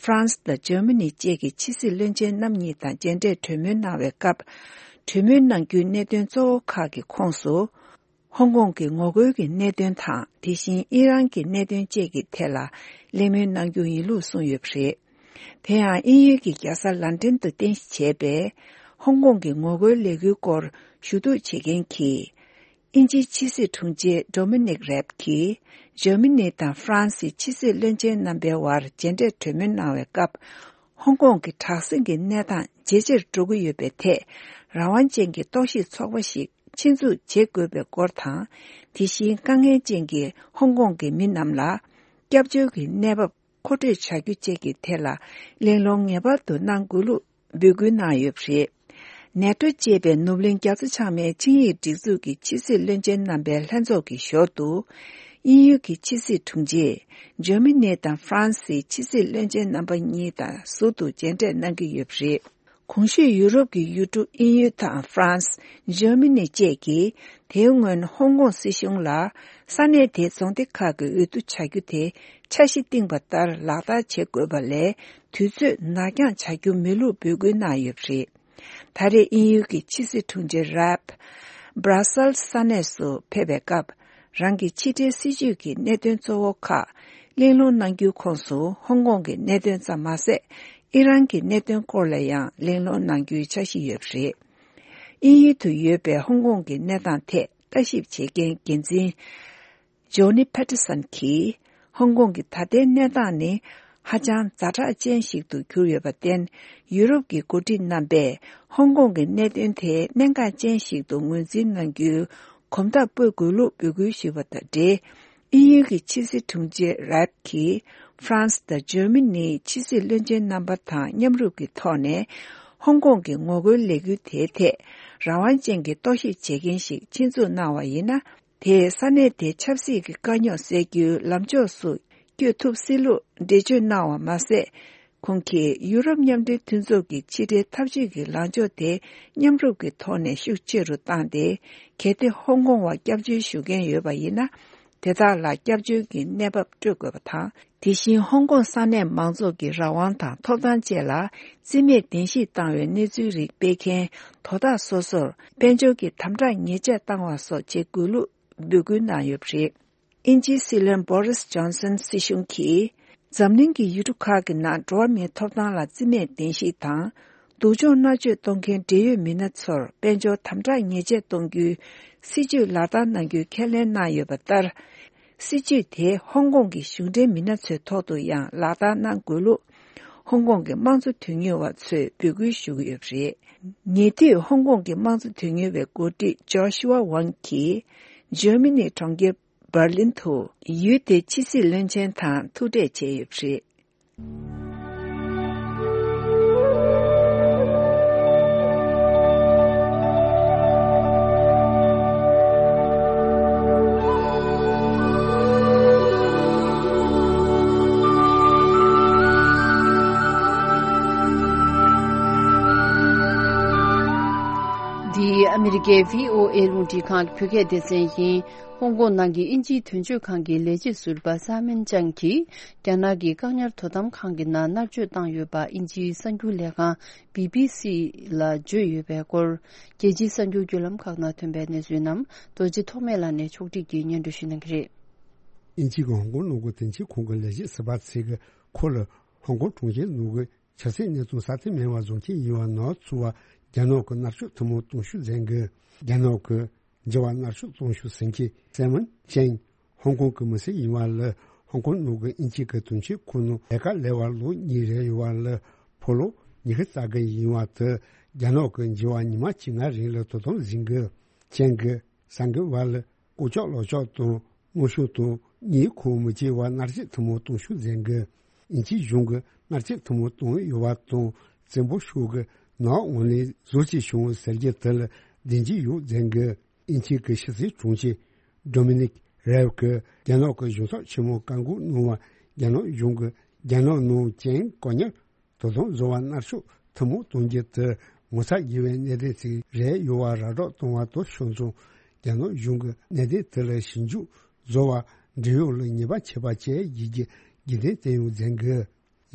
ཧྥ་རན་སི་དང་འཇར་མ་ནི་བཅས་ཀྱི་ཕྱི་སྲིད་བློན་ཆེན་རྣམ་གཉིས་དང་མཇལ་འཕྲད་གྲོས་མོལ་གནང་བའི་སྐབས། གྲོས་མོལ་གནང་རྒྱུའི་གནད་དོན་གཙོ་བོ་ཁག་གི་ཁོངས་སུ། ཧོང་ཀོང་གི་ངོ་རྒོལ་གྱི་གནད་དོན་དང་། དེ་བཞིན་ཨི་རན་གྱི་གནད་དོན་བཅས་ཀྱི་ཐད་ལ་གླེང་མོལ་གནང་རྒྱུ་ཡིན་ལུགས་གསུངས་ཡོད་པ་རེད། དེ་ཡང་དབྱིན་ཡུལ་གྱི་རྒྱལ་ས་ལན་ཀྲན་དུ་རྟེན་གཞི་བྱས་པའི་ཧོང་ཀོང་གི་ངོ་རྒོལ་ལས་འགུལ་སྐོར་ཞུ་གཏུག་བྱེད་མཁན་གྱི་དབྱིན་ཇིའི་ཕྱི་སྲིད་དྲུང་ཆེ་Dominic Raab་གྱིས། འཇར་མ་ནི་དང་ཧྥ་རན་སིའི་ཕྱི་སྲིད་བློན་ཆེན་རྣམ་པའི་དབར་མཇལ་འཕྲད་གྲོས་མོལ་གནང་བའི་སྐབས། ཧོང་ཀོང་གི་དྲག་ཟིང་གི་གནས་སྟངས་ཇེ་ཆེར་འགྲོ་གི་ཡོད་པའི་ཐད། རང་དབང་ཅན་གྱི་རྟོག་ཞིབ་ཚོགས་པ་ཞིག་ཆེད་འཛུགས་བྱེད་དགོས་པའི་སྐོར་དང་། དེ་བཞིན་དཀའ་ངལ་ཅན་གྱི་ཧོང་ཀོང་གི་མི་རྣམས་ལ་སྐྱབས་བཅོལ་གྱི་གནས་བབ་མཁོ་སྤྲོད་བྱ་རྒྱུ་བཅས་ཀྱི་ཐད་ལ་གླེང་སློང་ངེས་པར་དུ་གནང་དགོས་ལུགས་འབོད་སྐུལ་གནང་ཡོད་པ་རེད། ནེ་ཏྲོ་ཅེས་པའི་ནུབ་གླིང་རྒྱ་མཚོ་བྱང་མའི་ཆིངས་ཡིག་སྒྲིག་འཛུགས་ཀྱི་ཕྱི་སྲིད་བློན་ཆེན་རྣམ་པའི་ལྷན་ཚོགས་ཀྱི་ཞོར་དུ། དབྱིན་ཡུལ་གྱི་ཕྱི་སྲིད་དྲུང་ཆེ། འཇར་མ་ནི་དང་ཧྥ་རན་སིའི་ཕྱི་སྲིད་བློན་ཆེན་རྣམ་པ་གཉིས་དང་ཟུར་དུ་མཇལ་འཕྲད་གནང་གི་ཡོད་པ་རེད། གོང་ཞུས་ཡུ་རོབ་ཀྱི་ཡུལ་གྲུ་དབྱིན་ཡུལ་དང་ཧྥ་རན་སི། འཇར་མ་ནི་བཅས་ཀྱིས་དེའི་སྔོན་ཧོང་ཀོང་སྲིད་གཞུང་ལ་ས་གནས་དེའི་རྫོང་སྡེ་ཁག་གི་འོས་བསྡུ་བྱ་རྒྱུ་དེ་འཆར་གཞི་བཏིང་བ་ལྟར་ལག་བསྟར་བྱེད་དགོས་པ་ལས། དུས་ཚོད་ནར་འགྱངས་བྱ་རྒྱུ་མེད་ལུགས་འབོད་སྐུལ་གནང་ཡོད་པ་རེད། ད་རེས་དབྱིན་ཡུལ་གྱི་ཕྱི་སྲིད་དྲུང་ཆེ་རབ། Brussels་ས་གནས་སུ་ཕེབས་པའི་སྐབས། རང་གི་ཕྱི་འབྲེལ་སྲིད་ཇུས་ཀྱི་གནད་དོན་གཙོ་བོ་ཁག་གླེང་སློང་གནང་རྒྱུའི་ཁོངས་སུ་ཧོང་ཀོང་གི་གནད་དོན་ཙམ་མ་ཟད། ཨི་རན་གྱི་གནད་དོན་སྐོར་ལ་ཡང་གླེང་སློང་གནང་རྒྱུའི་འཆར་གཞི་ཡོད་པ་རེད། དབྱིན་ཡུལ་དུ་ཡོད་པའི་ཧོང་ཀོང་གི་གནས་སྟངས་ཐད་ལྟ་ཞིབ་བྱེད་མཁན་འགན་འཛིན། Johnny Patterson་གྱིས། ཧོང་ཀོང་གི་ད་ལྟའི་གནས་སྟངས་ནི་ཧ་ཅང་ཛ་དྲག་ཅན་ཞིག་ཏུ་གྱུར་ཡོད་པར་བརྟེན། ཡུ་རོབ་ཀྱི་འགོ་ཁྲིད་རྣམ་པས་ཧོང་ཀོང་གི་གནད་དོན་དེ་གནད་འགག་ཅན་ཞིག་ཏུ་ངོས་འཛིན་གནང་རྒྱུའི་གོམ་སྟབས་སྤོ་དགོས་ལུགས་འབོད་སྐུལ་ཞུས་པ་དང་འབྲེལ། དབྱིན་ཡུལ་གྱི་ཕྱི་སྲིད་དྲུང་ཆེ་རབ་ཀྱིས་ཧྥ་རན་སི་དང་འཇར་མ་ནིའི་ཕྱི་སྲིད་བློན་ཆེན་རྣམ་པ་དང་མཉམ་རུབ་ཀྱི་ཐོག་ནས། ཧོང་ཀོང་གི་ངོ་རྒོལ་ལས་འགུལ་དེའི་ཐད་རང་དབང་ཅན་གྱི་རྟོག་ཞིབ་བྱེད་མཁན་ཞིག་ཆེད་འཛུགས་གནང་བ་ཡིན་ན། དེས་ས་གནས་དེའི་ཆབ་སྲིད་ཀྱི་དཀའ་རྙོག་སེལ་རྒྱུའི་ལམ་ཕྱོགས་སུ་བསྐྱོད་ཐུབ་སྲིད་ལུགས་འགྲེལ་བརྗོད་གནང་བ་མ་ཟད། ཁོང་གིས་ཡུ་རོབ་མཉམ་འབྲེལ་མཐུན་ཚོགས་ཀྱི་ཕྱི་འབྲེལ་འཐབ་ཇུས་ཀྱི་ལངས་ཕྱོགས་དེ་མཉམ་རུབ་ཀྱི་ཐོག་ནས་ཤུགས་ཆེ་རུ་བཏང་སྟེ། གལ་ཏེ་ཧོང་ཀོང་བ་སྐྱབས་བཅོལ་ཞུ་མཁན་ཡོད་པ་ཡིན་ན། དེ་དག་ལ་སྐྱབས་བཅོལ་གྱི་གནས་བབ་སྤྲོད་དགོས་པ་དང་། དེ་བཞིན་ཧོང་ཀོང་ས་གནས་མང་ཚོགས་ཀྱི་རང་དབང་དང་ཐོབ་ཐང་བཅས་ལ་རྩིས་མེད་བདེན་བཞིག་བཏང་བའི་གནས་ཚུལ་རིགས་སྤེལ་མཁན་དོ་བདག་སོ་སོར་དཔལ་འབྱོར་གྱི་དམ་དྲག་ཉེས་ཆད་བཏང་བ་སོགས་བྱེད་དགོས་ལུགས་འབོད་སྐུལ་གནང་ཡོད་པ་རེད། དབྱིན་ཇིའི་སྲིད་བློན་བོ་རིས་ཇོན་སན་སྲིད་གཞུང་གིས། འཛམ་གླིང་གི་ཡུལ་གྲུ་ཁག་གི་ནང་འགྲོ་བ་མིའི་ཐོབ་ཐང་ལ་རྩིས་མེད་བདེན་བཞིག་དང་། སྡུག་སྦྱོང་མནར་གཅོད་གཏོང་མཁན་འབྲེལ་ཡོད་མི་སྣ་ཚོར་དཔལ་འབྱོར་དམ་དྲག་ཉེས་ཆད་གཏོང་རྒྱུའི་སྲིད་ཇུས་ལག་བསྟར་གནང་རྒྱུའི་ཁས་ལེན་གནང་ཡོད་པ་ལྟར། སྲིད་ཇུས་དེ་ཧོང་ཀོང་གི་གཞུང་འབྲེལ་མི་སྣ་ཚོའི་ཐོག་ཏུ་ཡང་ལག་བསྟར་གནང་དགོས་ལུགས། ཧོང་ཀོང་གི་དམངས་གཙོ་དོན་གཉེར་བ་ཚོས་འབོད་སྐུལ་ཞུ་གི་ཡོད་པ་རེད། ཉེ་དུས་ཧོང་ཀོང་གི་དམངས་གཙོ་དོན་གཉེར་བའི་འགོ་ཁྲིད་ཇོ་ཤུ་ཝ་ཝང་གིས། འཇར་མ་ནིའི་གྲོང་ཁྱེར། འབར་ལིན་དུ་ཡུལ་དེའི་ཕྱི་སྲིད་བློན་ཆེན་དང་ཐུག་འཕྲད་བྱས་ཡོད་པ་རེད། འདི་ཨ་མི་རི་ཀའི་བྷི་ཨོ་ཨེ་རླུང་འཕྲིན་ཁང་གི་བོད་སྐད་སྡེ་ཚན་ཡིན། ཧོང་ཀོང་ནང་གི་དབྱིན་ཇིའི་དོན་གཅོད་ཁང་གི་ལས་བྱེད་ཟུར་པ་སཱ་མན་ཅང་གིས། རྒྱ་ནག་གི་བཀག་ཉར་དོ་དམ་ཁང་གི་ནང་མནར་གཅོད་བཏང་ཡོད་པ་དབྱིན་ཇིའི་གསར་འགྱུར་ལས་ཁང་བི་བི་སི་ལ་བརྗོད་ཡོད་པའི་སྐོར། རྒྱལ་སྤྱིའི་གསར་འགྱུར་བརྒྱུད་ལམ་ཁག་ནང་ཐོན་པའི་གནས་ཚུལ་རྣམས་རྡོ་རྗེ་ཐོགས་མེད་ལགས་ནས་ཕྱོགས་སྒྲིག་གིས་སྙན་སྒྲོན་ཞུ་གནང་གི་རེད། དབྱིན་ཇི་གི་ཧོང་ཀོང་ནང་གི་དོན་གཅོད་ཁང་གི་ལས་བྱེད་ཟུར་པ་ཚོས་ཀྱིས་ཁོ་ལ་ཧོང་ཀོང་གྲོང་ཁྱེར་ནང་གི་ཆབ་སྲིད་གནས་སྟངས་སྲ་བརྟན་མེད་པ་བཟོ་མཁན་ཡིན་པ་ནང་ཚུད་པ་རྒྱ་ནག་གི་མནར་གཅོད་ཐུན་མོང་གཏོང་ཤུགས་འཛིན་དགོས། རྒྱ་ནག་གི་འགྱུར་བ་མནར་གཅོད་གཏོང་ཤུགས་ཟིན་གྱི་སེ་མོན་ཅན། ཧོང་ཀོང་གི་མི་སེར་ཡིན་པ་ལ་ཧོང་ཀོང་ནང་གི་དབྱིན་ཇི་གི་དོན་གཅོད་ཁང་ནང་ལས་ཀ་ལས་པར་ལོ་གཉིས་རེད་ཡོད་པ་ལ་ཕོ་ལོ་ཉི་ཤུ་རྩ་བརྒྱད་ཡིན་པ་དེ་རྒྱ་ནག་གི་འགྱུར་བ་ཉི་མ་བཅོ་ལྔ་རིང་ལ་དོ་དམ་ཟིན་དགོས། ཅན་གྱི་གསར་འགོད་པ་ལ་ལྐོག་གྱོག་ལག་གྱོག་དང་། མནར་གཅོད་དང་། གཉིད་ཁུག་མི་བྱེད་པར་མནར་གཅོད་ཐུན་མོང་གཏོང་ཤུགས་འཛིན་དགོས། དབྱིན་ཇིའི་གཞུང་གིས་མནར་གཅོད་ཐུན་མོང་བཏང་ཡོད་པ་དང་། བཙན་པོ་ཤོག་གི་ནག་འོག་ནས་ཟུར་གཅིག་བྱུང་ཟེར་རྒྱུ་དེ་ལ་བདེན་འཇིགས་ཡོད་འཛིན་དགོས། དབྱིན་ཇི་གི་ཕྱི་སྲིད་དྲུང་ཆེ་ཌོ་མི་ནིག་རེབ་ཀྱིས་རྒྱ་ནག་གི་གཞུང་ཚབ་ཆེན་མོར་བཀའ་འགུག་གནང་བར། རྒྱ་ནག་གཞུང་གིས་རྒྱ་ནག་ནང་ཅན་བཀག་ཉར་དོ་དམ་བཟོ་བར་མནར་གཅོད་ཐུན་མོང་གཏོང་རྒྱུ་དེ་ངོ་ཚ་དགོས་པའི་གནད་དོན་ཞིག་རེད་ཡོད་པ་ར་སྤྲོད་གཏོང་བ་དང་ཕྱོགས་མཚུངས། རྒྱ་ནག་གཞུང་གིས་གནད་དོན་དེ་ལ་ཞིབ་འཇུག་བཟོ་བར་འབྲེལ་ཡོད་ལ་ཉེས་པ་ཆད་པ་བཅད་ཡོད་ཀྱི་རྒྱུ་མཚན་བསྟན་ཡོད་འཛིན་དགོས།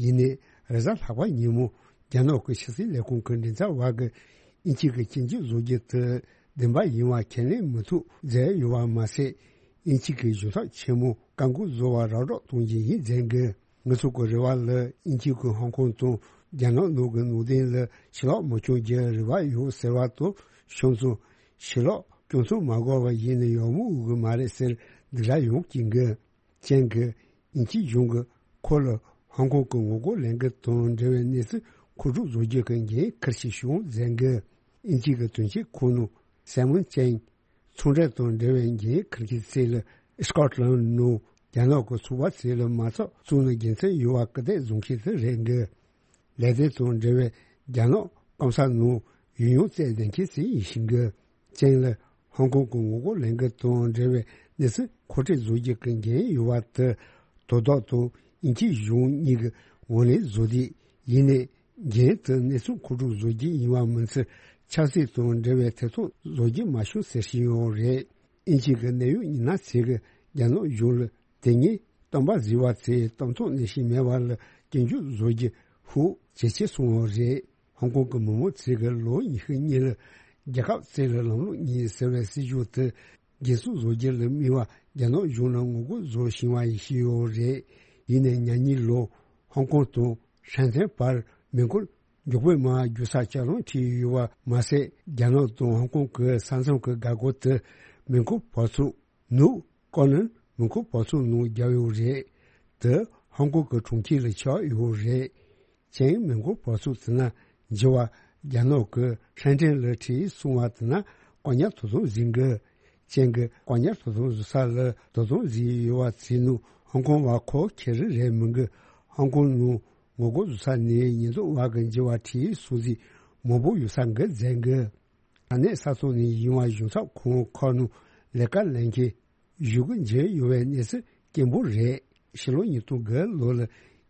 ཡིན་ནའི་རེས་གཟའ་ལྷག་པ་ཉིན་མོ་རྒྱ་ནག་གི་ཕྱི་སྲིད་ལས་ཁུངས་ཀྱི་མགྲིན་ཚབ་པ་གིས་དབྱིན་ཇི་གིས་སྐྱོན་བརྗོད་བཟོ་རྒྱུ་དེ་བདེན་པ་ཡིན་པ་ཁས་ལེན་མི་ཐུབ་མཛད་ཡོད་པ་མ་ཟད། དབྱིན་ཇི་གི་གཞུང་ཚབ་ཆེན་མོ་བཀའ་འགུག་བཟོ་བར་ར་སྤྲོད་གཏོང་རྒྱུ་ཡིན་འཛིན་དགོས། ང་ཚོ་གི་རེ་བ་ལ་དབྱིན་ཇི་གིས་ཧོང་ཀོང་དང་རྒྱ་ནག་ནང་གི་ནང་དོན་ལ་ཕྱི་ལོགས་མི་བསྐྱོན་རྒྱུའི་རེ་བ་ཡོད་ཟེར་བ་དང་ཕྱོགས་མཚུངས། ཕྱི་ལོགས་སྐྱོན་འཛུགས་མ་དགོས་པ་ཡིན་ན་ཡག་མོ་འོས་ཀྱི་མ་རེད་ཟེར་སྡིགས་ར་ཡོང་གི་འདུག་ཅན་གྱིས་དབྱིན་ཇིའི་གཞུང་གིས་ཁོ་ལ་ཧོང་ཀོང་གི་ངོ་རྒོལ་ལས་འགུལ་དང་འབྲེལ་བའི་གནས་ཚུལ་མཁོ་སྒྲུབ་བཟོ་རྒྱུ་གི་འགན་འཁུར་ཞིག་བྱུང་འཛིན་དགོས། དབྱིན་ཇི་གི་དོན་གཅོད་ཁང་ནང་སེ་མོན་ཅན། ཚོང་འབྲེལ་དང་འབྲེལ་བའི་འགན་འཁུར་མཁན་ཚོ་ལ་སྐོཊ་ལན་ནང་རྒྱ་ནག་གི་ཚོགས་པ་ཚོ་ལ་མ་ཚོགས་བཙུགས་ནས་དགེ་མཚན་ཡོད་པ་སྐུལ་འདེད་བཟོ་མཁན་དེ་རེད་འདུག་ལས་དོན་དང་འབྲེལ་བའི་རྒྱ་ནག་སྐམ་ས་ནང་ཡུལ་ཡོངས་རྩེད་ལྡན་མཁན་ཚོ་ཡིན་ཤིང་གི། ཅན་ལ་ཧོང་ཀོང་གི་ངོ་རྒོལ་ལས་འགུལ་དང་འབྲེལ་བའི་གནས་ཚུལ་མཁོ་སྤྲོད་བཟོ་རྒྱུ་གི་འགན་ཡོད་པ་དེ་དོ་བདག་དང་དབྱིན་ཇིའི་གཞུང་གཉིས་ཀྱི་ངོས་ནས་བཟོ་དུས་ཡིན་ནའི། འགན་དེ་གནས་ཚུལ་མཁོ་སྒྲུབ་བཟོ་རྒྱུ་ཡིན་པ་མིན་ཚུལ་ཆབ་སྲིད་དང་འབྲེལ་བའི་ཐེ་གཏོགས་བཟོ་རྒྱུ་མ་བྱུང་ཟེར་བཞིན་ཡོད་རེད། དབྱིན་ཇི་གི་གནད་ཡོད་མི་སྣ་ཚོས་ཀྱིས་རྒྱ་ནག་གཞུང་ལ་དེ་སྔའི་སྟོན་པ་བཟི་བ་ཚོས་གཏམ་ཐོག་ནས་ཤེས་མེད་པ་ལ་སྐྱོན་བརྗོད་བཟོ་རྒྱུ་ཤུགས་ཇེ་ཆེ་སོང་བ་རེད། ཧོང་ཀོང་གི་མི་མང་ཚོས་ཀྱིས་ལོ་ཉི་ཤུ་གཉིས་ལ་རྒྱལ་ཁབ་བཙན་ལ་ལམ་ལུགས་གཉིས་ཟེར་བའི་སྲིད་ཇུས་དེ་འགན་སྲུང་བཟོ་རྒྱུ་ལ་དམིགས་པ་རྒྱ་ནག་གཞུང་ལ་ངོ་རྒོལ་བཟོ་བཞིན་པ་ཡིན་ཞུས་ཡོད་རེད། ཡིན་ནའི་ཉེ་གཉིས་ལོ་ཧོང་ཀོང་དང་ཧྲན་ཏན་བར་མེ་འཁོར་མགྱོགས་པོའི་མར་རྒྱུག་སར་ལྕགས་ལམ་བྲིས་ཡོད་པ་མ་ཟད། རྒྱ་ནག་དང་ཧོང་ཀོང་གི་ས་མཚམས་ཀྱི་འགག་སྒོ་དེ་མེ་འཁོར་བབས་ཚུགས་ནུབ་ཀོ་ནན་མེ་འཁོར་བབས་ཚུགས་ནང་བརྒྱབ་ཡོད་རེད། དེ་ཧོང་ཀོང་གི་གྲོང་ཁྱེར་ལ་ཆགས་ཡོད་རེད། ཅན་མེ་འཁོར་བབས་ཚུགས་དེ་ན་འགྱུར་བ་རྒྱ་ནག་གི་ཧྲན་ཏན་ལ་འཕྲད་སོང་བ་དེ་ན་བཀག་ཉར་དོ་དམ་ཟིན་དགོས། ཅན་གྱིས་བཀག་ཉར་དོ་དམ་བཟོ་ས་ལ་དོ་དམ་བཟོས་ཡོད་པ་ཚོའི་ནང་ཧོང་ཀོང་བ་ཁག་ཁེར་རེ་རེད་མི་འགི། ཧོང་ཀོང་ནང་ངོ་རྒོལ་བཟོ་ས་ནས་ཉེན་རྟོག་པ་གི་འགྱུར་བ་འཕྲད་སོང་ཚེ་མང་པོ་ཡོད་ས་འགི་འཛིན་དགོས། ས་གནས་ས་ཐོག་ནས་ཡིན་པ་གཞུང་ཚབ་ཁང་ཁག་ནང་ལས་ཀ་ལས་མཁན་བཞུགས་ཀྱི་འཇོན་ཡོད་པའི་གནས་ཚུལ་སྐྱེན་པོ་རེད། ཕྱི་ལོ་ཉིས་སྟོང་དགུ་ལོ་ལ་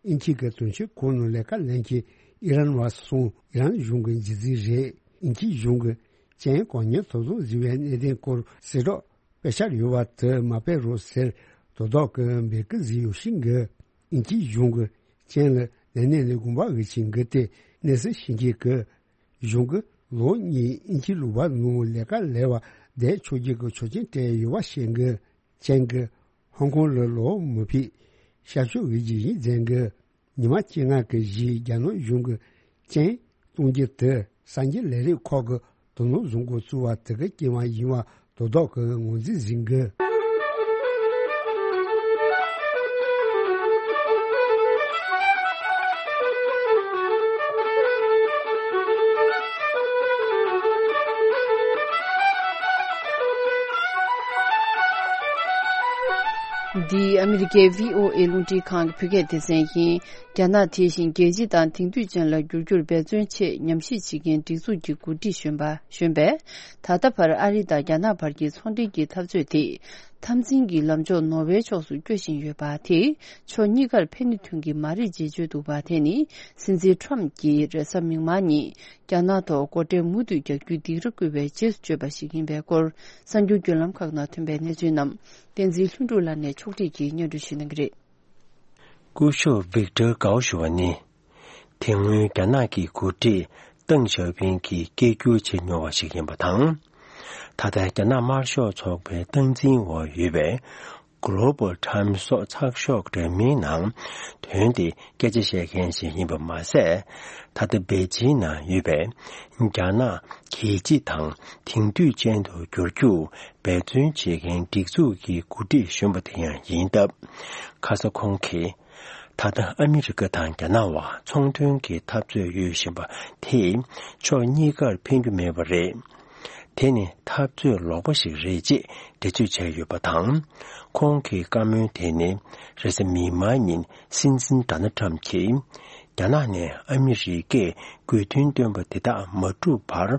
དབྱིན་ཇི་གི་དོན་གཅོད་ཁང་ནང་ལས་ཀ་ལས་མཁན་ཨི་རན་བ་གསུམ་ཨི་རན་གཞུང་གི་རྗེས་འཛིན་རེད། དབྱིན་ཇིའི་གཞུང་གིས་ཅན་བཀག་ཉར་དོ་དམ་བཟོས་པའི་གནད་དོན་སྐོར་གསལ་བསྒྲགས་ དཔེ་ཆ་ཡོད་པ་དེ་མ་སྤེལ་རོགས་ཟེར་དོ་བདག་གི་འབེལ་ཀི་ཟིག་ཡོད་ཤིང་གི། ཨིན་ཅི་གཞུང་གི་ཅན་ལ་ནན་ནན་ལས་དགོངས་པ་འོས་ཆིང་གི་དེ་གནས་སུ་ཤིང་གི་གི། གཞུང་གི་ལོ་གཉིས་ཨིན་ཅི་ལུག་པ་ནང་ལས་ཀ་ལས་བ་བསྡད་ཆོག་རྒྱུ་གི་ཆོག་མཆན་སྤྲད་ཡོད་པ་ཤེས་གི། ཅན་གི་ཧོང་ཀོང་ལ་ལོ་མི་ཕིག་ཤར་ཕྱོགས་འོས་རྒྱུ་ཡིན་ཟེར་གི། ཉི་མ་བཅོ་ལྔ་གི་རྗེས་རྒྱ་ནག་གཞུང་གི་ཅན་གཏོང་རྒྱུ་དེ་གསར་འགྱུར་ལས་རིགས་ཁག་གི་དོ་སྣང་བཟོ་འགོ་བཙུགས་པ་དེ་གི་རྐྱེན་པ་ཡིན་པ་དོ་བདག་གི་ངོས་འཛིན་ཟིན་གི། འདི་ཨ་མི་རི་ཀའི་བྷི་ཨོ་ཨེ་རླུང་འཕྲིན་ཁང་གི་བོད་སྐད་སྡེ་ཚན་ཡིན། རྒྱ་ནག་དེ་བཞིན་རྒྱལ་སྤྱི་དང་དེང་དུས་ཅན་ལ་འགྱུར་རྒྱུར་འབད་བརྩོན་ཆེད་ཉམས་ཞིབ་བྱེད་མཁན་སྒྲིག་འཛུགས་ཀྱི་འགོ་ཁྲིད་གཞོན་པ་གཞོན་པས། ད་ལྟ་བར་ཨ་རི་དང་རྒྱ་ནག་བར་གྱི་ཚོང་འབྲེལ་གྱི་འཐབ་རྩོད་དེ་འཐབ་འཛིང་གི་ལམ་ཕྱོགས་ནོར་ཝེའི་ཕྱོགས་སུ་བསྐྱོད་བཞིན་ཡོད་པ་དེས་ཕྱོགས་གཉིས་ཀར་ཕན་ནུས་ཐོན་གྱི་མ་རེད་ཅེས་བརྗོད་འདུག་པ། དེ་ནི་སྲིད་འཛིན་ཁྲོམ་གྱིས་རེས་གཟའ་མིག་དམར་ཉིན་རྒྱ་ནག་ཐོག་སྒོ་ཁྲལ་མུ་མཐུད་རྒྱག་རྒྱུའི་སྡིགས་ར་བསྐུལ་བའི་རྗེས་སུ་བརྗོད་པ་ཞིག་ཡིན་པའི་སྐོར་གསར་འགྱུར་བརྒྱུད་ལམ་ཁག་ནང་ཐོན་པའི་གནས་ཚུལ་རྣམས་བསྟན་འཛིན་ལྷུན་གྲུབ་ལགས་ནས་ཕྱོགས་སྒྲིག་གིས་སྙན་སྒྲོན་ཞུ་གནང་གི་རེད། སྐུ་ཞབས་ཝིག་ཏར་གའོ་ཞུ་བ་ནི། དེ་སྔོན་རྒྱ་ནག་གི་འགོ་ཁྲིད་ཏེང་ཞའོ་ཕིང་གིས་སྐད་སྒྱུར་བྱེད་མྱོང་བ་ཞིག་ཡིན་པ་དང་། ད་ལྟ་རྒྱ་ནག་དམར་ཤོག་ཚོགས་པའི་སྟངས་འཛིན་འོག་ཡོད་པའི་Global Times སོགས་ཚགས་ཤོག་འདྲ་མིན་ནང་དོན་དེ་སྐད་ཆ་བཤད་མཁན་ཞིག་ཡིན་པ་མ་ཟད། ད་ལྟ་པེ་ཅིང་ནང་ཡོད་པའི་རྒྱ་ནག་རྒྱལ་སྤྱི་དང་དེང་དུས་ཅན་དུ་བསྒྱུར་རྒྱུར་འབད་བརྩོན་བྱེད་མཁན་སྒྲིག་འཛུགས་ཀྱི་འགོ་ཁྲིད་གཞོན་པ་དེ་ཡང་ཡིན་སྟབས། ཁ་ས་ཁོང་གིས་ད་ལྟ་ཨ་མི་རི་ཀ་དང་རྒྱ་ནག་བར་ཚོང་དོན་གྱི་འཐབ་རྩོད་ཡོད་བཞིན་པ་དེས་ཕྱོགས་གཉིས་ཀར་ཕན་རྒྱུ་མེད་པ་རེད། དེ་ནི་འཐབ་རྩོད་ལོག་པ་ཞིག་རེད་ཅེས་འགྲེལ་བརྗོད་བྱས་ཡོད་པ་དང་། ཁོང་གི་བཀའ་མོལ་དེ་ནི་རེས་གཟའ་མིག་དམར་ཉིན་སྲིད་འཛིན་ཌོ་ནལ་ཁྲམ་གྱིས་རྒྱ་ནག་ནས་ཨ་མི་རི་ཀས་དགོས་འདུན་བཏོན་པ་དེ་དག་མ་འགྲུབ་བར་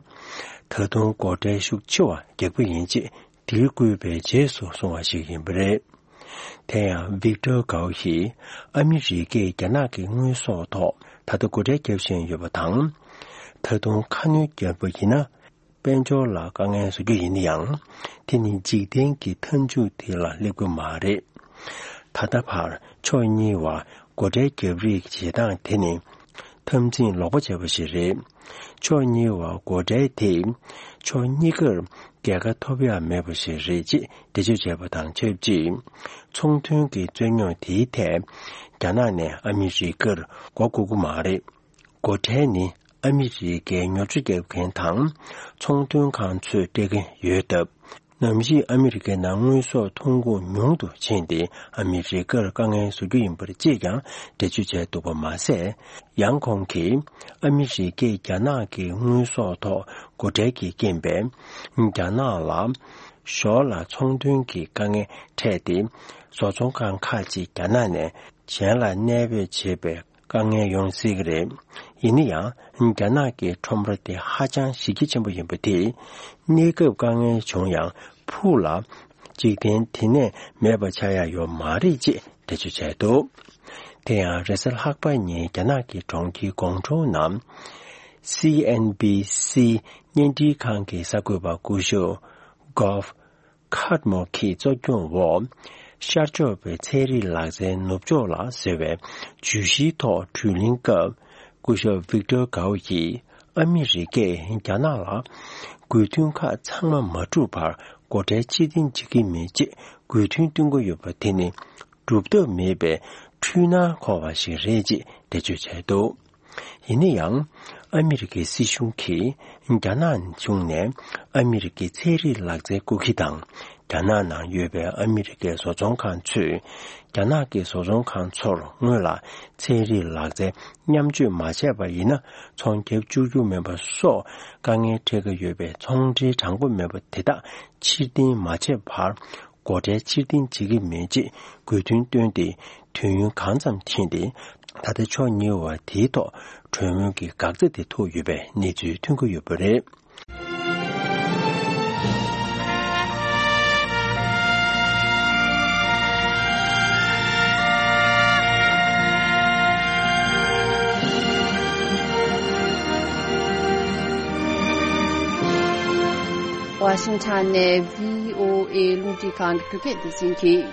ད་དུང་སྒོ་ཁྲལ་ཤུགས་ཆེ་བ་རྒྱག་པ་ཡིན་ཅེས་དིལ་བསྐུལ་བའི་རྗེས་སུ་སོང་བ་ཞིག་ཡིན་པ་རེད། དེ་ཡང་ཝིག་ཏོར་གའོ་ཡིས་ཨ་མི་རི་ཀས་རྒྱ་ནག་གི་དངོས་ཟོག་ཐོག་ད་ལྟ་སྒོ་ཁྲལ་བརྒྱབ་བཞིན་ཡོད་པ་དང་། ད་དུང་ཁ་སྣོན་བརྒྱབ་པ་ཡིན་ན། དཔལ་འབྱོར་ལ་དཀའ་ངལ་བཟོ་རྒྱུ་ཡིན་ན་ཡང་། དེ་ནི་འཇིག་རྟེན་གྱི་མཐའ་མཇུག་དེ་ལ་སླེབས་ཀྱི་མ་རེད། ད་ལྟ་བར་ཕྱོགས་གཉིས་བར་སྒོ་ཁྲལ་བརྒྱབ་རེས་ཀྱི་བྱེད་སྟངས་དེ་ནི་འཐབ་འཛིང་ལོག་པ་བྱས་པ་ཞིག་རེད། ཕྱོགས་གཉིས་བར་སྒོ་ཁྲལ་དེ་ཕྱོགས་གཉིས་ཀར་རྒྱལ་ཁ་ཐོབ་ཡ་མེད་པ་ཞིག་རེད་ཅེས་འགྲེལ་བརྗོད་བྱས་པ་དང་ཆབས་ཅིག་ཚོང་དོན་གྱི་རྩོད་རྙོག་དེའི་ཐད་རྒྱ་ནག་ནས་ཨ་མི་རི་ཀར་མགོ་སྒུར་གྱི་མ་རེད། སྒོ་ཁྲལ་ནི་ཨ་མི་རི་ཀའི་ཉོ་སྤྱོད་བརྒྱབ་མཁན་དང་ཚོང་དོན་ཁང་ཚོས་སྤྲད་ཀྱི་ཡོད་སྟབས། ནམ་ཞིག་ཨ་མི་རི་ཀའི་ནང་དངོས་ཟོག་ཐོན་ཁུངས་ཉུང་དུ་ཕྱིན་ཏེ་ཨ་མི་རི་ཀར་དཀའ་ངལ་བཟོ་རྒྱུ་ཡིན་པར་ཅིས་ཀྱང་འགྲེལ་བརྗོད་བྱས་འདུག་པ་མ་ཟད། ཡང་ཁོང་གིས་ཨ་མི་རི་ཀས་རྒྱ་ནག་གི་དངོས་ཟོག་ཐོག་སྒོ་ཁྲལ་གྱི་རྐྱེན་པས་རྒྱ་ནག་ལ་ཞོར་ལ་ཚོང་དོན་གྱི་དཀའ་ངལ་འཕྲད་དེ། བཟོ་ཚོང་ཁང་ཁག་ཅིག་རྒྱ་ནག་ནས་གཞན་ལ་གནས་སྤོས་བྱེད་པའི་དཀའ་ངལ་ཡོང་སྲིད་ཀྱི་རེད། ཡིན་ན་ཡང་རྒྱ་ནག་གི་ཁྲོམ་ར་དེ་ཧ་ཅང་གཞི་རྒྱ་ཆེན་པོ་ཡིན་པ་དེས་གནས་སྐབས་དཀའ་ངལ་བྱུང་ཡང་ཕུགས་ལ་འཇིག་རྟེན་དེ་ནས་མེད་པ་ཆགས་ཡ་ཡོད་མ་རེད་ཅེས་འགྲེལ་བརྗོད་བྱས་འདུག་དེ་ཡང་རེས་གཟའ་ལྷག་པ་ཉིན་རྒྱ་ནག་གི་གྲོང་ཁྱེར་ཀོང་ཀྲོའུ་ནང་སི་ཨེན་བྷི་སི་བརྙན་འཕྲིན་ཁང་གི་གསར་འགོད་པ་སྐུ་ཞབས་གོབ་ཁཱད་མོ་གིས་གཙོ་སྐྱོང་འོག་ཤར་ཕྱོགས་པའི་ཚན་རིག་ལག་རྩལ་ནུབ་ཕྱོགས་ལ་ཟེར་བའི་བརྗོད་གཞིའི་ཐོག་བགྲོ་གླེང་སྐབས། སྐུ་ཞབས་ཝིག་ཏོར་གའོ་ཡིས་ཨ་མི་རི་ཀས་རྒྱ་ནག་ལ་དགོས་འདུན་ཁག་ཚང་མ་མ་འགྲུབ་བར་སྒོ་ཁྲལ་ཕྱིར་འཐེན་བྱེད་ཀྱི་མེད་ཅེས་དགོས་འདུན་བཏོན་གྱི་ཡོད་པ་དེ་ནི་སྒྲུབ་ཐབས་མེད་པའི་འཁྲུལ་སྣང་འཁོར་བ་ཞིག་རེད་ཅེས་འགྲེལ་བརྗོད་བྱས་འདུག་ཡིན་ན་ཡང་། ཨ་མི་རི་ཀའི་སྲིད་གཞུང་གིས་རྒྱ་ནག་གཞུང་ནས་ཨ་མི་རི་ཀའི་ཚན་རིག་ལག་རྩལ་རྐུ་འཁྱེར་དང་། རྒྱ་ནག་ནང་ཡོད་པའི་ཨ་མི་རི་ཀའི་བཟོ་ཚོང་ཁང་ཚོས་རྒྱ་ནག་གི་བཟོ་ཚོང་ཁང་ཚོར་སྔོན་ལ་ཚན་རིག་ལག་རྩལ་མཉམ་སྤྱོད་མ་བྱས་པ་ཡིན་ན་ཚོང་བརྒྱབ་བཅུག་རྒྱུ་མེད་པ་སོགས་དཀའ་ངལ་འཕྲད་ཀྱི་ཡོད་པའི་ཚོང་འབྲེལ་དྲང་པོ་མེད་པ་དེ་དག་ཕྱིར་འཐེན་མ་བྱས་བར། སྒོ་ཁྲལ་ཕྱིར་འཐེན་བྱེད་ཀྱི་མེད་ཅེས་དགོས་འདུན་བཏོན་ཏེ། དུས་ཡུན་གང་ཙམ་ཕྱིན་ཏེ། ད་ལྟ་ཕྱོགས་གཉིས་བར་དེའི་ཐོག་གྲོས་མོལ་གྱི་འགག་རྩ་དེ་ཐུག་ཡོད་པའི་གནས་ཚུལ་ཐོན་གྱི་ཡོད་པ་རེད། ཝ་ཤིང་ཊོན་ནས་བྷི་ཨོ་ཨེ་རླུང་འཕྲིན་ཁང་གི་བོད་སྐད་སྡེ་ཚན་གྱིས།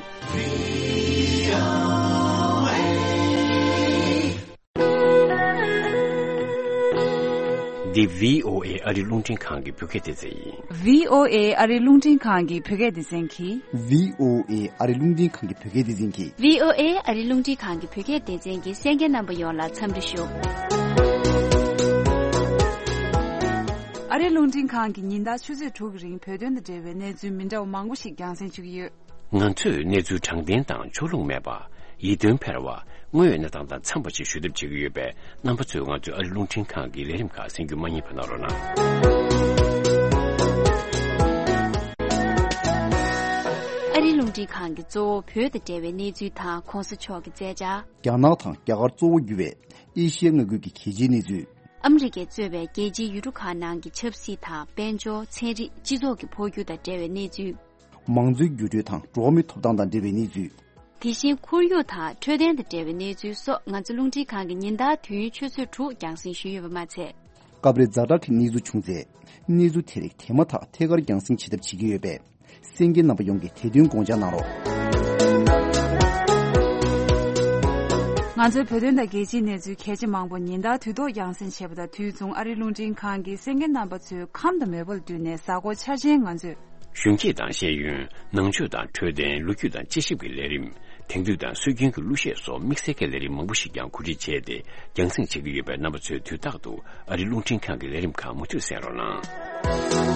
འདི་བྷི་ཨོ་ཨེ་ཨ་རི་རླུང་འཕྲིན་ཁང་གི་བོད་སྐད་སྡེ་ཚན་ཡིན། བྷི་ཨོ་ཨེ་ཨ་རི་རླུང་འཕྲིན་ཁང་གི་བོད་སྐད་སྡེ་ཚན་གྱིས། བྷི་ཨོ་ཨེ་ཨ་རི་རླུང་འཕྲིན་ཁང་གི་བོད་སྐད་སྡེ་ཚན་གྱིས། བྷི་ཨོ་ཨེ་ཨ་རི་རླུང་འཕྲིན་ཁང་གི་བོད་སྐད་སྡེ་ཚན་གྱི་གསན་མཁན་རྣམ་པ་ཡོངས་ལ་འཚམས་འདྲི་ཞུ། ཨ་རི་རླུང་འཕྲིན་ཁང་གིས་ཉིན་ལྟར་ཆུ་ཚོད་དྲུག་གི་རིང་བོད་དོན་དང་འབྲེལ་བའི་གནས་ཚུལ་མི་འདྲ་བ་མང་པོ་ཞིག་རྒྱང་སྲིང་ཞུ་གི་ཡོད། ང་ཚོས་གནས་ཚུལ་དྲང་བདེན་དང་ཕྱོགས་ལྷུང་མེད་པ། ཡིད་རྟོན་འཕེར་བ། དངོས་ཡོད་གནས་སྟངས་དང་འཚམས་པ་ཞིག་ཞུ་ཐབས་བྱེད་ཀྱི་ཡོད་པས། རྣམ་པ་ཚོས་ང་ཚོའི་ཨ་རི་རླུང་འཕྲིན་ཁང་གི་ལས་རིམ་ཁག་གསན་རྒྱུ་མ་བསྙེལ་བ་གནང་རོགས་གནང་། ཨ་རི་རླུང་འཕྲིན་ཁང་གིས་གཙོ་བོ་བོད་དང་འབྲེལ་བའི་གནས་ཚུལ་དང་གོང་ས་མཆོག་གི་མཛད་འཆར། རྒྱ་ནག་དང་རྒྱ་གར་གཙོ་བོ་གྱུར་བའི་ཨེ་ཤི་ཡའི་མངའ་ཁུལ་གྱི་གལ་ཆེའི་གནས་ཚུལ། ཨ་མི་རི་ཀས་གཙོས་པའི་རྒྱལ་སྤྱིའི་ཡུལ་གྲུ་ཁག་ནང་གི་ཆབ་སྲིད་དང་། དཔལ་འབྱོར། ཚན་རིག་སྤྱི་ཚོགས་ཀྱི་འཕོ་འགྱུར་དང་འབྲེལ་བའི་གནས་ཚུལ། མང་གཙོའི་འགྱུར་འགྲོས་དང་འགྲོ་བ་མིའི་ཐོབ་ཐང་དང་འབྲེལ་བའི་གནས་ཚུལ། དེ་བཞིན་ཁོར་ཡུག་དང་འཕྲོད་བསྟེན་དང་འབྲེལ་བའི་གནས་ཚུལ་སོགས། ང་ཚོ་རླུང་འཕྲིན་ཁང་གིས་ཉིན་ལྟར་དུས་ཡུན་ཆུ་ཚོད་དྲུག་རྒྱང་སྲིང་ཞུས་ཡོད་པ་མ་ཚད། སྐབས་རེ་ཛ་དྲག་གི་གནས་ཚུལ་བྱུང་ཚེ། གནས་ཚུལ་དེ་རིགས་དེ་མ་ཐག་ཐད་ཀར་རྒྱང་སྲིང་བྱེད་ཐབས་བྱེད་ཀྱི་ཡོད་པས། གསན་མཁན་རྣམ་པ་ཡོངས་ཀྱིས་དེ་དོན་དགོངས་འཇགས་གནང་རོགས། ང་ཚོའི་བོད་དོན་དང་རྒྱལ་སྤྱིའི་གནས་ཚུལ་གལ་ཆེ་མང་པོ་ཉིན་ལྟར་དུས་ཐོག་རྒྱང་སྲིང་བྱེད་པ་དང་། དུས་མཚུངས་ཨ་རིའི་རླུང་འཕྲིན་ཁང་གིས་གསན་མཁན་རྣམ་པ་ཚོའི་ཁམས་དང་མོས་པ་ལ་བསྟུན་ནས་གཟའ་འཁོར་འཆར་ཅན་ང་ཚོས། གཞོན་སྐྱེས་དང་ཤེས་ཡོན། ནང་ཆོས་དང་འཕྲོད་བསྟེན། ལོ་རྒྱུས་དང་དཔྱད་ཞིབ་ཀྱི་ལས་རིམ། དེང་དུས་དང་སྲོལ་རྒྱུན་གྱི་གླུ་གཞས་སོགས་དམིགས་བསལ་གྱི་ལས་རིམ་མང་པོ་ཞིག་ཀྱང་གོ་སྒྲིག་བྱས་ཏེ། རྒྱང་སྲིང་བྱེད་ཀྱི་ཡོད་པས། རྣམ་པ་ཚོས་དུས་རྟག་ཏུ་ཨ་རིའི་རླུང་འཕྲིན་ཁང་གི་ལས་རིམ་ཁག་མུ་མཐུད་གསན་རོགས་གནང་།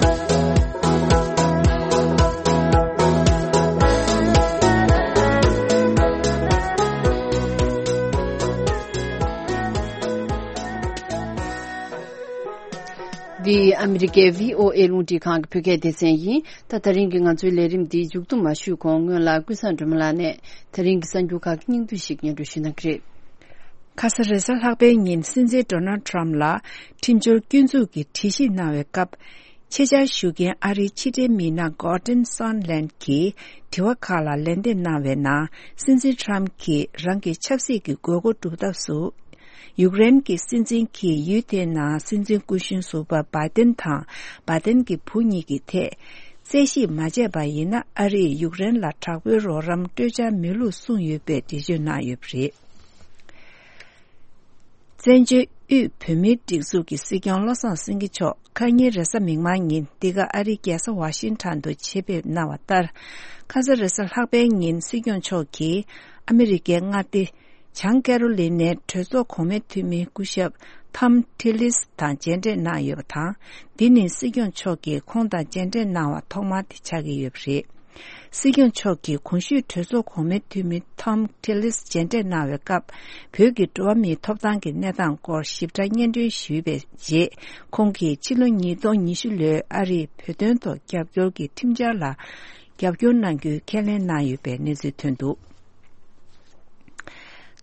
འདི་ཨ་མི་རི་ཀའི་བྷི་ཨོ་ཨེ་རླུང་འཕྲིན་ཁང་གི་བོད་སྐད་སྡེ་ཚན་ཡིན། ད། ད་རིང་གི་ང་ཚོའི་ལས་རིམ་འདི་མཇུག་བསྡོམས་མ་ཞུས་གོང་། སྔོན་ལ་ཀུན་བཟང་སྒྲོལ་མ་ལགས་ནས་ད་རིང་གི་གསར་འགྱུར་ཁག་གི་སྙིང་བསྡུས་ཤིག་སྙན་སྒྲོན་ཞུ་གནང་གི་རེད། ཁ་ས་རེས་གཟའ་ལྷག་པའི་ཉིན་སྲིད་འཛིན་ཌོ་ནལ་ཊམ་ལ་ཁྲིམས་སྦྱོར་སྐྱོན་འཛུགས་ཀྱི་དྲི་ཞིབ་གནང་བའི་སྐབས། ཆེད་བཅར་ཞུ་མཁན་ཨ་རིའི་ཕྱི་འབྲེལ་མི་སྣ་གོར་ཏན་སོན་ལན་གྱིས་དྲི་བ་ཁག་ལ་ལན་འདེབས་གནང་བའི་ནང་། སྲིད་འཛིན་ཊམ་གྱིས་རང་གི་ཆབ་སྲིད་ཀྱི་དགོས་མཁོ་སྒྲུབ་ཐབས་སུ། ཡུཀ་རེན་གྱི་སྲིད་འཛིན་གྱིས་ཡུལ་དེའི་ནང་སྲིད་འཛིན་སྐུ་གཞོན་ཟུར་པ་བྷའི་ཏན་དང་། བྷའི་ཏན་གྱི་བུ་གཉིས་ཀྱི་ཐད་རྩད་ཞིབ་མ་བྱས་པ་ཡིན་ན། ཨ་རིས་ཡུཀ་རེན་ལ་དྲག་པོའི་རོགས་རམ་སྤྲོད་འཆར་མེད་ལུགས་གསུངས་ཡོད་པའི་འགྲེལ་བརྗོད་གནང་ཡོད་པ་རེད། བཙན་བྱོལ་དབུས་བོད་མིའི་སྒྲིག་འཛུགས་ཀྱི་སྲིད་སྐྱོང་བློ་བཟང་སེང་གེ་མཆོག་ཁ་ཉིན་རེས་གཟའ་མིག་དམར་ཉིན་འདི་ག་ཨ་རིའི་རྒྱལ་ས་ཝ་ཤིང་ཊོན་དུ་ཆེད་ཕེབས་གནང་བ་ལྟར། ཁ་ས་རེས་གཟའ་ལྷག་པའི་ཉིན་སྲིད་སྐྱོང་མཆོག་གིས་ཨ་མི་རི་ཀའི་མངའ་སྡེ་བྱང་ཀེ་རོ་ལི་ནའི་གྲོས་ཚོགས་གོང་མའི་འཐུས་མི་སྐུ་ཞབས་ཐམ་ཐི་ལིས་དང་མཇལ་འཕྲད་གནང་ཡོད་པ་དང་། འདི་ནི་སྲིད་སྐྱོང་མཆོག་གིས་ཁོང་དང་མཇལ་འཕྲད་གནང་བ་ཐོག་མ་དེ་ཆགས་ཀྱི་ཡོད་པ་རེད། སྲིད་སྐྱོང་མཆོག་གིས་གོང་ཞུས་གྲོས་ཚོགས་གོང་མའི་འཐུས་མི་ཐམ་ཐི་ལིས་མཇལ་འཕྲད་གནང་བའི་སྐབས། བོད་ཀྱི་འགྲོ་བ་མིའི་ཐོབ་ཐང་གི་གནས་སྟངས་སྐོར་ཞིབ་ཕྲ་སྙན་སྒྲོན་ཞུས་པའི་རྗེས། ཁོང་གིས་ཕྱི་ལོ་ཉིས་སྟོང་ཉི་ཤུ་ལོའི་ཨ་རིས་བོད་དོན་ཐོག་རྒྱབ་སྐྱོར་གྱི་ཁྲིམས་འཆར་ལ་རྒྱབ་སྐྱོར་གནང་རྒྱུའི་ཁས་ལེན་གནང་ཡོད་པའི་གནས་ཚུལ་ཐོན་འདུག་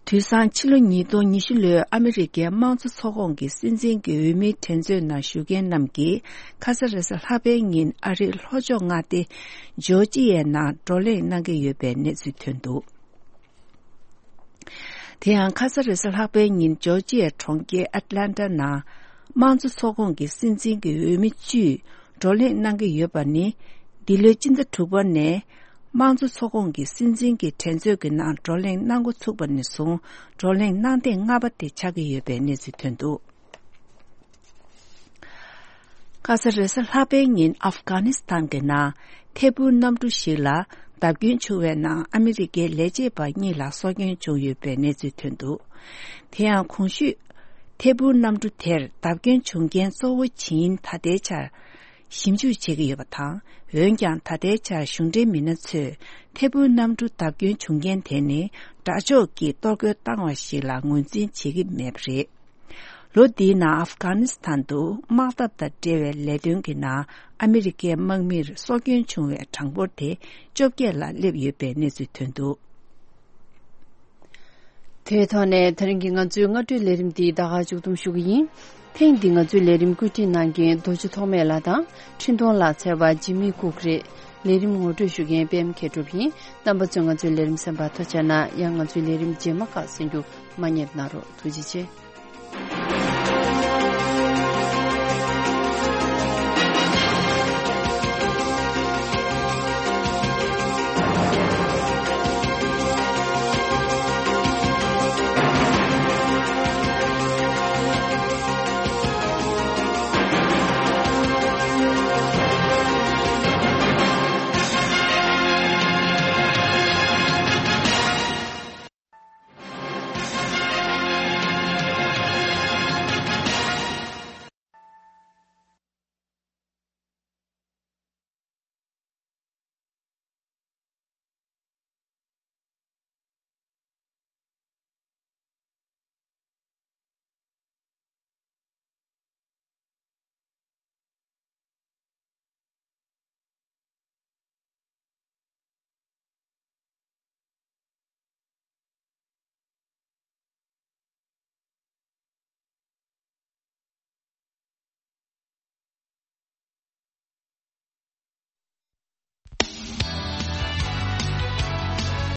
དུས་སང་ཕྱི་ལོ་ཉིས་སྟོང་ཉི་ཤུ་ལོའི་ཨ་མི་རི་ཀའི་དམངས་གཙོ་ཚོགས་ཁོངས་ཀྱི་སྲིད་འཛིན་གྱི་འོས་མིའི་འགྲན་རྩོད་ནང་ཞུགས་མཁན་རྣམས་ཀྱིས་ཁ་ས་རེས་གཟའ་ལྷག་པའི་ཉིན་ཨ་རིའི་ལྷོ་ཕྱོགས་མངའ་སྡེ་ཇོར་ཇི་ཡའི་ནང་བགྲོ་གླེང་གནང་གི་ཡོད་པའི་གནས་ཚུལ་ཐོན་འདུག་དེ་ཡང་ཁ་ས་རེས་གཟའ་ལྷག་པའི་ཉིན་ཇོར་ཇི་ཡའི་གྲོང་ཁྱེར་ཨེཊ་ལན་ཊ་ནང་དམངས་གཙོ་ཚོགས་ཁོངས་ཀྱི་སྲིད་འཛིན་གྱི་འོས་མི་བཅུས་བགྲོ་གླེང་གནང་གི་ཡོད་པ་ནི། འདི་ལོའི་སྤྱི་ཟླ་དྲུག་པ་ནས་དམངས་གཙོ་ཚོགས་ཁོངས་ཀྱི་སྲིད་འཛིན་གྱི་འགྲན་རྩོད་ཀྱི་ནང་བགྲོ་གླེང་གནང་འགོ་ཚུགས་པ་ནས་བཟུང་། བགྲོ་གླེང་གནང་ཐེངས་ལྔ་པ་དེ་ཆགས་ཀྱི་ཡོད་པའི་གནས་ཚུལ་ཐོན་འདུག་ཁ་ས་རེས་གཟའ་ལྷག་པའི་ཉིན་ཨབ་གྷ་ནི་སི་ཐན་གྱི་ནང་ཐད་འཕུར་གནམ་གྲུ་ཞིག་ལ་བརྡབ་སྐྱོན་བྱུང་བའི་ནང་ཨ་མི་རི་ཀའི་ལས་བྱེད་པ་གཉིས་ལ་སྲོག་སྐྱོན་བྱུང་ཡོད་པའི་གནས་ཚུལ་ཐོན་འདུག་དེ་ཡང་གོང་ཞུས་ཐད་འཕུར་གནམ་གྲུ་དེར་བརྡབ་སྐྱོན་བྱུང་རྐྱེན་གཙོ་བོ་ཇི་ཡིན་ད་ལྟའི་ཆར་ཞིབ་འཇུག་བྱེད་ཀྱི་ཡོད་པ་དང་། འོན་ཀྱང་ད་ལྟའི་ཆར་གཞུང་འབྲེལ་མི་སྣ་ཚོས་ཐད་འཕུར་གནམ་གྲུ་བརྡབ་སྐྱོན་བྱུང་རྐྱེན་དེ་ནི་དགྲ་ཕྱོགས་ཀྱིས་གཏོར་རྒོལ་བཏང་བ་ཞིག་ལ་ངོས་འཛིན་བྱེད་ཀྱི་མེད་པ་རེད། ལོ་འདིའི་ནང་ཨབ་གྷ་ནི་སི་ཐན་དུ་དམག་འཐབ་དང་འབྲེལ་བའི་ལས་དོན་གྱི་ནང་ཨ་མི་རི་ཀའི་དམག་མིར་སྲོག་སྐྱོན་བྱུང་བའི་གྲངས་འབོར་དེ་བཅོ་བརྒྱད་ལ་སླེབས་ཡོད་པའི་གནས་ཚུལ་ཐོན་འདུག་དེའི་ཐོག་ནས་ད་རིང་གི་ང་ཚོའི་སྔ་དྲོའི་ལས་རིམ་འདི་ད་ག་མཇུག་བསྡོམས་ཞུ་གི་ཡིན། ཐེངས་འདི་ང་ཚོའི་ལས་རིམ་བཀོད་སྒྲིག་གནང་མཁན་རྡོ་རྗེ་ཐོགས་མེད་ལགས་དང་། འཕྲིན་གཏོང་ལག་རྩལ་བ་འཇིགས་མེད་ལྐུགས་རེད། ལས་རིམ་ངོ་སྤྲོད་ཞུ་མཁན་པད་མ་མཁས་གྲུབ་ཡིན། རྣམ་པ་ཚོས་ང་ཚོའི་ལས་རིམ་གསན་པར་ཐུགས་རྗེ་གནང་། ཡང་ང་ཚོའི་ལས་རིམ་རྗེས་མ་ཁག་གསན་རྒྱུ་མ་བསྙེལ་གནང་རོགས། ཐུགས་རྗེ་ཆེ།